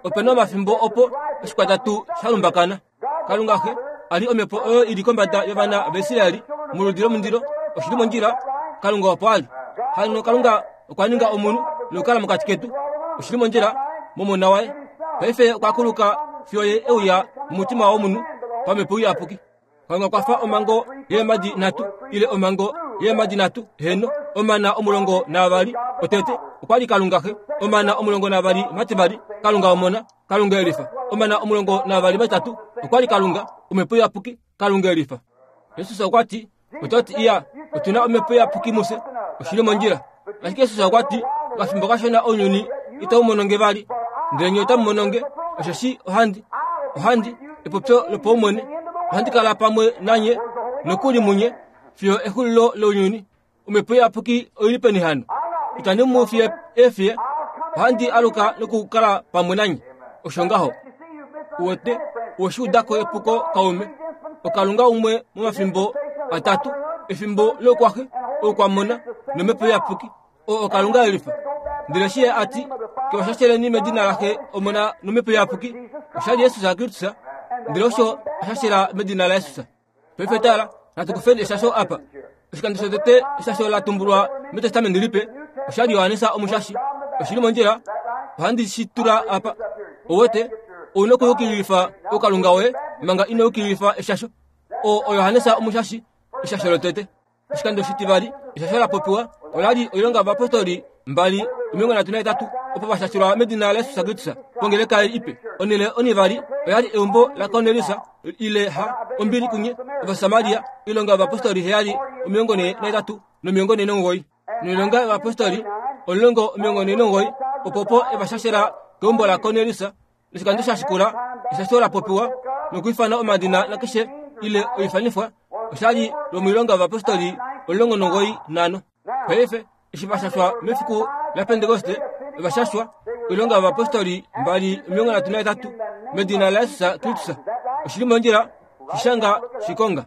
Ope na omafimbo opo oshikwatatu sha lumbakana. Kalunga Xe a li omhepo oyo i li kombada yovana vaIsraeli moludi lomundilo, oshi li mondjila, Kalunga opo a li. Hano Kalunga okwa ninga omunhu nokukala mokati ketu, oshi li mondjila, mOmona waye. Paife okwa kuluka fiyo ye e uya momutima womunhu pamhepo iyapuki. Kalunga okwa fa omhango yeemhadi nhatu ile omhango yeemhadi nhatu, heeno, omana 12. Otete okwa li Kalunga Xe, omana 12 mativali Kalunga Omona, Kalunga Elifa, omana 12 matitatu okwa li Kalunga Omhepo Iyapuki, Kalunga Elifa. Jesus okwa ti, Oto ti, Iya, otu na Omhepo Iyapuki mufye, oshi li mondjila. Ashike Jesus okwa ti, Okafimbo kashona ounyuni itau mono nge vali, ndele nye otamu mono nge, osheshi ohandi, ohandi, epopyo lopaumwene, ohandi kala pamwe nanye nokuli munye fiyo exulilo lounyuni. Omhepo Iyapuki oi li peni hano? Itandi mu fiye eefiye, ohandi aluka nokukala pamwe nanye. Osho ngaho. Uwete, owe shi uda ko epuko kaume. Okalunga umwe momafimbo atatu, efimbo loukwaxe, oukwamona nomhepo iyapuki. Oo okalunga elifa. Ndele eshi ye a ti, Kewashasheleni medina laXe, Omona nomhepo iyapuki, osha li Jesus Kristus, ndele osho osha shela medina laJesus. Paife tala, natu kufeni eshasho apa. Oshikando shotete eshasho la tumbulwa mEtestamenti Lipe osha li Johannes Omushashi. Oshi li mondjila, ohandi shi tula apa. Ouwete, ou na okuyukililifa oukalunga woye manga ino yukililifa eshasho. Oo oJohannes Omushashi, eshasho lotete. Oshikando shitivali eshasho la popiwa ola li oilonga yovapostoli 2 38 opo va shashelwa medina laJesus Kristus pongeleka ipe. Onhele onivali oya li eumbo laKornelius ile ha ombili kunye Ovasamaria. Oilonga yovapostoli 7 43 no49. Noilonga yovapostoli 10 49 opo opo eva shashela keumbo laKornelius. Noshikando sha shikula eshasho la popiwa nokwiifana omadina nakeshe ile oifanifwa osha li lomoilonga yovapostoli 95. Paife eshi va shashwa mefiku laPentekoste, ova shashwa oilonga yovapostoli 2 38 medina laJesus Kristus. Oshi li mondjila, shi shanga shikonga.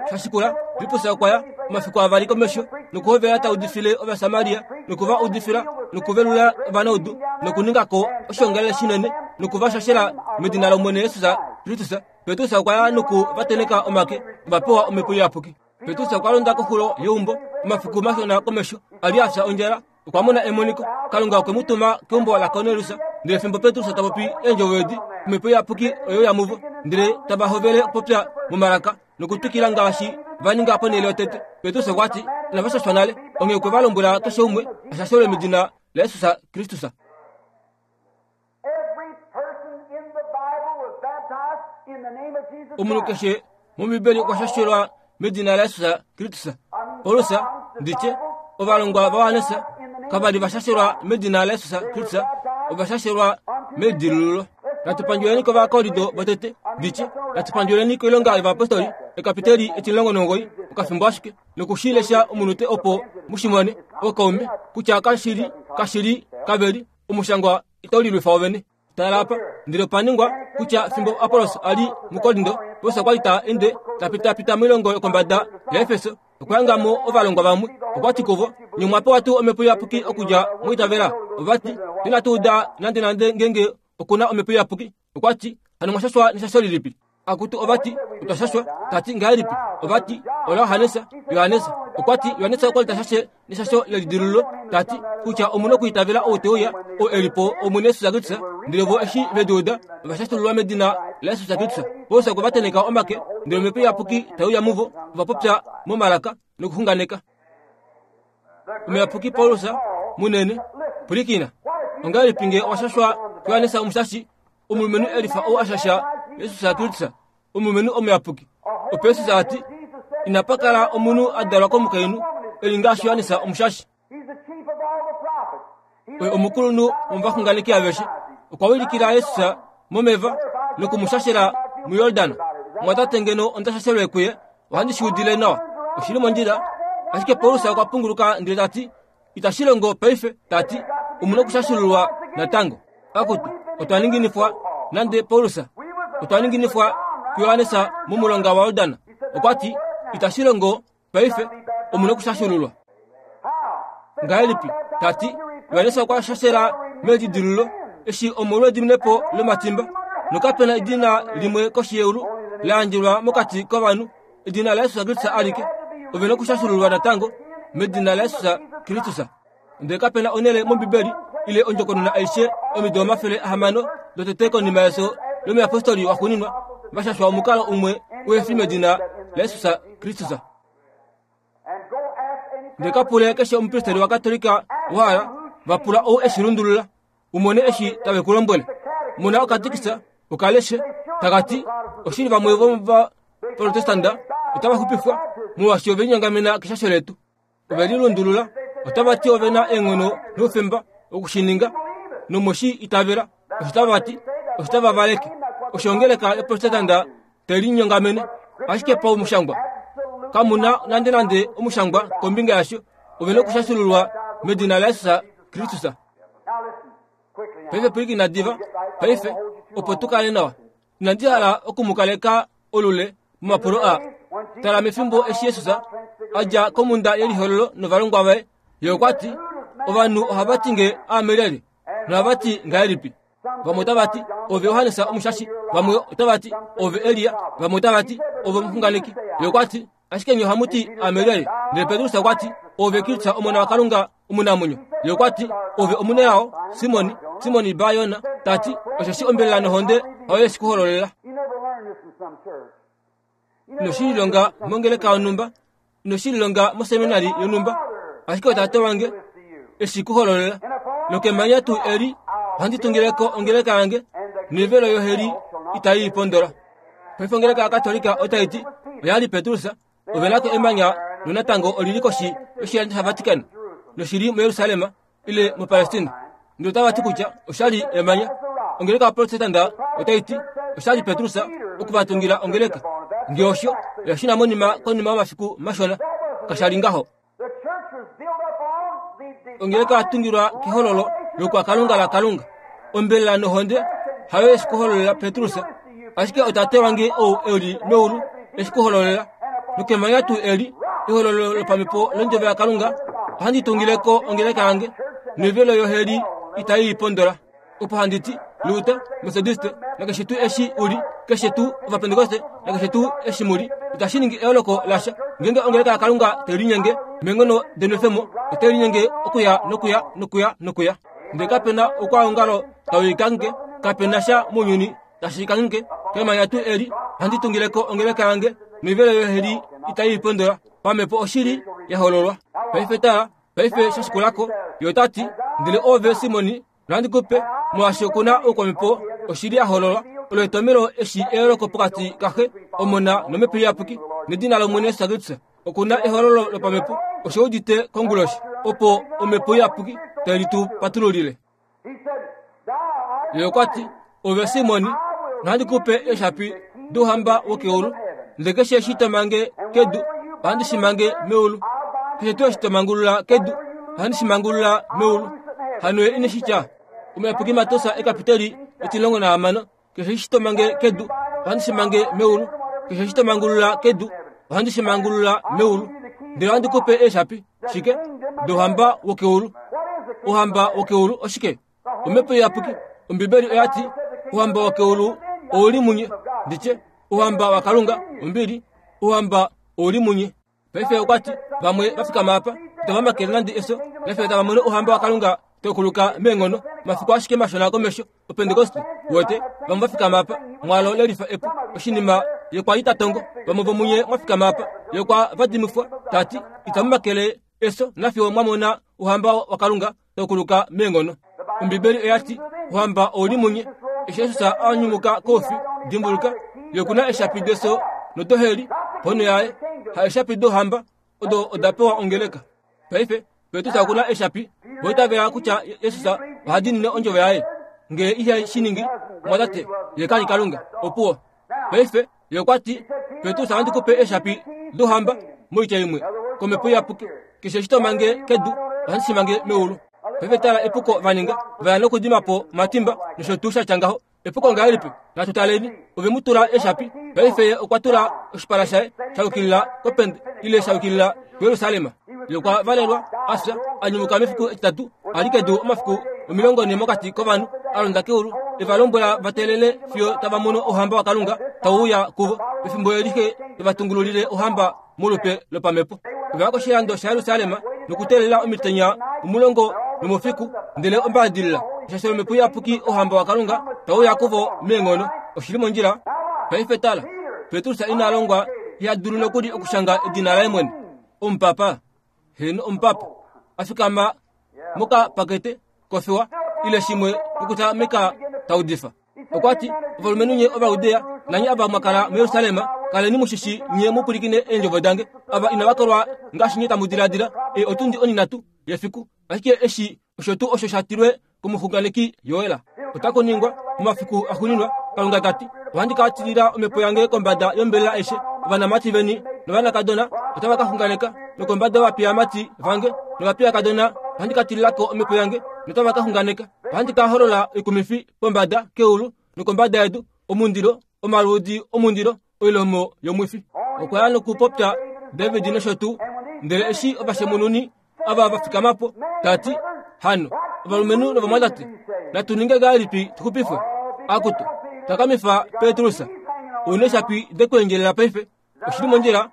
Sha shikula, Filippus okwa ya omafiku avali komesho nokuhovela ta udifile Ovasamaria noku va udifila nokuvelula ovanaudu nokuninga ko oshoongalele shinene noku va shashela medina lOmwene Jesus Kristus. Petrus okwa ya noku va tenheka omake, ova pewa Omhepo Iyapuki. Petrus okwa londa koxulo yeumbo omafiku mashona komesho, a li a fya ondjala. Okwa mona emoniko, Kalunga okwe mu tuma keumbo laKornelius. Ndele fimbo Petrus ta popi eendjovo edi, Omhepo Iyapuki oye uya muvo, ndele tava hovele okupopya momalaka nokutwikila ngaashi va ninga ponhele yotete. Petrus okwa ti, Inava shashwa nale, onghee okwe va lombwela keshe umwe a shashelwe medina laJesus Kristus. Every person in the Bible was baptized in the name of Jesus Omunhu Christ. keshe mOmbibeli okwa shashelwa medina laJesus Kristus. Paulus, nditye, ovalongwa vaJohannes kava li va shashelwa medina laJesus Kristus, ova shashelwa meidilululo. Natu pandjuleni kOvakorinto votete, nditye, natu pandjuleni koilonga yovayapostoli, ekapiteli etimulongo nomugoyi, okafimbo ashike, noku shi lesha omunute opo mu shi mone, ookaume, kutya kashi li, kashi li, kave li, Omushangwa itau lilwifa wovene. Tala apa, ndele opa ningwa kutya fimbo Apollos a li muKorinto, Paulus okwa li ta ende ta pitapita moilongo yokombada yaEfeso, okwa hanga mo ovalongwa vamwe. Okwa ti kuvo, Nye omwa pewa tuu Omhepo Iyapuki okudja mwiitavela? Ova ti, Inatu uda nandenande ngeenge oku na Omhepo Iyapuki. Okwa ti, Hano mwa shashwa neshasho lilipi? Akutu ova ti, Otwa shashwa. Ta ti, Ngahelipi? Ova ti, OlaJohannes. Johannes okwa ti, Johannes okwa li ta shashe neshasho lelidilululo, ta ti kutya omu na okwiitavela ou te uya, ou e li po Omwene Jesus Kristus. Ndele vo eshi ve di uda, ova shashululwa medina laJesus Kristus. Paulus okwe va tenheka omake, ndele Omhepo Iyapuki tai uya muvo, ova popya momalaka nokuxunganeka. Omuyapuki Paulus munene, pwilikina. Ongahelipi nge owa shashwa kuJohannes Omushashi, omulumenhu e lifa ou a shasha Jesus Kristus, omulumenhu omuyapuki? Opo Jesus a ti, Inapa kala omunhu a dalwa komukainhu e li ngaashi Johannes Omushashi. Oye omukulunhu womovaxunganeki aveshe. Okwa wilikila Jesus momeva noku mu shashela muJordan. Mwatate ngeno onda shashelwe kuye, ohandi shi udile nawa. Oshi li mondjila. Ashike Paulus okwa punguluka ndele ta ti, Itashi longo paife, ta ti, omu na okushashululwa natango. Akutu, otwa ninginifwa nande Paulus, otwa ninginifwa kuJohannes momulonga waJordan. Okwa ti, Itashi longo paife, omu na okushashululwa. Ngahelipi? Ta ti, Johannes okwa shashela melidilululo eshi omolwediminepo lomatimba, nokape na edina limwe koshi yeulu la yandjelwa mokati kovanhu, edina laJesus Kristus alike. Ove na okushashululwa natango medina laJesus Kristus. Ndele kape na onhele mOmbibeli ile ondjokonona aishe omido 600 dotete konima yefyo lomuyapostoli waxuuninwa va shashwa omukalo umwe uhe fi medina laJesus Kristus. Ndele ka pule keshe omupristeri waKatolika wa hala, va pula ou e shi lundulula, u mone eshi tave ku lombwele. Mona okatikisa, uka leshe, taka ti, Oshili vamwe vomovaprotestanda otava xupifwa molwaashi ove linyongamena keshasho letu. Ove lilundulula, otava ti ove na eenghono noufemba oku shi ninga, nomoshi itavela. Osho tava ti, osho tava valeke. Osho ongeleka yoprotestanda te linyongamene, ashike paumushangwa kamu na nandenande omushangwa kombinga yasho. Ove na okushashululwa medina laJesus Kristus. Paife pwilikina diva, paife, opo tu kale nawa. Inandi hala oku mu kaleka olule momapulo aa. Tala mefimbo eshi Jesus a dja komhunda yelihololo novalongwa vaye, ye okwa ti, Ovanhu ohava ti nge aame lyelye, nohava ti ngahelipi? Vamwe otava ti, Ove Johannes Omushashi, vamwe otava ti, Ove Elia, vamwe otava ti, Ove omuxunganeki. Ye okwa ti, Ashike nye ohamu ti, Aame lyelye? Ndele Petrus okwa ti, Oove Kristus, Omona waKalunga omunamwenyo. Ye okwa ti, Ove omunelao, Simoni, Simoni Ba-Yona, ta ti, Osheshi ombelela nohonde hayo ye shi ku hololela. Ino shi lilonga mongeleka yonhumba, ino shi lilonga moseminari yonhumba, ashike oTate wange e shi ku hololela. Nokemanya tuu eli ohandi tungile ko ongeleka yange, noivelo yoheli itai i pondola. Paife ongeleka yaKatolika otai ti, Oya li Petrus, ove na ko emanya nonatango oli li koshi yoshilando shaVatican noshi li muJerusalem ile muPalestina. Ndele otava ti kutya osha li emanya. Ongeleka yaProtestanda otai ti osha li Petrus oku va tungila ongeleka. Nge osho, oya shuna monima konima yomafiku mashona. Kasha li ngaho. Ongeleka oya tungilwa kehololo lokwakalunga laKalunga. Ombelela nohonde hayo ye shi ku hololela Petrus, ashike oTate wange ou e li meulu e shi ku hololela. Nokemanya tuu eli, ehololo lopamhepo londjovo yaKalunga, ohandi tungile ko ongeleka yange, noivelo yoheli itai i pondola. Opo handi ti, Luther, Methodiste, nakeshe tuu eshi u li, keshe tuu Ovapentekoste, nakeshe tuu eshi mu li, itashi ningi eyooloko lasha. Ngeenge ongeleka yaKalunga tai linyenge meenghono denwefemo, otai linyenge okuya nokuya nokuya nokuya. Ndele kape na oukwaongalo tau i kange, kape na sha mounyuni tashi i kange. Kemanya tuu eli ohandi tungile ko ongeleka yange, noivelo yoheli itai i pondola. Pamhepo oshili ya hololwa. Paife tala, Paife sha shikula ko, ye ota ti, Ndele oove Simoni, nohandi ku pe, molwaashi oku na oukwamhepo, oshili ya hololwa. Olo etomhelo eshi eyooloko pokati kaXe, Omona nOmhepo Iyapuki, nedina lOmwene Jesus Kristus. Oku na ehololo lopamhepo, osho udite konguloshi, opo Omhepo Iyapuki tai li tu patululile. Ye okwa ti, Ove Simoni, nohandi ku pe eeshapi douhamba wokeulu, ndele keshe eshi to mange kedu, ohandi shi mange meulu. Keshe tuu eshi to mangulula kedu, ohandi shi mangulula meulu. Hano ye ine shi tya, Omuyapuki Mateus ekapiteli 16, Keshe eshi to mange kedu, ohandi shi mange meulu. Keshe eshi to mangulula kedu, ohandi shi mangulula meulu. Ndele ohandi ku pe eeshapi, shike? Douhamba wokeulu. Ouhamba wokeulu oshike? Omhepo Iyapuki. Ombibeli oya ti, Ouhamba wokeulu ou li munye. Nditye, Ouhamba waKalunga, ombili, Ouhamba ou li munye. Paife okwa ti, Vamwe va fikama apa, itava makele nande efyo, paife tava mono Ouhamba waKalunga tau kuluka meenghono, mafiku ashike mashona komesho, Opentekoste. Uwete, vamwe va fikama apa, mwaalo le lifa epu, oshinima ye kwa li ta tongo. Vamwe vomunye mwa fikama apa, ye kwa vadimifwa, ta ti, Itamu makele. Efyo nafiyo mwa mona Ouhamba waKalunga tau kuluka meenghono. Ombibeli oya ti, Ouhamba ou li munye. Eshi Jesus a nyumuka koufi, dimbuluka, ye oku na eeshapi defyo nodoheli ponho yaye, ha eeshapi douhamba, odo oda pewa ongeleka. Paife, Petrus oku na eeshapi, vo itavela kutya Jesus oha diinine ondjovo yaye. Nge ihe shi ningi, omwatate, ye ka li Kalunga. Opuwo. Paife, ye okwa ti, Petrus, ohandi ku pe eeshapi douhamba, moitya imwe, komhepo iyapuki. Keshe eshi to mange kedu, ohandi shi mange meulu. Paife tala epuko va ninga, va ya nokudima po omatimba nosho tuu sha tya ngaho. Epuko ngahelipi? Natu taleni. Ove mu tula eeshapi. Paife ye okwa tula oshipala shaye sha yukilila kopende ile sha yukilila kuJerusalem. Ye okwa valelwa, a fya, a nyumuka mefiku etitatu, a li kedu omafiku 40 mokati kovanhu, a londa keulu, e va lombwela va teelele fiyo tava mono Ouhamba waKalunga tau uya kuvo. Pefimbo eli Xe te va tungululile Ouhamba molupe lopamhepo. Ova ya koshilando shaJerusalem nokuteelela omitenya omulongo nomoufiku, ndele ombaadilila, osheshi Omhepo Iyapuki Ouhamba waKalunga tau uya kuvo meenghono. Oshi li mondjila? Paife tala, Petrus ina longwa, iha dulu nokuli okushanga edina laye mwene. Omupapa, heeno omupapa, a fikama mokapakete kofiwa ile shimwe nokutameka ta udifa. Okwa ti, Ovalumenhu nye Ovaudea, nanye ava mwa kala muJerusalem, kaleni mu shi shii nye mu pwilikine eendjovo dange. Ava inava kolwa ngaashi nye tamu diladila, ei otundi onhinhatu yefiku. Ashike eshi osho tuu osho sha tilwe komuxunganeki Joel. Otaku ningwa momafiku axuuninwa, Kalunga ta ti, ohandi ka tilila omhepo yange kombada yombelela aishe. Ovanamati veni novanakadona otava ka xunganeka, nokombada yovapiyamati vange novapiyakadona ohandi ka tilila ko omhepo yange, notava ka xunganeka. Ohandi ka holola oikumifi pombada keulu nokombada yedu, omundilo, omaluudi omundilo, oilomo yomwifi. Okwa ya nokupopya David nosho tuu. Ndele eshi ovashemununi ava va fikama po, ta ti, Hano, ovalumenhu novamwatate, natu ninge ngahelipi tu xupifwe? Akutu, takamifa Petrus, ou neeshapi dekweendjelela paife. Oshi li mondjila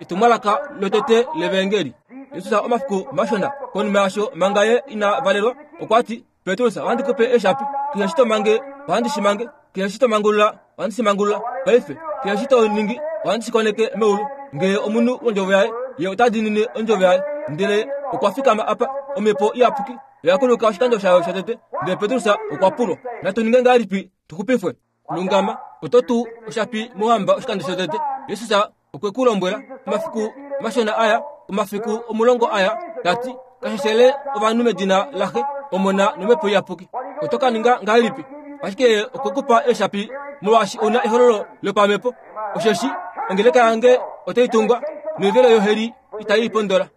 etumwalaka lotete levaengeli. Jesus omafiku mashona konima yasho manga ye ina valelwa, okwa ti, Petrus, ohandi ku pe eeshapi, keshe eshi to mange, ohandi shi mange, keshe eshi to mangulula, ohandi shi mangulula. Paife, keshe eshi to ningi, ohandi shi koneke meulu. Ngee omunhu wondjovo yaye, ye ota diinine ondjovo yaye. Ndele okwa fikama apa, Omhepo Iyapuki oya kuluka oshikando shayo shotete, ndele Petrus okwa pulwa, Natu ninge ngahelipi tu xupifwe? Lungama, oto tu oshapi mouhamba oshikando shotete. Jesus okwe ku lombwela omafiku mashona aya, omafiku 10 aya, ta ti, Kasheshele ovanhu medina laXe, Omona nOmhepo Iyapuki. Oto ka ninga ngahelipi? Ashike ye okwe ku pa eeshapi molwaashi ou na ehololo lopamhepo. Osheshi ongeleka yange otai tungwa, noivelo yoheli itai i pondola.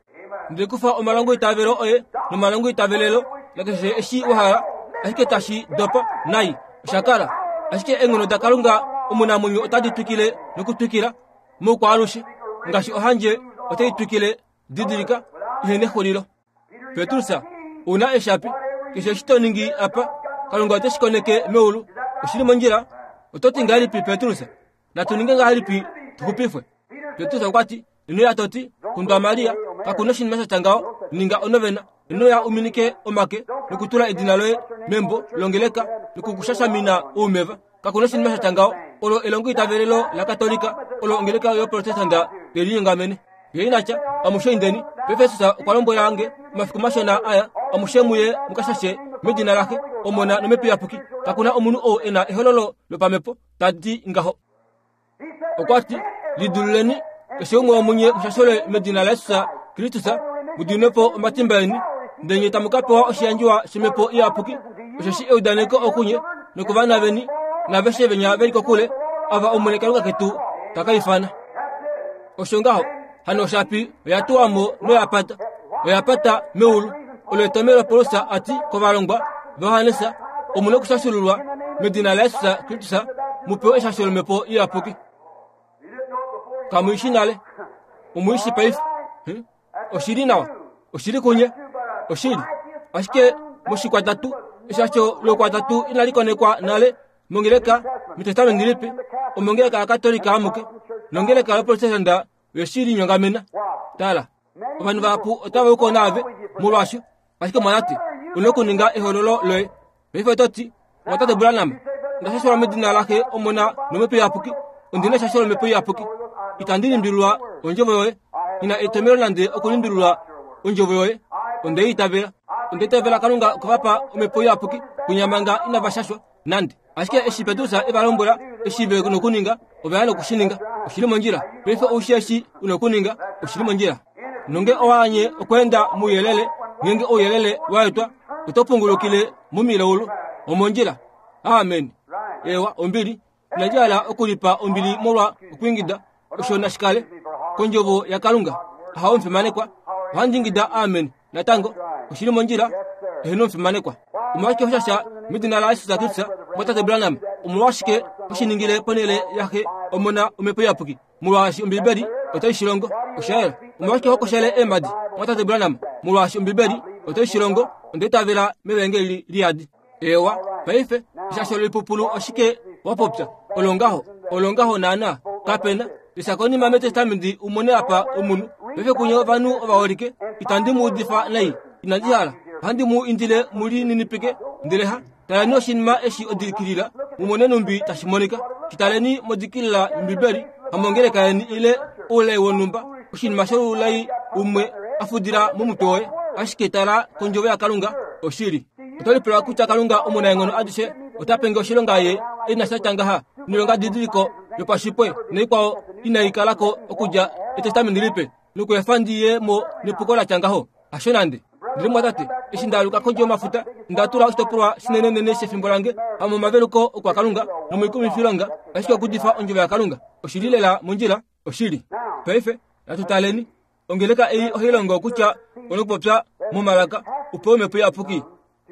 Ndele kufa omalongoitavelo oye nomalongoitavelelo nakeshe eshi wa hala, ashike tashi dopa nai. Osha kala ashike eenghono daKalunga omunamwenyo otadi twikile nokutwikila moukwaalushe, ngaashi ohandje otai twikile. Didilika, ihe nexulilo. Petrus, ou na eshapi, keshe eshi to ningi apa, Kalunga ote shi koneke meulu. Oshi li mondjila. Oto ti ngahelipi, Petrus? Natu ninge ngahelipi tu xupifwe? Petrus okwa ti, Ino ya to ti, Kundwa Maria, kaku na oshinima sha tya ngaho, ninga onovena. Ino ya u minike omake nokutula edina loye membo longeleka nokukushashamina oumeva. Kaku na oshinima sha tya ngaho. Olo elongoitavelelo laKatolika, olo ongeleka yoProtestanta ye linyongamene. Ye ina tya, Amushe indeni. Petrus okwa lombwela nge omafiku mashona aya, amushe muye mu ka shashe medina laXe, Omona nOmhepo Iyapuki. Kaku na omunhu ou e na ehololo lopamhepo ta ti ngaho. Okwa ti, Lidululeni, keshe umwe womunye mushashole medina laJesus Kristus, mu diminwe po omatimba eni, ndele nye tamu ka pewa oshiyandjiwa shOmhepo Iyapuki. Osheshi eudaneko okunye nokovana veni naaveshe venya ve li kokule, ava Omwene Kalunga ketu ta ka ifana. Osho ngaho hano oshapi oya tuwa mo noya pata, oya pata meulu. Olo etomhelo Paulus a ti kovalongwa vaJohannes, Omu na okushashululwa medina laJesus Kristus mu pewe eshasho lOmhepo Iyapuki. Kamu i shi nale, omu i shi paife. Hmm? Oshi li nawa, oshi li kunye, oshili. Ashike moshikwatatu, eshasho loukwatatu inali konekwa nale mongeleka mEtestamenti Lipe, omongeleka yaKatolika amuke, nongeleka yoProtestanta oye shi linyongamena. Tala, ovanhu vahapu otava u ko naave molwaasho, ashike omwanati, u na okuninga ehoololo loye. Paife oto ti, Mwatate Branham, onda shashelwa medina laXe, Omona nOmhepo Iyapuki. Ondi na eshasho lOmhepo Iyapuki. Itandi limbililwa ondjovo yoye. Nghi na etomhelo nande okulimbililwa. Ondjovo yoye onde i itavela. Onda itavela Kalunga okwe va pa Omhepo Iyapuki kwinya manga inava shashwa nande. Ashike eshi Petrus e va lombwela eshi ve nokuninga, ova ya noku shi ninga. Oshi li mondjila. Paife ou shii eshi u nokuninga, oshi li mondjila. Nonge owa anye okweenda mouyelele, ngeenge ouyelele wa etwa, oto pungulukile momilaulu. Omondjila. Amen. Ewa, ombili. Inandi hala okulipa ombili molwa okwiingida, osho nashi kale kondjovo yaKalunga. Ahawe omufimanekwa. Ohandi ingida amen natango. Oshi li mondjila. Eheno omufimanekwa. Omolwashike ho shasha medina laJesus Kristus, mwatate Branham? Omolwashike ho shi ningile ponhele yaXe, Omona, Omhepo Iyapuki? Molwaashi Ombibeli otai shi longo. Osha yela. Omolwashike ho koshele eemhadi, mwatate Branham? Molwaashi Ombibeli otai shi longo. Onda itavela mevaengeli liyadi. Ewa, paife, eshasho loipupulu oshike wa popya? Olongaho, olongaho naana, kapena. Lesha konima mEtestamenti u mone apa omunhu. Paife kunye ovanhu ovaholike, itandi mu udifa nai, inandi hala. Ohandi mu indile mu lininipike, ndele ha taleni oshinima eshi odikilila, mu mone numbi tashi monika. Shi taleni modikilila yOmbibeli, hamongeleka yeni ile oulai wonhumba, oshinima shoulai umwe a fudila momutwe woye. Ashike tala kOndjovo yaKalunga, oshili. Oto lipula kutya Kalunga omunaenghono adishe ota penge oshilonga ye e na sha tya ngaha noilongadidiliko yopashipwe noikwao inai kala ko okudja Etestamenti Lipe nokuefa ndi ye mo nepuko la tya ngaho? Hasho nande. Ndele mwatate, eshi nda aluka kondje yomafuta, onda tula oshitopolwa shinenenene shefimbo lange hamomaveluko okwaKalunga nomoikumwifilonga, ashike okuudifa ondjovo yaKalunga. Oshi li lela mondjila, oshili. Paife, natu taleni. Ongeleka ei ohai longo kutya onokupopya momalaka u pewe omhepo iyapuki.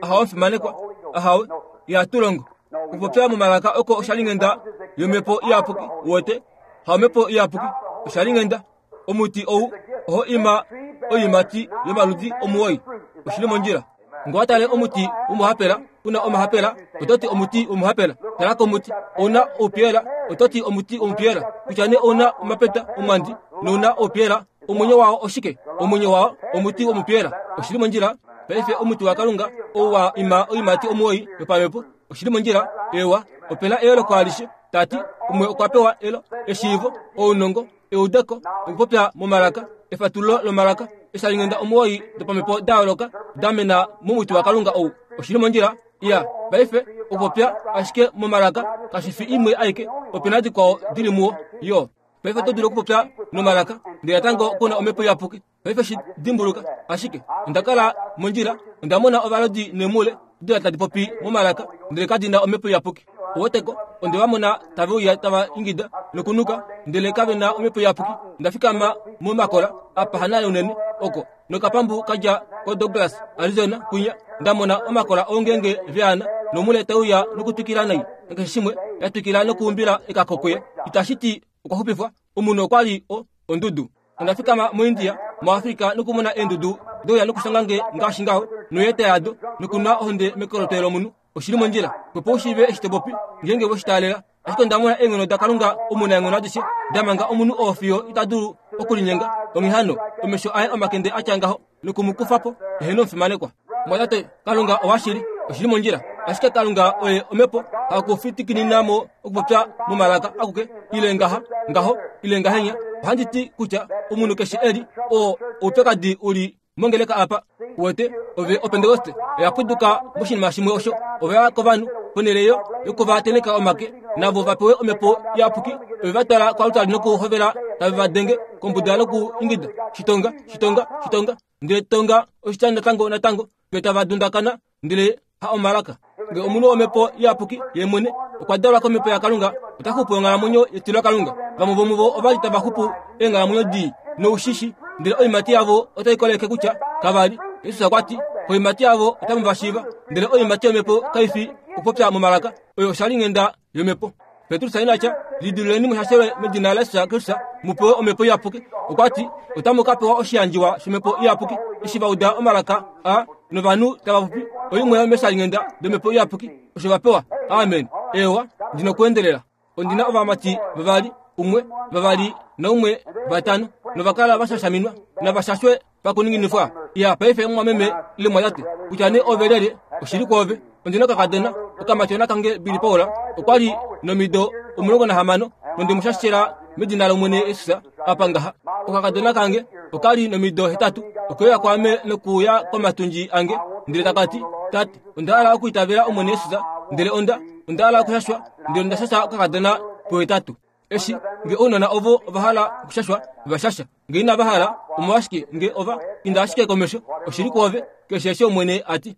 Ahawe omufimanekwa, ahawe, ihatu longo. Okupopya momalaka oko oshalinghenda yomhepo iyapuki, uwete, haomhepo iyapuki, oshalinghenda. Omuti ou oho ima oiimati yomaludi omuwoi. Oshi li mondjila. Nge owa tale omuti womuhapela u na omahapela, oto ti omuti womuhapela. Tala komuti, ou na oupyela, oto ti omuti womupyela. Kutya nee ou na omapeta omwandi nou na oupyela, omwenyo wao oshike? Omwenyo wao omuti womupyela. Oshi li mondjila. Paife omuti waKalunga ou wa ima oiimati omuwoi yopamhepo. Oshi li mondjila. Eewa, ope na eyooloko alishe. Ta ti, umwe okwa pewa elo, eshiivo, ounongo, eudeko, okupopya momalaka, efatululo lomalaka, eshalinghenda omuwoi dopamhepo da yooloka da mena momuti waKalunga ou. Oshi li mondjila? Iya, paife, okupopya ashike momalaka kashi fi imwe aike, ope na dikwao di li muwo, yo. Paife oto dulu okupopya nomalaka, ndele natango ku na Omhepo Iyapuki. Paife shi dimbuluka, ashike onda kala mondjila, onda mona ovalodi neemhule dila tadi popi momalaka, ndele kadi na Omhepo Iyapuki. Oweteko, onde va mona tave uya tava ingida nokunuka, ndele kave na Omhepo Iyapuki. Onda fikama momakola apa hanale unene oko, nokapambu ka dja koDouglas, Arizona, kwinya, nda mona omakola oungenge veana, nomhule tai uya nokutwikila nai, nakeshe shimwe, ya twikila nokuumbila ekako kuye. Itashi ti okwa xupifwa. Omunhu okwa li o, ondudu. Onda fikama moIndia, moAfrika nokumona eendudu deuya nokushanga nge ngaashi ngaho, noyeeta yado, nokunwa ohonde mekoloto lomunhu. Oshi li mondjila. Opo u shiive eshi to popi, ngeenge we shi taalela. Ashike onda mona eenghono daKalunga omunaenghono adishe da manga omunhu oo fiyo ita dulu okulinyenga. Onghee hano, omesho aye omakende a tya ngaho, noku mu kufa po. Eheno omufimanekwa. Mwatate, Kalunga owashili, oshi li mondjila. Ashike Kalunga oye omhepo, haku fitikinina mo okupopya momalaka akuke, ile ngaha, ngaho, ile ngahenya. Ohandi ti kutya omunhu keshe e li, oo oupyakadi u li mongeleka apa. Uwete, ove Opentekoste oya puduka moshinima shimwe osho. Ove ya kovanhu, ponhele yo, yoku va tenheka omake, navo va pewe Omhepo Iyapuki, ove va twala koaltari nokuhovela tave va denge kombuda noku ingida, Shitonga, shitonga, shitonga. Ndele tonga oshitya natango natango, fiyo tava dundakana, ndele ha omalaka. Nge omunhu womhepo iyapuki ye mwene okwa dalwa komhepo yaKalunga, ota xupu onghalamwenyo yetilokalunga. Vamwe vomuvo ova li tava xupu eenghalamwenyo dii noushishi, ndele oiimati yavo otai koleke kutya kava li. Jesus okwa ti, Koiimati yavo otamu va shiiva. Ndele oiimati yomhepo kai fi okupopya momalaka, oyo oshalinghenda yomhepo. Petrus ina tya, Lidiluleni mushashelwe medina laJesus Kristus mu pewe omhepo iyapuki. Okwa ti, Otamu ka pewa oshiyandjiwa shomhepo iyapuki. Eshi va uda omalaka a novanhu tava popi, oimwe yomeshalinghenda domhepo iyapuki osho va pewa. Amen. Eewa, ndi nokuendelela. Ondi na ovamati vavali, umwe, vavali naumwe, vatano, nova kala va shashaminwa. Nava shashwe pakuninginifwa. Iya, paife mumwameme ile mwatate, kutya nee ove lyelye, oshili kwoove. Ondi na okakadona, okamatyona kange Billy Paul, okwa li nomido 16, nonde mu shashela medina lOmwene Jesus, apa ngaha. Okakadona kange oka li nomido 8. Okwe uya kwaame nokuuya komatundji ange, ndele taka ti, Tate, onda hala okwiitavela Omwene Jesus, ndele onda, onda hala okushashwa, ndele onda shasha okakadona pohetatu. Eshi, nge ounona ovo ova hala okushashwa, va shasha. Nge inava hala, omolwashike nge ova inda ashike komesho, oshi li kwoove, keshe eshi Omwene a ti.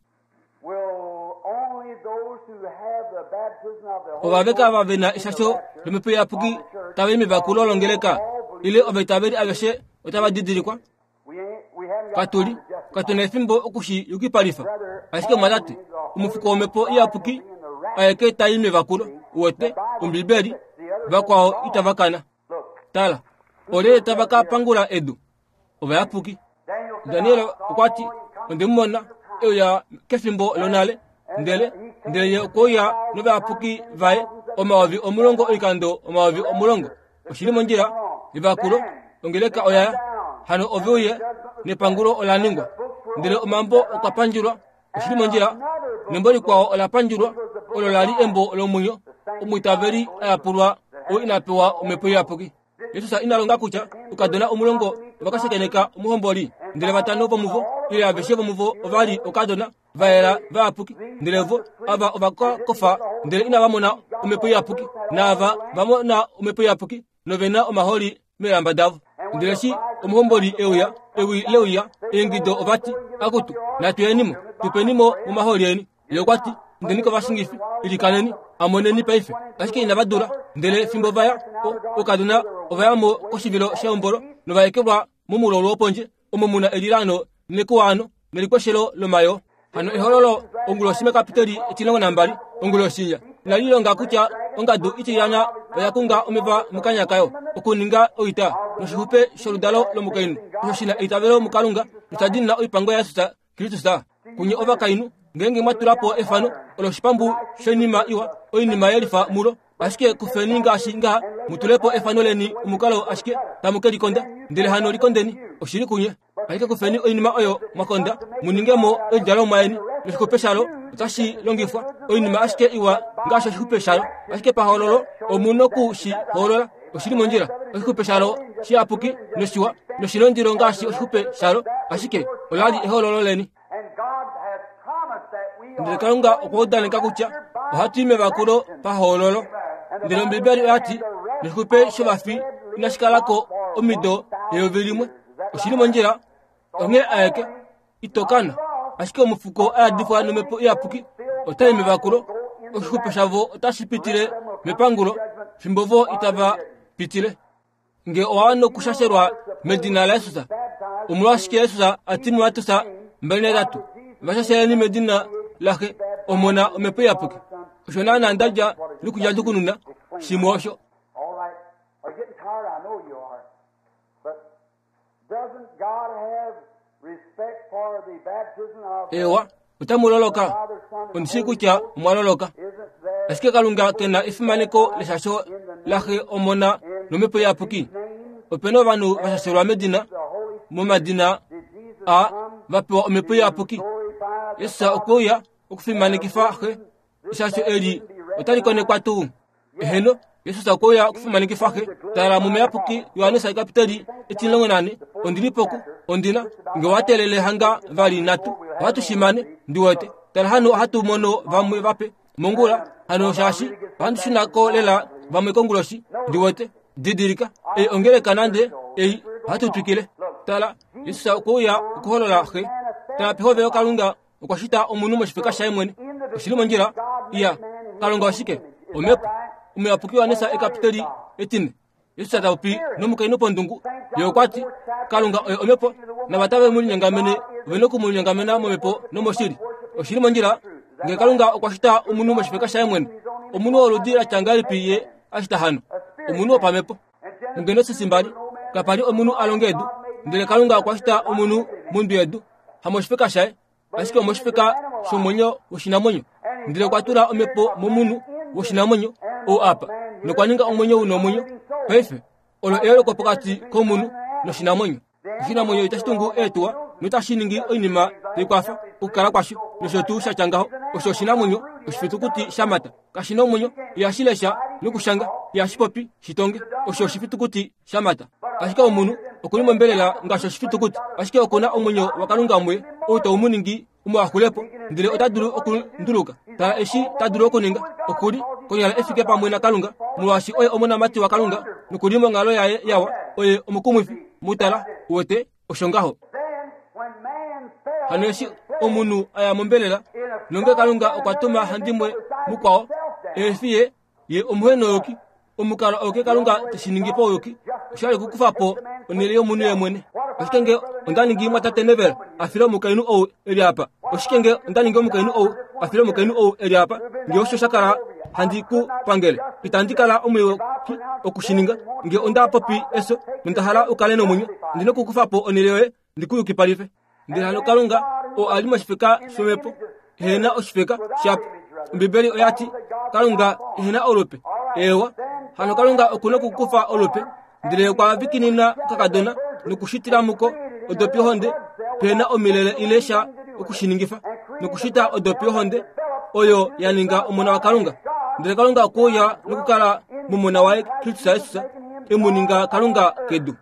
Ovaveka ava ve na eshasho lomhepo iyapuki tava i mevakulo longeleka ile ovaitaveli aveshe otava didilikwa katu li katu na efimbo oku shi yukipalifa ashike omwatate omufuko womhepo iyapuki aeke ta i mevakulo uwete ombibeli vakwao itava kana tala olyelye tava ka pangula edu ovayapuki Daniel okwa ti, Onde mu mona e uya kefimbo lonale, ndele ndele ye okwe uya novayapuki vaye 10,000 oikando 10,000. Oshi li mondjila, evakulo, ongeleka oya ya, hano ove uye, nepangulo ola ningwa. Ndele omambo okwa pandjulwa, oshi li mondjila, nembo likwao ola pandjulwa, olo la li embo lomwenyo, omwiitaveli a yapulwa oo ina pewa omhepo iyapuki. Jesus ina longa kutya okadona omulongo ova ka shakeneka omuhomboli, ndele vatano vomuvo ile aveshe vomuvo ova li okadona va yela vayapuki, ndele vo ava ova ka kofa ndele inava mona omhepo iyapuki, naava va mona omhepo iyapuki nove na omaholi meelamba davo. Ndele eshi omuhomboli e uya, ewi le uya, eingido ova ti, Akutu, natu yeni mo, tu peni mo momaholi eni. Ye okwa ti, Indeni kovashingifi, ilikaneni, amoneni paife. Ashike inava dula. Ndele fimbo va ya, oukadona ova ya mo koshivilo shehombolo nova ekelwa momulolo wopondje, omo mu na elilaano nekuwaano nelikweshelo lomayoo. Hano ehololo onguloshi mekapiteli etilongo nambali onguloshi inya inali longa kutya ongadu itilyana oya kunga omeva mokanya kayo okuninga oita noshixupe sholudalo lomukainhu osho shi na eitavelo muKalunga nosha diinina oipango yaJesus Kristus. Kunye ovakainhu, ngeenge mwa tula po efano olo oshipambu shoinima iwa, oinima ye lifa mulo, ashike kufeni ngaashi ngaha, mu tule po efano leni omukalo ashike tamu ke likonda, ndele hano likondeni, oshili kunye. Ashike kufeni oinima oyo mwa konda, mu ninge mo oidjalomwa yeni, noshixupe shalo otashi longifwa, oinima ashike iwa ngaashi oshixupe shalo, ashike pahoololo omu noku shi hoolola. Oshi li mondjila. Oshixupe shalo shiyapuki noshiwa noshinondilo ngaashi oshixupe shalo, ashike ola li ehoololo leni. Ndele Kalunga okwa udaneka kutya ohatu i mevakulo pahoololo. Ndele Ombibeli oya ti, noshixupe shovafi inashi kala ko omido 1000. Oshi li mondjila. Onghee aeke ito kana, ashike omufuko a yadifwa nomhepo iyapuki otai mevakulo. Oshixupe shavo otashi pitile mepangulo, fimbo vo itava pitile. Nge owa wana okushashelwa medina laJesus, omolwashike Jesus a ti muMateus 23, Va shasheleni medina laXe, Omona, Omhepo Iyapuki? Osho naanaa nda dja nokudja shimwe osho. Eewa, otamu loloka. Ondi shii kutya omwa loloka. Ashike Kalunga ke na efimaneko leshasho laXe, Omona nOmhepo Iyapuki. Ope na ovanhu va shashelwa medina, momadina a va pewa Omhepo Iyapuki. Jesus okwe uya okufimanekifa Xe. Eshasho eli otali konekwa tuu? Eheno, Jesus okwe uya okufimanekifa Xe. Tala muMuyapuki Johannes ekapiteli etimulongo nane. Ondi li poku, ondi na, nge wa teelele hanga vali natu, ohatu shi mane, ndi wete. Tala hano ohatu mono vamwe vape mongula, hano shaashi ohandi shuna ko lela vamwe konguloshi, ndi wete. Didilika, ei ongeleka nande ei, ohatu twikile. Tala, Jesus okwe uya okuholola Xe. Tala pehovelo Kalunga okwa shita omunhu moshifeka shaye mwene. Oshi li mondjila? Iya. Kalunga oshike? Omhepo. Omuyapuki Johannes ekapiteli etine. Jesus ta popi nomukainhu pondungu. Ye okwa ti, Kalunga oye omhepo, nava tave mu linyongamene ove noku mu linyongamena momhepo nomoshili. Oshi li mondjila? Nge Kalunga okwa shita omunhu moshifeka shaye mwene, omunhu woludi la tya ngahelipi ye a shita hano? Omunhu wopamhepo. MuGenesis mbali, kapa li omunhu a longa edu, ndele Kalunga okwa shita omunhu mondwi yedu, hamoshifeka shaye, ashike omoshifeka shomwenyo woshinamwenyo. Ndele okwa tula omhepo momunhu woshinamwenyo ou apa, nokwa ninga omwenyo u nomwenyo. Paife, olo eyooloko pokati komunhu noshinamwenyo. Oshinamwenyo itashi tungu eetuwa. notashi ningi oinima tai kwafa okukala kwasho nosho tuu sha tya ngaho. Osho oshinamwenyo oshifitukuti sha mata. Kashi na omwenyo, ihashi lesha nokushanga, ihashi popi shitonge. Osho oshifitukuti sha mata. Ashike omunhu oku li mombelela ngaashi oshifitukuti, ashike oku na omwenyo waKalunga muye ou tau mu ningi umwe a xulepo, ndele ota dulu okunduluka. Tala eshi ta dulu okuninga. Oku li konyala e fike pamwe naKalunga, molwaashi oye omonamati waKalunga noku li monghalo yaye yawa. Oye omukumwifi. Mu tala, uwete, osho ngaho. Hano eshi omunhu a ya mombelela, nonge Kalunga okwa tuma handimwe mukwao, ehe fi ye, ye omuhenouyuki. Omukalo auke Kalunga te shi ningi pauyuki osha li okukufa po onhele yomunhu ye mwene. Oshike nge onda ningi mwatate Neville a file omukainhu ou e li apa? Oshike nge onda ningi omukainhu ou a file omukainhu ou e li apa? Nge osho sha kala handi ku pangele, itandi kala omuyuki oku shi ninga. Nge onda popi efyo nonda hala u kale nomwenyo, ondi na okukufa po onhele yoye ndi ku yukipalife. Ndele hano Kalunga oo a li moshifeka shomhepo ehe na oshifeka shapo. Ombibeli oya ti Kalunga ehe na olupe. Eewa, hano Kalunga oku na okukufa olupe ndele okwa vikinina okakadona nokushitila muko odopi yohonde pehe na omilele ile sha oku shi ningifa nokushita odopi yohonde oyo ya ninga omona waKalunga. Ndele Kalunga okwe uya nokukala momona waye Kristus Jesus e mu ninga Kalunga kedu.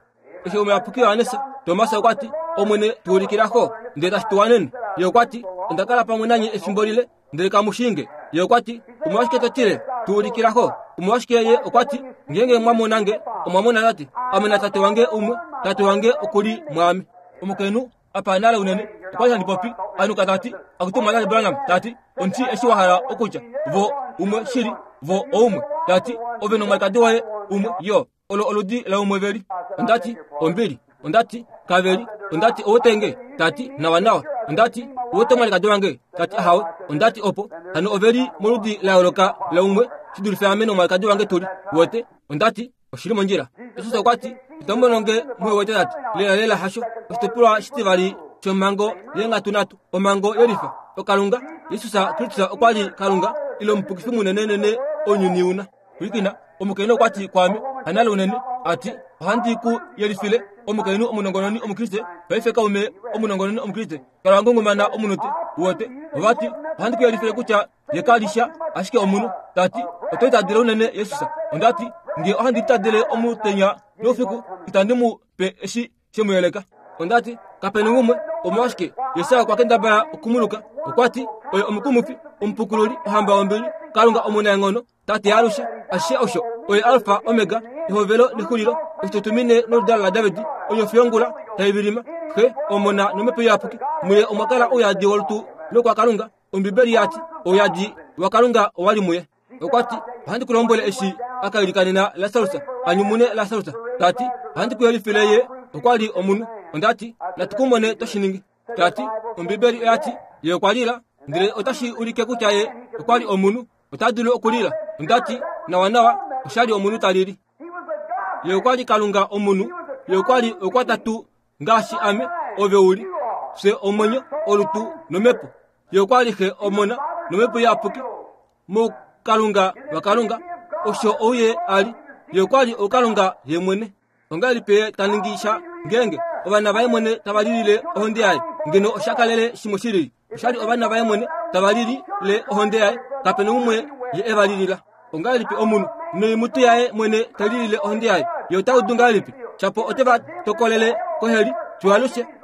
Eshi omuyapuki Johannes Tomas okwa ti, Omwene, tu ulikila Xo, ndele tashi tu wanene. Ye okwa ti, Onda kala pamwe nanye efimbo lile, ndele kamu shii nge. Ye okwa ti, Omolwashike to tile, tu ulikila Xo? Omolwashike ye okwa ti, Ngeenge mwa mona nge, omwa mona Tate. Ame naTate wange umwe, Tate wange oku li mwaame. Omukainhu apa nale unene okwa li handi popi anuka ta ti, Akutu Mwatate Branham, ta ti, ondi eshi wa hala okutya, vo umwe shili, vo oumwe. Ta ti, Ove nomwalikadi woye umwe yo. Olo oludi laumwe veli. Onda ti, Ombili. Onda ti, Kaveli. Onda ti, Owete nge? Ta ti, Nawanawa. Onda ti, Owete omwalikadi wange? Ta ti, Ahawe. Onda ti, Opo hano ove li moludi la yooloka laumwe shi dulife ame nomwalikadi wange tu li. Wete? Onda ti, Oshi li mondjila. Jesus okwa ti, Itamu mono nge muhe wete tati. Lelalela hasho. Oshitopolwa shitivali shomhango yeenghatu nhatu, omhango yelifa. Okalunga, Jesus Kristus okwa li Kalunga, ile omupukifi munenenene ounyuni una. Pwilikina, omukainhu okwa ti kwaame, hanale unene, a ti, Ohandi ku yelifile, omukainhu omunongononi Omukriste, paife kaume omunongononi Omukriste, kala wa ngungumana omunute, uwete. Ova ti, Ohandi ku yelifile kutya ye ka li sha, ashike omunhu. Ta ti, Oto itadele unene Jesus. Onda ti, Nge ohandi itadele omutenya noufiku, itandi mu pe eshi she mu yeleka. Onda ti, Kape na umwe. Omolwashike? Jesus okwa kendabala okumuluka. Okwa ti, Oye omukumufi, omupukululi, ohamba yombili, Kalunga omunaenghono, Tate yaalushe, ashishe osho oye Alfa Omega, ehovelo nexulilo, oshitutumine noludalo laDavid, onyofi yongula tai vilima, Xe, Omona nOmhepo Iyapuki. Muye omwa kala ouyadi wolutu lokwaKalunga. Ombibeli ya ti, ouyadi waKalunga owa li muye. Okwa ti, ohandi ku lombwele eshi a ka ilikanena Lasarus a nyumune Lasarus, ta ti, ohandi ku yelifile ye okwa li omunhu. Onda ti, natu ku mone to shi ningi. Ta ti, Ombibeli oya ti, ye okwa lila, ndele otashi ulike kutya ye okwa li omunhu. Ota dulu okulila. Onda ti, nawanawa, osha li omunhu ta lili. Ye okwa li Kalunga omunhu. Ye okwa li okwatatu ngaashi ame, ove u li. Fye omwenyo, olutu nomhepo. Ye okwa li Xe, Omona nomhepo Iyapuki. MuKalunga waKalunga, osho ou Ye a li. Ye okwa li ouKalunga Ye mwene. Ongahelipi ye ta ningi sha ngeenge ovana vaye mwene tava lilile ohonde yaye? Ngeno osha kalele shimwe shi lili. Osha li ovana vaye mwene tava lilile ohonde yaye, kape na umwe ye e va lilila. Ongahelipi omunhu noimutu yaye mwene ta lilile ohonde yaye? Ye ota udu ngahelipi? Shapo ote va tokolele koheli fiyo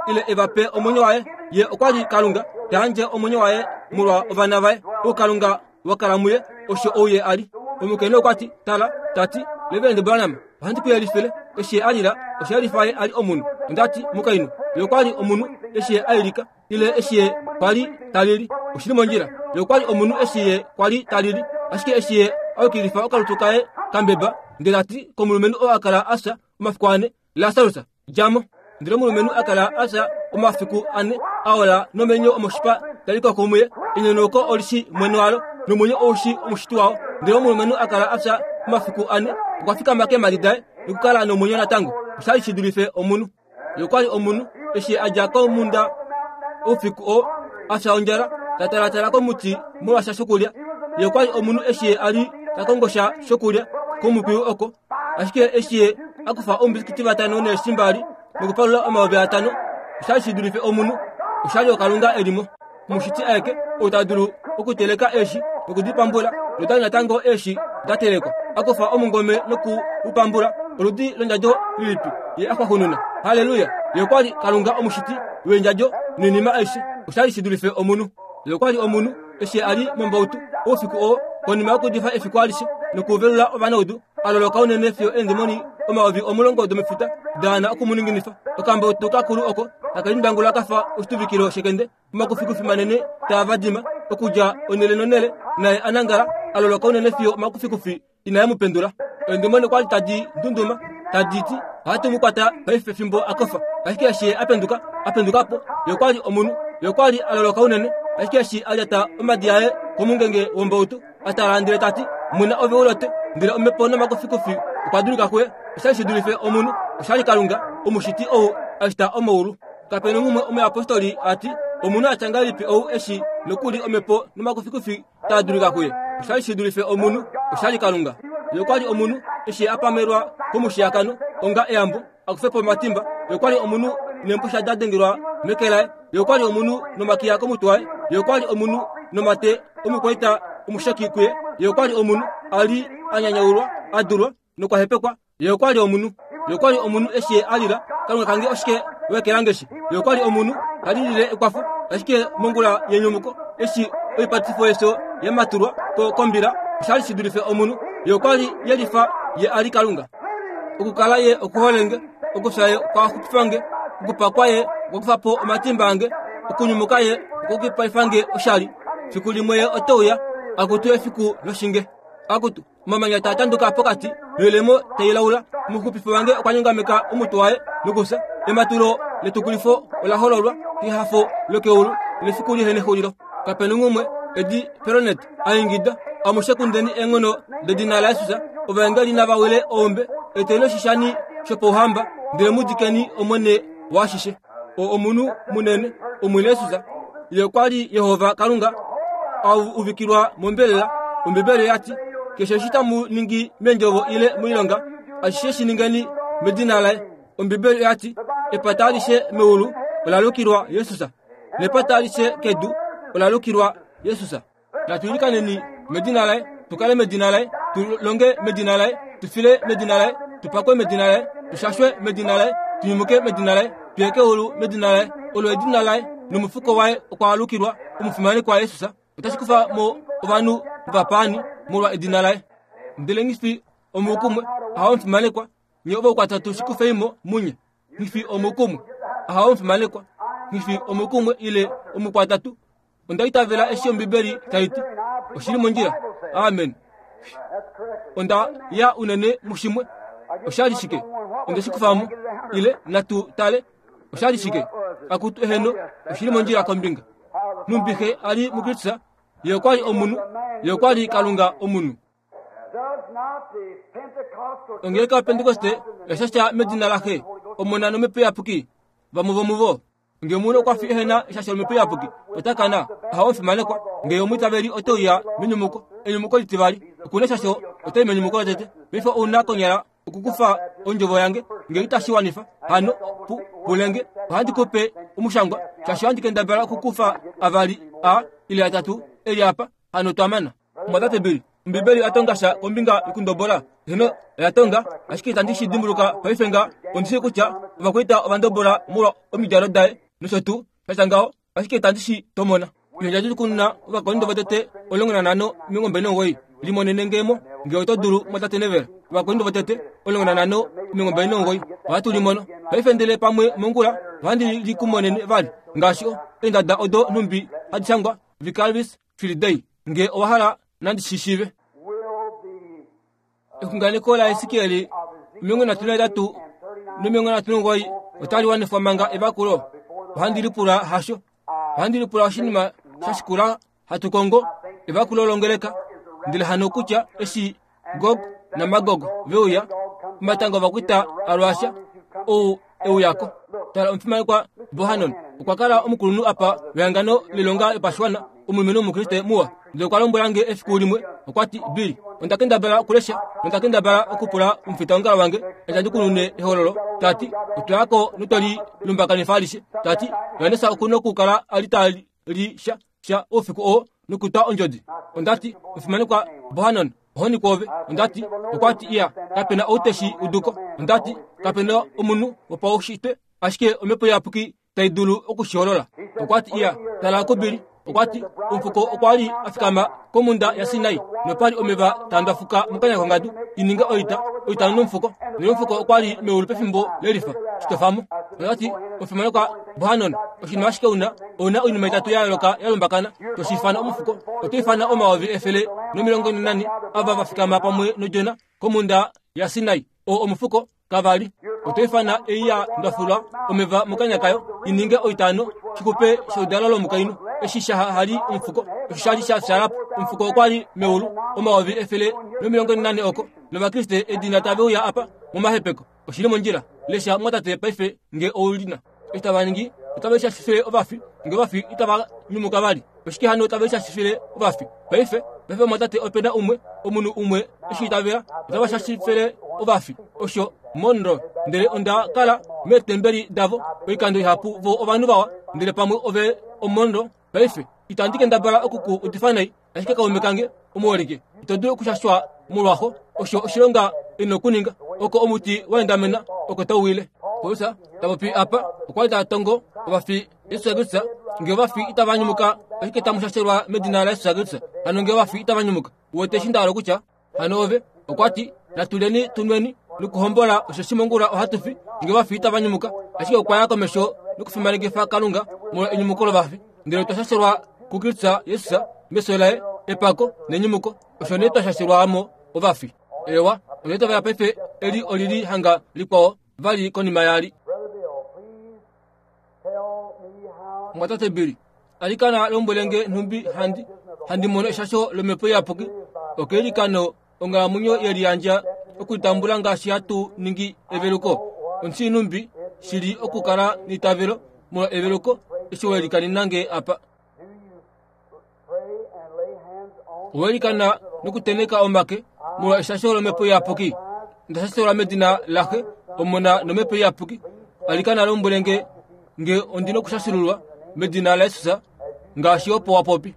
ile e va pe omwenyo waye. Ye okwa li Kalunga ta yandje omwenyo waye molwa ovana vaye. Oukalunga wa kala muye, osho ou ye a li. Omukainhu okwa ti, Tala, ta ti, Reverend Branham, ohandi ku yelifile, eshi ye a lila, osha yelifa ye a li omunhu. Onda ti, Mukainhu, ye okwa li omunhu eshi ye a ilika, ile eshi ye kwa li ta lili. Oshi li mondjila. Ye okwa li omunhu eshi ye kwa li ta lili. Ashike eshi ye a yukilifa okalutu kaye kambeba, ndele ta ti komulumenhu oo a kala a fya omafiku ane, Lasarus, dja mo. Ndele omulumenhu a kala a fya omafiku ane, a ola nomenyo omoshipa tali koko muye. Enyonauko oli shi mwene walo, nomwenyo ou shi omushiti wao. Ndele omulumenhu a kala a fya omafiku ane, okwa fikama keemhadi daye nokukala nomwenyo natango. Osha li shi dulife omunhu. Ye okwa li omunhu eshi a dja komhunda oufiku oo, a fya ondjala, ta talatala komuti molwasha shokulya. Ye okwa li omunhu eshi ye a li ta kongo sha shokulya komukwiyu oko. Ashike eshi ye a kufa oumbisikiti vatano neeshi mbali nokupalula 5000. Oshali shi dulife omunhu. Oshali oKalunga e li mo. Omushiti aeke ou ta dulu okuteleka eeshi noku di pambula, notali natango eeshi da telekwa. A kufa omungome noku u pambula, oludi londjadjo lilipi ye a xwaxununa? Halleluya! Ye okwa li Kalunga omushiti weendjadjo noinima aishe. Oshali shi dulife omunhu. Ye okwa li omunhu eshi a li mombautu oufiku oo konima yokuudifa efiku alishe nokuvelula ovanaudu, a loloka unene fiyo eendemoni 10,000 domefuta da wana oku mu ninginifa. Okambautu kakulu oko taka lindangula ka fa oshituvikilo shekende, omakufikufi manene taa vadima okudja onhele nonhele, naye a nangala a loloka unene fiyo omakufikufi inae mu pendula. Eendemoni okwa li tadi ndunduma tadi ti, Ohatu mu kwata paife fimbo a kofa. Ashike eshi ye a penduka, a penduka po, ye okwa li omunhu. Ye okwa li a loloka unene, ashike eshi a lyata omadi aye komungenge wombautu, a tala ndele ta ti, Muna ove u lote. Ndele omhepo nomakufikufi okwa dulika kuye. Osha li shi dulife omunhu. Osha li Kalunga, Omushiti ou a shita omaulu. Kape na umwe omuyapostoli a ti, Omunhu a tya ngahelipi ou eshi nokuli omhepo nomakufikufi taa dulika kuye? Osha li shi dulife omunhu. Osha li Kalunga. Ye okwa li omunhu eshi a pamelwa komushiyakano onga eyambo a kufe po omatimba. Ye okwa li omunhu neempusha da dengelwa meke laye. Ye okwa li omunhu nomakiya komutwe waye. Ye okwa li omunhu nomate omukwaita omusheki kuye. Ye okwa li omunhu a li a nyanyaulwa, a dulwa nokwa hepekwa. Ye okwa li omunhu. Ye okwa li omunhu eshi ye a lila, Kalunga kange oshike wa ekelange shi? Ye okwa li omunhu ta lilile ekwafo, ashike mongula yenyumuko eshi oipatifo yefyo ya matulwa ko kombila, osha li shi dulife omunhu. Ye okwa li yelifa ye a li Kalunga. Okukala ye okuhole nge, okufya ye okwa xupifa nge, okupakwa ye okwa kufa po omatimba ange, okunyumuka ye okwa kipaifa nge oshali. Fiku limwe ye ote uya, akutu efiku loshinge. Akutu, omamanya taa tanduka pokati noilemo tai laula. Omuxupifi wange okwa nyongameka omutwe waye nokufya. Ematulo letukulifo ola hololwa kehafo lokeulu nefiku lihe nexulilo. Kape na umwe edi Peronet a ingida, Amushe kundeni eenghono dedina laJesus, ovaengeli nava wile oombe, eteni oshishani shopauhamba, ndele mu dikeni Omwene waashishe. O omunhu munene, Omwene Jesus, ye okwa li Jehova Kalunga a uvikilwa mombelela. Ombibeli oya ti, Keshe eshi tamu ningi meendjovo ile moilonga, ashishe shi ningeni medina laye. Ombibeli oya ti, Epata alishe meulu ola lukilwa Jesus, nepata alishe kedu ola lukilwa Jesus. Natu ilikaneni medina laye, tu kale medina laye, tu longe medina laye, tu file medina laye, tu pakwe medina laye, tu shashwe medina laye, tu nyumuke medina laye, tu ye keulu medina laye. Olo edina laye nomufuko waye okwa alukilwa omufimanekwa Jesus. Otashi kufa mo ovanhu vapaani molwa edina laye. Ndele nghi omukumwe ahawe omufimanekwa, nye ovaukwatatu shi kufei mo munye. Nghi omukumwe ahawe omufimanekwa, nghi omukumwe ile omukwatatu Onda itavela eshi Ombibeli tai ti. Oshi li mondjila. Amen. Onda ya unene mushimwe. Osha li shike? Onde shi kufa mo. Ile natu tale. Osha li shike? Akutu eheno, oshi li mondjila kombinga. Numbi xe a li muKristus, ye okwa li omunhu, ye okwa li Kalunga omunhu. Ongeleka yaPentekoste oya shasha medina laXe, Omona nOmhepo Iyapuki. Vamwe vomuvo. Nge omunhu okwa fi ehe na eshasho lOmhepo Iyapuki, ota kana. Ahawe omufimanekwa. Nge omwiitaveli ote uya menyumuko, enyumuko litivali, oku na eshasho, ota i menyumuko lotete. Paife ou na konyala okukufa ondjovo yange, nge itashi wanifa. Hano, pu, pule nge, ohandi ku pe omushangwa, shaashi ohandi kendabala okukufa avali a ile atatu e li apa. Hano twa mana. Omwatate Bill, Ombibeli oya tonga sha kombinga yokundobola? Heno, oya tonga, ashike itandi shi dimbuluka paife nga. Ondi shii kutya ovakwaita ova ndobola molwa omidjalo daye nosho tuu, sha tya ngaho, ashike itandi shi tomona. Eendja dokununa Ovakorinto votete 15 29 Limonene nge mo, nge oto dulu, mwatate Neville. Ovakorinto votete 15 29 Ohatu li mono paife ndele pamwe mongula ohandi li ku monene vali, ngaashi o, eendada odo nhumbi hadi shangwa, Vicarius Filii nge owa hala nandi shi shiive. Exunganeko laEsikiel 38 no39 otali wanifwa manga evakulo. Ohandi lipula hasho. Ohandi lipula oshinima sha shikula hatu kongo evakulo longeleka. Ndele hano kutya eshi Gog naMagog ve uya, omatanga ovakwaita aRussia ou e uya ko. Tala omufimanekwa Bohanon okwa kala omukulunhu apa wehangano lilonga yopashiwana, omulumenhu Omukriste muwa. Ndele okwa lombwela nge efiku limwe, okwa ti, Bill, onda kendabala okulesha nonda kendabala okupula omufitaongalo wange eshi handi kunune ehololo, ta ti, otwa ya ko notwe li lumbakanifa alishe. Ta ti, Johannes oku nokukala a li ta li sha, sha oufiku oo nokutwa ondjodi. Onda ti, Omufimanekwa Bohanon, ohoni kwoove. Onda ti, okwa ti, Iya, kape na ou te shi udu ko. Onda ti, Kape na omunhu wopaushitwe, ashike Omhepo Iyapuki tai dulu oku shi holola. Okwa ti, Iya, tala kuBilly. Okwa ti, Omufuko okwa li a fikama komhunda yaSinai, nopa li omeva taa ndwafuka mokanya kongadu, i ninge oita, oitano nomufuko. Ndele omufuko okwa li meulu pefimbo lelifa. Shi tofa mo. Okwa ti, Omufimanekwa Bohanon, oshinima ashike u na, ou na oinima itatu ya yooloka ya lumbakana, to shi ifana omufuko, oto ifana 1400 ava va fikama pamwe nOdjona komhunda yaSinai. Oo omufuko, Kava li. Oto ifana ei ya ndwafulwa omeva mokanya kayo i ninge oitano shikupe shoudalo lomukainhu. Eshi sha hali omufuko, osho sha li sha fyaala po. Omufuko okwa li meulu 144 oko, nOvakriste edina tave uya apa momahepeko. Oshi li mondjila. Lesha mumwatate paife nge ou li na. Eshi tava ningi, otave lishashifile ovafi, nge ovafi itava nyumuka vali. Oshike hano tave lishashifile ovafi? Paife, paife mumwatate ope na umwe, omunhu umwe eshi itavela, otava shashifile ovafi. Osho Monroe. Ndele onda kala meetembeli davo oikando ihapu vo ovanhu vawa, ndele pamwe ove oMonroe. Paife, itandi kendabala oku ku udifa nai, ashike kaume kange omuholike, ito dulu okushashwa molwaxo. Osho oshilonga e nokuninga. Oko omuti wa endamena, oko tau wile. Paulus ta popi apa, okwa li ta tongo ovafi Jesus Kristus. Nge ovafi itava nyumuka, oshike tamu shashelwa medina laJesus Kristus? Hano nge ovafi itava nyumuka, uwete eshi nda hala okutya? Hano ove, okwa ti, natu lyeni tu nweni nokuhombola, osheshi mongula ohatu fi, nge ovafi itava nyumuka. Ashike okwa ya komesho nokufimanekifa Kalunga molwa enyumuko lovafi. Ndele otwa shashelwa kuKristus Jesus mefyo laye, epako nenyumuko. Osho nee twa shashelwa mo ovafi. Eewa, onda itavela paife eli oli li hanga likwao vali konima yaali. Mumwatate Billy, alikana lombwele nge nhumbi handi handi mono eshasho lomhepo iyapuki okeilikano onghalamwenyo ye liyandja okulitambula ngaashi hatu ningi eveluko. Ondi nhumbi shi li okukala neitavelo molwa eveluko eshi we likanina nge apa. Owe likana nokutenheka omake molwa eshasho lomhepo iyapuki. Onda shashelwa medina laXe, Omona nomhepo iyapuki. Alikana lombwele nge nge ondi nokushashululwa medina laJesus ngaashi opo wa popi.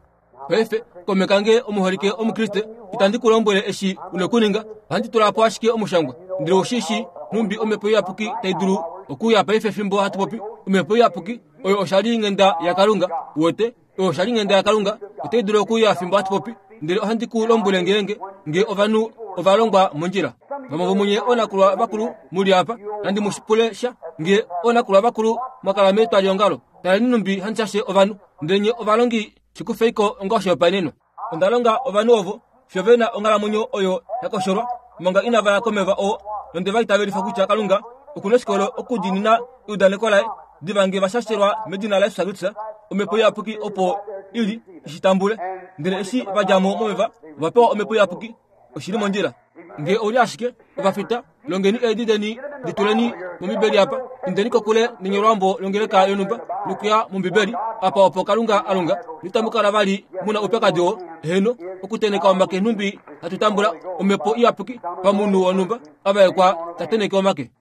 Paife, kaume kange omuholike Omukriste, itandi ku lombwele eshi u nokuninga, ohandi tula po ashike omushangwa. Ndele ou shi shii nhumbi Omhepo Iyapuki tai dulu okuuya paife fimbo hatu popi. Omhepo Iyapuki oyo oshalinghenda yaKalunga, uwete, oyo oshalinghenda yaKalunga, otai dulu okuuya fimbo hatu popi. Ndele ohandi ku lombwele ngeenge nge ovanhu ova longwa mondjila. Vamwe vomunye oonakulwa vakulu mu li apa, nandi mu pule sha, nge oonakulwa vakulu mwa kala metwaliongalo, Taleni nhumbi handi shashe ovanhu, ndele nye ovalongi shi kufei ko onga oshihopaenenwa. Onda longa ovanhu ovo fiyo ve na onghalamwenyo oyo ya kosholwa manga inava ya komeva oo, nonde va itavelifa kutya Kalunga oku na oshikolo okudiinina eudaneko laye. Diva nge va shashelwa medina laJesus Kristus, Omhepo Iyapuki opo i li i shi tambule. Ndele eshi va dja mo momeva, ova pewa Omhepo Iyapuki. Oshi li mondjila. Nge ou li ashike ovafita, longeni eedi deni di tuleni mOmbibeli apa. Indeni kokule nenyolwambo longeleka yonhumba nokuya mOmbibeli, apa opo Kalunga a longa, noitamu kala vali mu na oupyakadi oo. Heeno, okutenheka omake nhumbi hatu tambula Omhepo Iyapuki pamunhu wonhumba a vaekwa ta tenheke omake.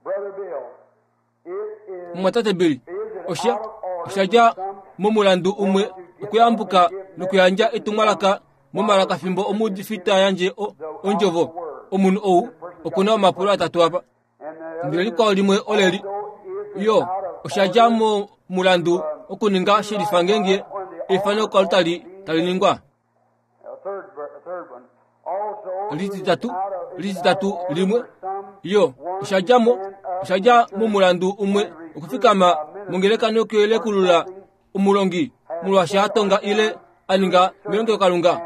Mumwatate Bill, osha, osha dja momulandu umwe okuyambuka nokuyandja etumwalaka momalaka fimbo omuudifi ta yandje o, ondjovo. Omunhu ou oku na omapulo atatu apa. Ndele likwao limwe oleli, yo, osha dja momulandu okuninga shelifa ngeenge eifano koaltari tali ningwa. Lititatu, lititatu limwe, yo, osha dja mo, osha dja momulandu umwe okufikama mongeleka nokuyelekulula omulongi molwaashi a tonga ile a ninga melongelokalunga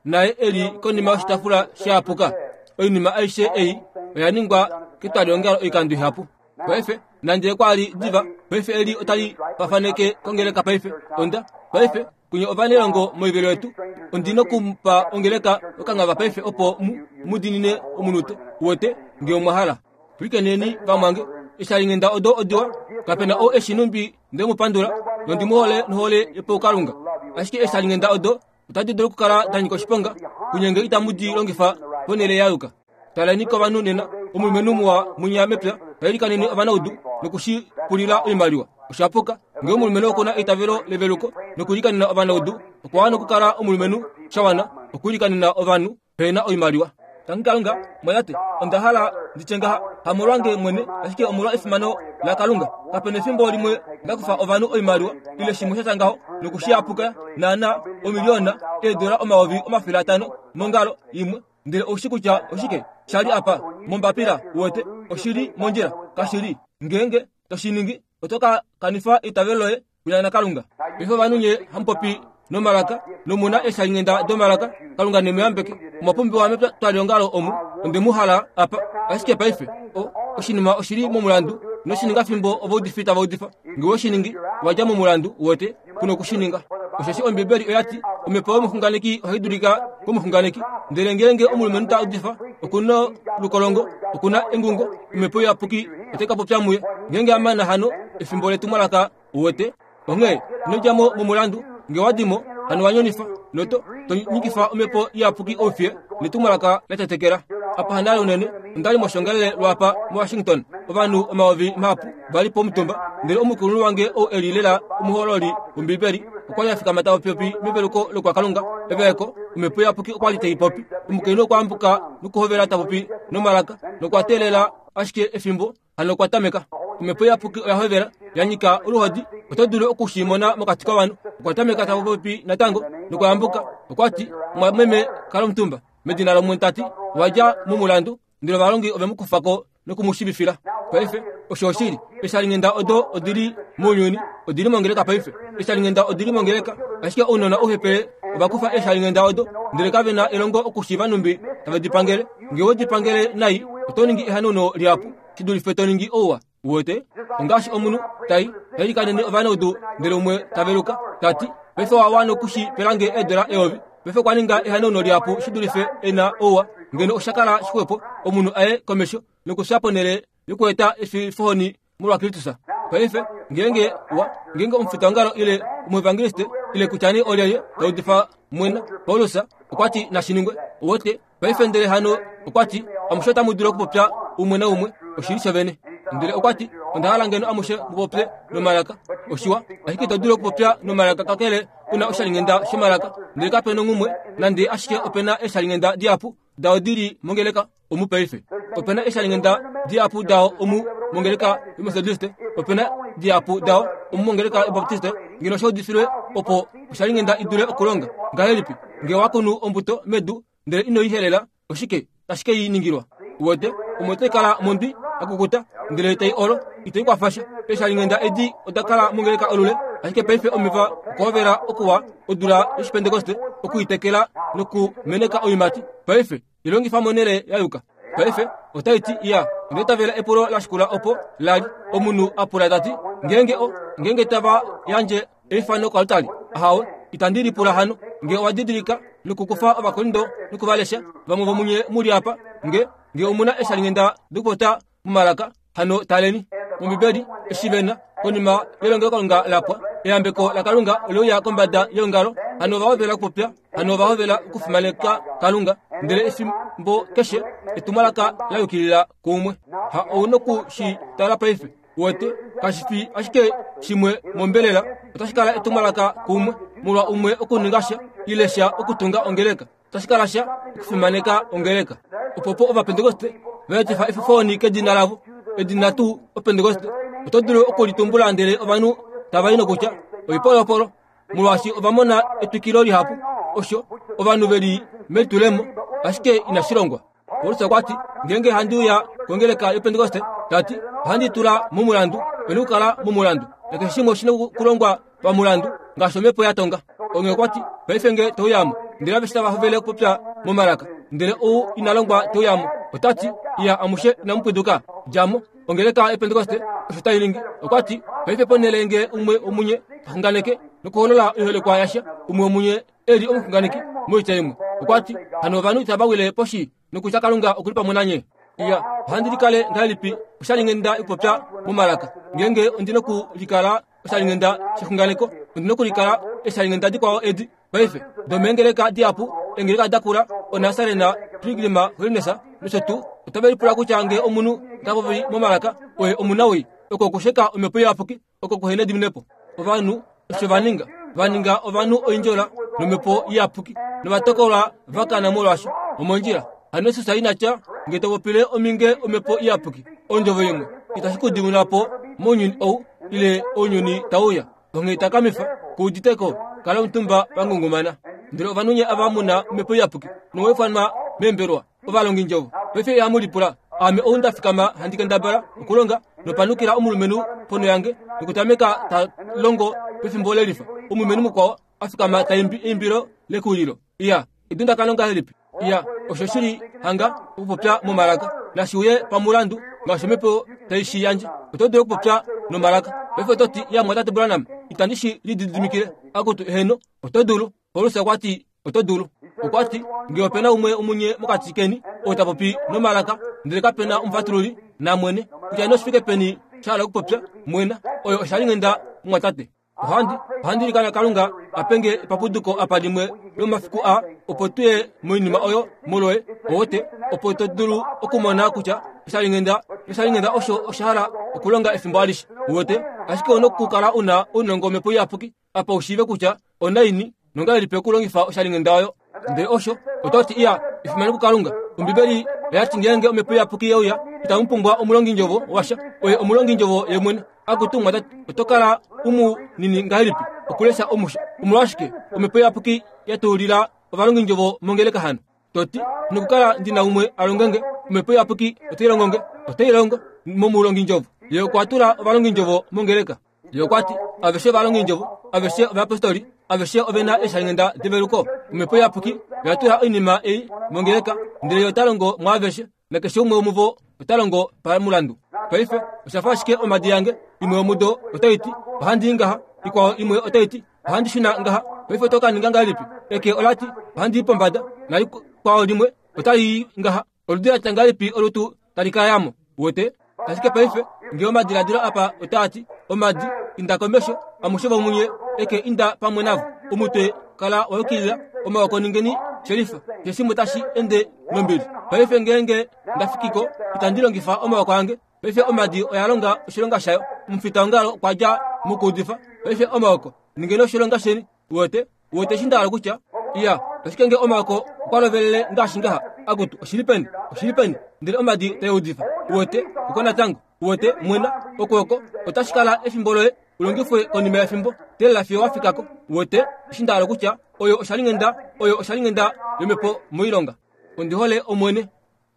naye e li konima yoshitafula sha yapuka. Oinima aishe ei oya ningwa ketwaliongalo oikando ihapu. Paife, nande kwa li diva, paife eli otali fafaneke kongeleka paife. Onda, paife, kunye ovanailongo moivelo yetu, ondi nokupa ongeleka okangava paife opo mu mu dinine omunute, uwete, nge omwa hala. Pwilikineni, vamwange, eeshalinghenda odo odiwa, kape na ou e shi nhumbi nde mu pandula, nondi mu hole nohole yopaukalunga. Ashike eeshalinghenda odo. Otadi dulu okukala da nyika oshiponga kunye ngee itamu di longifa ponhele ya yuka. Taleni kovanhu nena, omulumenhu muwa munya mepya ta ilikanene ovanaudu noku shi pulila oimaliwa. Osha puka. Ngee omulumenhu oku na eitavelo leveluko nokuilikanena ovanaudu, okwa wana okukala omulumenhu sha wana okuilikanena ovanhu pe na oimaliwa. Tangi Kalunga, mwatate, onda hala ndi tye ngaha, hamolwange mwene, ashike omolwa efimano laKalunga. Kape nefimbo limwe nda kufa ovanhu oimaliwa ile shimwe sha tya ngaho noku shi yapuka naanaa omiliona eedola 500,000 mongalo imwe. Ndele ou shi kutya oshike sha li apa mombapila, uwete, oshi li mondjila. Kashi li. Ngeenge to shi ningi, oto ka kanifa eitavelo loye kuya naKalunga. Paife ovanhu nye hamu popi nomalaka nomu na eeshalinghenda domalaka, Kalunga ne mu yambeke. Omwa pumbiwa metwaliongalo omu, onde mu hala apa. Ashike paife, o, oshinima oshi li momulandu. Ino shi ninga fimbo ovaudifi tava udifa. Nge we shi ningi, wa dja momulandu, uwete, ku noku shi ninga. Osheshi Ombibeli oya ti, Omhepo yomuxunganeki ohai dulika komuxunganeki. Ndele ngeenge omulumenhu ta udifa, oku na olukolongo, oku na engungo, Omhepo Iyapuki otai ka popya muye. Ngeenge a mana hano efimbo letumwalaka, uwete. Onghee ino dja mo momulandu. Nge wa di mo, hano wa nyonifa, noto to nyikifa Omhepo Iyapuki oufiye netumwalaka la tetekela. Apa hanale unene, onda li moshongalele lwaapa moWashington. Ovanhu omayovi mahapu va li pomutumba, ndele omukulunhu wange ou e li lela omuhololi wOmbibeli okwa li a fikama ta popi meveluko lokwakalunga. Eveleko, Omhepo Iyapuki okwa li tai popi. Omukainhu okwa ambuka nokuhovela ta popi nomalaka, nokwa teelela ashike efimbo hano okwa tameka. Omhepo Iyapuki oya hovela, ya nyika oluhodi, oto dulu oku shi mona mokati kovanhu. Okwa tameka ta popi natango nokwa yambuka. Okwa ti, Mumwameme, kala omutumba. Medina lOmwene ta ti, Owa dja momulandu. Ndele ovalongi ove mu kufa ko noku mu shivifila. Paife, osho oshili. Eeshalinghenda odo odi li mounyuni, odi li mongeleka paife. Eeshalinghenda odi li mongeleka, ashike ounona ouhepele ova kufa eeshalinghenda odo, ndele kave na elongo okushiiva nhumbi tave di pangele. Nge we di pangele nai, oto ningi ehanauno lihapu shi dulife to ningi ouwa. Uwete? Ongaashi omunhu tai ilikanene ovanaudu ndele umwe ta veluka, ta ti, Paife owa wana oku shi pela nge eedola eyovi. Paife okwa ninga ehanauno lihapu shi dulife e na ouwa. Ngeno osha kala shixwepo omunhu a ye komesho nokufya ponhele yokueta efifohoni molwaKristus. Paife, ngeenge wa, ngeenge omufitaongalo ile omuevangeliste ile kutya nee olyelye ta udifa mwena, Paulus okwa ti nashi ningwe. Uwete? Paife ndele hano okwa ti, Amushe otamu dulu okupopya umwe naumwe oshili shovene. Ndele okwa ti, Onda hala ngeno amushe mu popye nomalaka. Oshiwa, ashike ito dulu okupopya nomalaka kakele u na oshalinghenda shomalaka. Ndele kape nonghumwe, nande ashike ope na eeshalinghenda dihapu dao di li mongeleka omu paife. Ope na eeshalinghenda dihapu dao omu mongeleka yOmetodiste, ope na dihapu dao omu mongeleka yObaptiste. Ngeno osha udifilwe opo oshalinghenda i dule okulonga. Ngahelipi? Nge wa kunu ombuto medu ndele ino i helela, oshike tashi ke i ningilwa? Uwete, omo otai kala mondwi ya kukuta, ndele tai olo, itai kwafa sha. Eeshalinghenda edi oda kala mongeleka olule, ashike paife omeva okwa hovela okuwa odula yOshipentekoste oku i tekela nokumeneka oiimati. Paife, i longifa monhele ya yuka. Paife, otai ti, Iya, onda itavela epulo la shikula opo la li. Omunhu a pula ta ti, Ngeenge o, ngeenge tava yandje eifano koaltari? Ahawe, itandi lipula hano. Nge owa didilika nokukufa Ovakorinto noku va lesha, vamwe vomunye mu li apa, nge, nge omu na eeshalinghenda dokupopya momalaka, hano taleni mOmbibeli eshi ve na, konima yelongelokalunga la pwa, eyambeko laKalunga ole uya kombada yeongalo, hano ova hovela okupopya, hano ova hovela okufimaneka Kalunga, ndele efimbo keshe etumwalaka la yukilila kuumwe. Ha ou noku shi tala paife. Uwete, kashi fi ashike shimwe mombelela, otashi kala etumwalaka kuumwe, molwa umwe okuninga sha, ile sha okutunga ongeleka. Otashi kala sha okufimaneka ongeleka. Opo po Ovapentekoste va etifa efifoni kedina lavo, edina tuu Opentekoste. Oto dulu oku li tumbula ndele ovanhu tava i nokutya, oipolopolo, molwaashi ova mona etwikilo lihapu, osho ovanhu ve li melitulemo, ashike inashi longwa. Paulus okwa ti, Ngeenge handi uya kongeleka yOpentekoste, ta ti, ohandi tula momulandu, ope na okukala momulandu, nakeshe shimwe oshi na okulongwa pamulandu, ngaashi omhepo ya tonga. Onghee okwa ti, Paife nge te uya mo, ndele aveshe tava hovele okupopya momalaka, ndele ou ina longwa te uya mo, ota ti, Iya, amushe inamu pwiduka, dja mo. Ongeleka yOpentekoste osho tai ningi. Okwa ti, Paife ponhele nge umwe womunye ta xunganeke nokuholola oiholekwa yasha, umwe womunye e li omuxunganeki moitya imwe. Okwa ti, Hano ovanhu itava wile poshi nokutya Kalunga oku li pamwe nanye? Iya, ohandi likale ngahelipi oshalinghenda yokupopya momalaka? Ngeenge ondi nokulikala oshalinghenda shexunganeko, ondi nokulikala eeshalinghenda dikwao edi. Paife, domeengeleka dihapu, eengeleka dakula, Onasarena, Pilgrim Holiness, nosho tuu, otave lipula kutya ngee omunhu ota popi momalaka, oye omunawii. Oko okusheka Omhepo Iyapuki, oko kuhena ediminepo. Ovanhu osho va ninga, va ninga ovanhu oindjola nomhepo iyapuki, novatokolwa va kana molwaasho. Omondjila. Hano Jesus ina tya, Nge to popile ominge omhepo iyapuki, ondjovo imwe, itashi ku dimina po mounyuni ou ile ounyuni tau uya. Onghee takamifa, ku udite ko, kala omutumba wa ngungumana. Ndele ovanhu nye ava mu na omhepo iyapuki nomwa ifanwa meembelwa, ovalongindjovo, paife ihamu lipula, Ame ou nda fikama handi kendabala okulonga nopanukila omulumenhu ponho yange nokutameka ta longo pefimbo lelifa, omulumenhu mukwao a fikama ta imbi eimbilo lekuwililo. Iya, edundakano ngahelipi! Iya, osho shi li hanga okupopya momalaka. Nashi uye pamulandu ngaashi omhepo tai shi yandje. Oto dulu okupopya nomalaka. Paife oto ti, Iya, mumwatate Branham, itandi shi lididimikile. Akutu, eheno, oto dulu. Paulus okwa ti, Oto dulu. Okwa ti, Nge ope na umwe omunye mokati keni oo ta popi nomalaka, ndele kape na omufatululi, na mwene, kutya nee oshifike peni sha hala okupopya, mwena, oyo oshalinghenda mumwatate. Ohandi, ohandi ilikana Kalunga a pe nge epapuduko apa limwe lomomafiku aa, opo tu ye moinima oyo molwoye, owote, opo to dulu okumona kutya oshalinghenda, oshalinghenda osho osha hala okulonga efimbo alishe. Uwete? Ashike ou na okukala u na ounongo wOmhepo Iyapuki apa u shiive kutya onaini nongahelipi okulongifa oshalinghenda oyo. Ndele osho oto ti, Iya, efimano kuKalunga. Ombibeli oya ti ngeenge Omhepo Iyapuki ye uya, itamu pumbwa omulongindjovo washa. Oye omulongindjovo ye mwene. Akutu mwatate, oto kala u mu nini ngahelipi okulesha omusho? Omolwashike Omhepo Iyapuki ya tuulila ovalongindjovo mongeleka hano? To ti, Nokukala ndi na umwe a longe nge. Omhepo Iyapuki otai longo nge. Otai longo momulongindjovo. Ye okwa tula ovalongindjovo mongeleka. Ye okwa ti, Aveshe ovalongindjovo, aveshe ovayapostoli, aveshe ove na eeshalinghenda develuko. Omhepo Iyapuki oya tula oinima ei mongeleka, ndele Ye ota longo mwaaveshe, nakeshe umwe womuvo ota longo pamulandu. Paife, osha fa ashike omhadi yange, imwe yomudo otai ti, Ohandi i ngaha, ikwao imwe otai ti, Ohandi shuna ngaha. Paife oto ka ninga ngahelipi? Eke ola ti, Ohandi i pombada, nalikwao limwe otali i ngaha. Oludi la tya ngahelipi olutu tali ka ya mo? Uwete? Ashike paife, nge omadiladilo apa otaa ti, Omadi, inda komesho, amushe vomunye, eke inda pamwe navo. Omutwe, kala wa yukilila, omaoko ningeni shelifa, keshe tashi ende nombili. Paife ngeenge nda fiki ko, itandi longifa omaoko ange. Paife omadi oya longa oshilonga shayo. Omufitaongalo okwa dja mokuudifa. Paife omaoko, ningeni oshilonga sheni. Uwete? Uwete eshi nda hala kutya? Iya, ashike nge omaoko okwa lovelele ngaashi ngaha, akutu, oshi li peni? Oshi li peni? Ndele omadi tai udifa. Uwete? Oko natango. Uwete? Mwena. Oko oko. Otashi kala efimbo loye u longifwe konima yefimbo. Teelela fiyo wa fika ko. Uwete? Eshi nda hala kutya, oyo oshalinghenda, oyo oshalinghenda yomhepo moilonga. Ondi hole Omwene.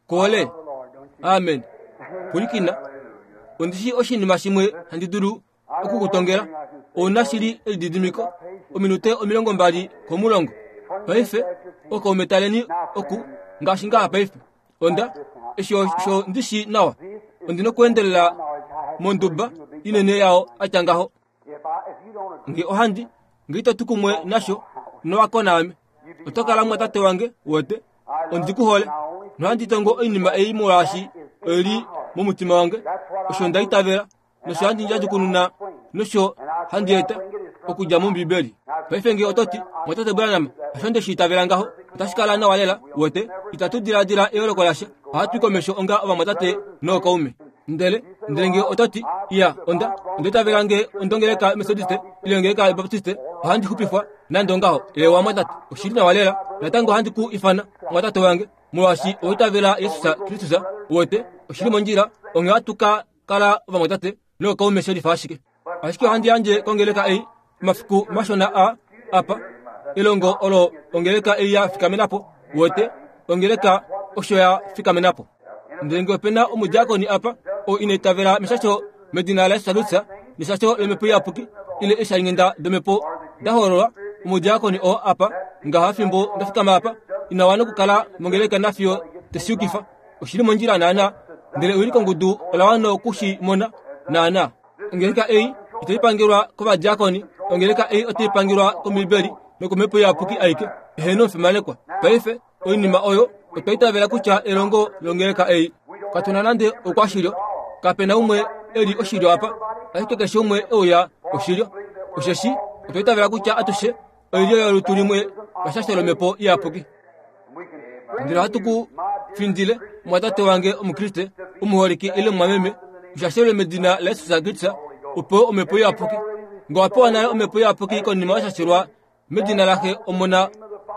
Kuhole? Amen. Pwilikina. Ondi shii oshinima shimwe handi dulu oku ku tongela. Ou na shili elididimiko, ominute 20 komulongo. Paife, okaume taleni oku, ngaashi ngaha paife. Onda, eshi osho ndi shii nawa. Ondi nokuendelela monduba inene yao a tya ngaho. Nge ohandi, nge ito tu kumwe nasho, nowa ko naame. Oto kala mwatate wange, wete. Ondi ku hole. Nohandi tongo oinima ei molwaashi oi li momutima wange. Osho nda itavela, nosho handi ndjadjukununa, nosho handi eta okudja mOmbibeli. Paife nge oto ti, Mwatate Branham, hasho nde shi itavela ngaho, otashi kala nawa lela, wete. Itatu diladila eyooloko lasha. Ohatu i komesho onga ovamwatate nookaume. Ndele, ndele nge oto ti, Iya, onda, onda itavela nge ondongeleka Methodiste, ile ongeleka Yobaptiste, ohandi xupifwa, nande ongaho. Eewa, mwatate, oshi li nawa lela. Natango ohandi ku ifana mwatate wange, molwaashi owa itavela Jesus Kristus. Uwete, oshi li mondjila, onghee ohatu ka kala ovamwatate nookaume shelifa ashike. Ashike ohandi yandje kongeleka ei, omafiku mashona a apa, elongo olo ongeleka ei ya fikamena po. Uwete, ongeleka osho ya fikamena po. Ndele nge ope na omudiakoni apa, oo ina itavela meshasho medina laJesus Kristus, neshasho lOmhepo Iyapuki, ile eeshalinghenda dOmhepo da hololwa, omudiakoni oo apa, ngaha fimbo nda fikama apa, ina wana okukala mongeleka nafiyo te shi yukifa. Oshi li mondjila naana, ndele ewilikongudu ola wana oku shi mona naana. Ongeleka ei itai pangelwa kovadiakoni, ongeleka ei otai pangelwa kOmbibeli nokOmhepo Iyapuki aike. Eheno omufimanekwa. Paife, oinima oyo otwa itavela kutya elongo longeleka ei. Katu na nande oukwashilyo, kape na umwe e li oshilyo apa, ashike keshe umwe e uya oshilyo. Osheshi otwa itavela kutya atushe. oilyo yolutu limwe pashasho lomhepo iyapuki. Ndele ohatu ku findile, omwatate wange Omukriste omuholike ile omumwameme, ushashelwe medina laJesus Kristus, u pewe omhepo iyapuki. Nge owa pewa nale omhepo iyapuki konima wa shashelwa medina laXe, Omona,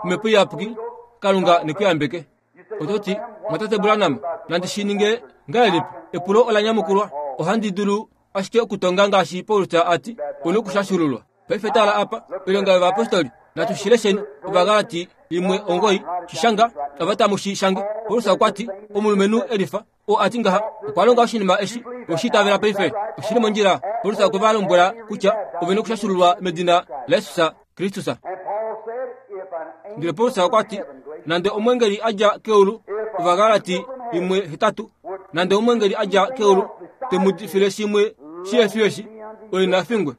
Omhepo Iyapuki, Kalunga ne ku yambeke. Oto ti, Mwatate Branham, nandi shi ninge ngahelipi? Epulo ola nyamukulwa. Ohandi dulu ashike okutonga ngaashi Paulus a ti, U nokushashululwa. Paife tala apa, Oilonga yOvayapostoli. Natu shi lesheni, Ovagalati 1:9, shi shanga, ava tamu shi shange. Paulus okwa ti, Omulumenhu elifa, oo a ti ngaha, okwa longa oshinima eshi, owe shi itavela paife? Oshi li mondjila. Paulus okwe va lombwela kutya ove nokushashululwa medina laJesus Kristus. Ndele Paulus okwa ti, nande omwengeli a dja keulu, Ovagalati 1:8, nande omwengeli a dja keulu te mu udifile shimwe shihe fi eshi, oye na fingwe.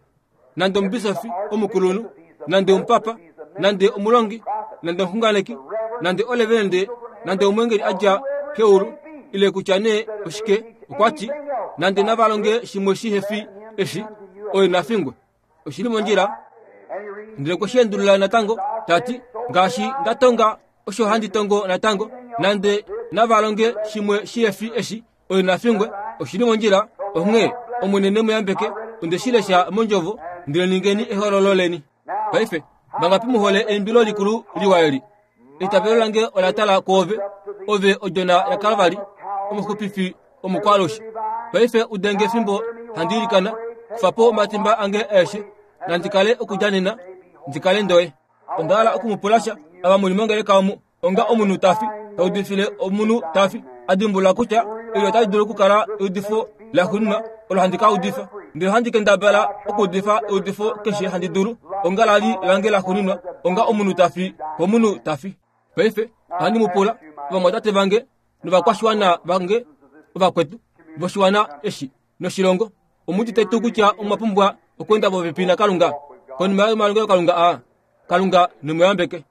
Nande omubisofi omukulunhu, nande omupapa, nande omulongi, nande omuxunganeki, nande olevelende, nande omwengeli a dja keulu, ile kutya nee oshike, okwa ti, nande nava longe shimwe shihe fi eshi, oye na fingwe. Oshi li mondjila. Ndele okwe shi endulula natango, ta ti, Ngaashi nda tonga, osho handi tongo natango, nande nava longe shimwe shihe fi eshi, oye na fingwe. Oshi li mondjila. Onghee, Omwene ne mu yambeke. Onde shi lesha mOndjovo, ndele ningeni ehoololo leni. Paife, vangapi mu hole eimbilo likulu liwa eli? Eitavelo lange ola tala kwoove, ove odjona yaKalvari, omuxupifi omukwaalushe. Paife udenge fimbo handi ilikana, kufa po omatimba ange aeshe, nandi kale okudja nena, ndi kale ndoye. Onda hala oku mu pula sha, ava mu li mongeleka omu, onga omunhu ta fi, ta udifile omunhu ta fi, a dimbulula kutya eli otali dulu okukala eudifo laxuuninwa olo handi ka udifa. Ndele ohandi kendabala okuudifa eudifo keshe handi dulu, onga la li lange laxuuninwa, onga omunhu ta fi komunhu ta fi. Paife ohandi mu pula, ovamwatate vange novakwashiwana vange ovakwetu voshiwana eshi noshilongo, omu udite tuu kutya omwa pumbwa okweenda popepi naKalunga konima yomalongelokalunga aa? Kalunga ne mu yambeke.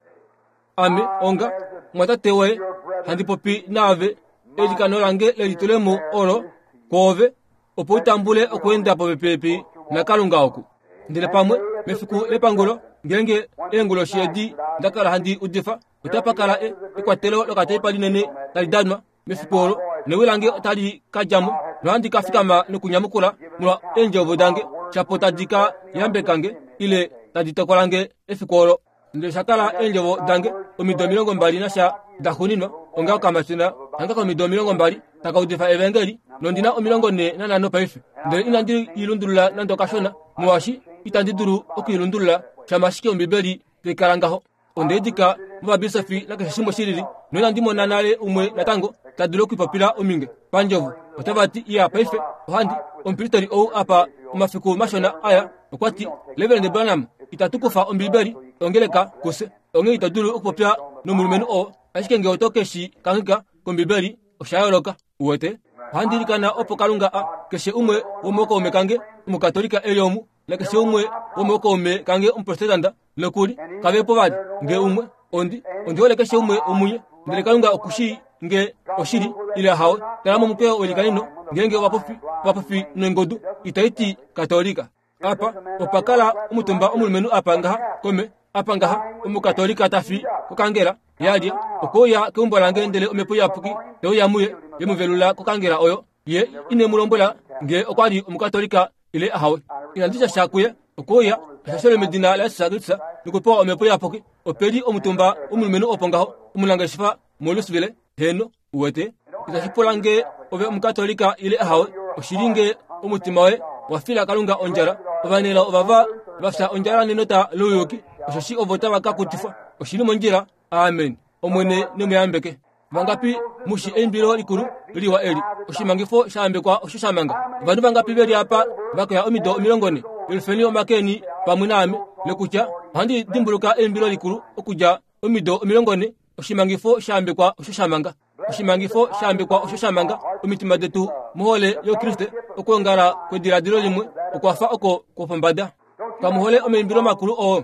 Ame, onga omwatate woye, handi popi naave, eilikano lange lelitulemo olo kwoove, opo u tambule okweenda popepi naKalunga oku. Ndele pamwe, mefiku lepangulo, ngeenge eenguloshi edi nda kala handi udifa, otapa kala e, ekwatelo lokateipa linene tali danwa mefiku olo, newi lange otali ka dja mo, nohandi ka fikama nokunyamukula molwa eendjovo dange, shapo tadi ka yambeka nge, ile tadi tokola nge efiku olo. Ndele osha kala eendjovo dange omido 20 nasha da xuninwa, onga okamatyona hanga komido 20 taka udifa evangeli, nondi na 45 paife. Ndele inandi i lundulula nande okashona, molwaashi itandi dulu oku i lundulula, shama ashike Ombibeli tai kala ngaho. Onde dika movabisofi nakeshe shimwe shilili, noinandi mona nale umwe natango ta dulu okulipopila ominge pandjovo. Otava ti, Iya, paife, ohandi, omupristeri ou apa omafiku mashona aya, okwa ti, Reverend Branham, itatu kufa Ombibeli ongeleka kufye. Onghee ito dulu okupopya nomulumenhu oo, ashike nge oto ke shi kangheka kOmbibeli, osha yooloka. Uwete? Ohandi ilikana opo Kalunga a, keshe umwe womookaume kange Omukatolika e li omu, nakeshe umwe womookaume kange Omuprotestanta, nokuli, kave po vali, nge umwe. Ondi, ondi hole keshe umwe womunye, ndele Kalunga oku shii nge oshili ile ahawe. Tala momukweyo welikanino, ngeenge ovapofi, ovapofi nongodu itai ti Katolika. Apa opa kala omutumba omulumenhu apa ngaha kome, apa ngaha, Omukatolika ta fi kokangela, ya lya, okwe uya keumbo lange ndele Omhepo Iyapuki te uya muye, ye mu velula kokangela oyo. Ye ine mu lombwela nge okwa li Omukatolika ile ahawe. Inandi tya sha kuye. Okwe uya, ashashele medina laJesus Kristus nokupewa Omhepo Iyapuki. Ope li omutumba womulumenhu opo ngaho, omunangeshefa moLouisville. Heeno, uwete. Itashi pula nge ove Omukatolika ile ahawe, oshi li nge omutima woye wa fila Kalunga ondjala. Ovanelao ovava va fya ondjala nenota louyuki, osheshi ovo tava ka kutifwa. Oshi li mondjila. Amen. Omwene ne mu yambeke. Vangapi mu shi eimbilo likulu liwa eli? Oshimangifo sha yambekwa osho sha manga. Ovanhu vangapi ve li apa va koya omido 40? Yelufeni omake eni pamwe naame, nokutya, Ohandi dimbuluka eimbilo likulu okudja omido 40, Oshimangifo sha yambekwa osho sha manga. Oshimangifo sha yambekwa osho sha manga omitima detu mohole yOukriste. Okwoongala kwediladilo limwe okwa fa oko kwopombada. Kamu hole omaimbilo makulu oo?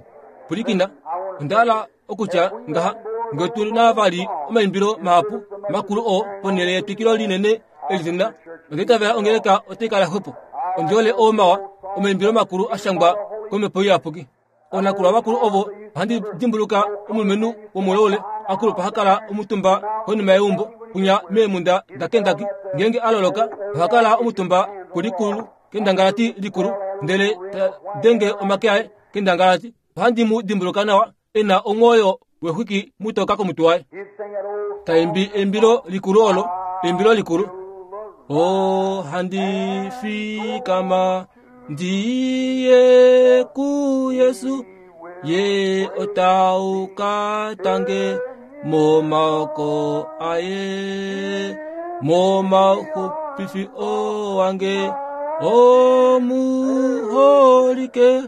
Pwilikina, onda hala okutya ngaha, nge tu na vali omaimbilo mahapu makulu oo ponhele yetwikilo linene eli tu na, onda itavela ongeleka otai kala xwepo. Ondi hole oo mawa, omaimbilo makulu a shangwa kOmhepo Iyapuki. Oonakulwa vakulu ovo Ohandi dimbuluka omulumenhu womuloule a kulupa ha kala omutumba konima yeumbo kunya meemunda daKentucky. Ngeenge a loloka, oha kala omutumba kulikulu kendangalati likulu ndele ta denge omake aye kendangalati. Ohandi mu dimbuluka nawa e na omwoyo wexwiki mutoka komutwe waye ta imbi eimbilo likulu olo eimbilo likulu o handi fikama ndiye ku yesu ye otauka tange momaoko aye momauxupifi owange omuholike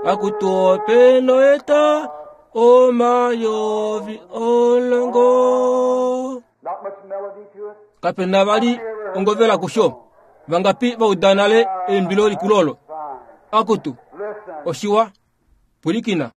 akutu ope noeta omayovi olongo Not much melody to it. Kape na vali ongovela kusho. Vangapi va uda nale eimbilo likulu olo? Fine. Akutu, Listen. oshiwa. Pwilikina.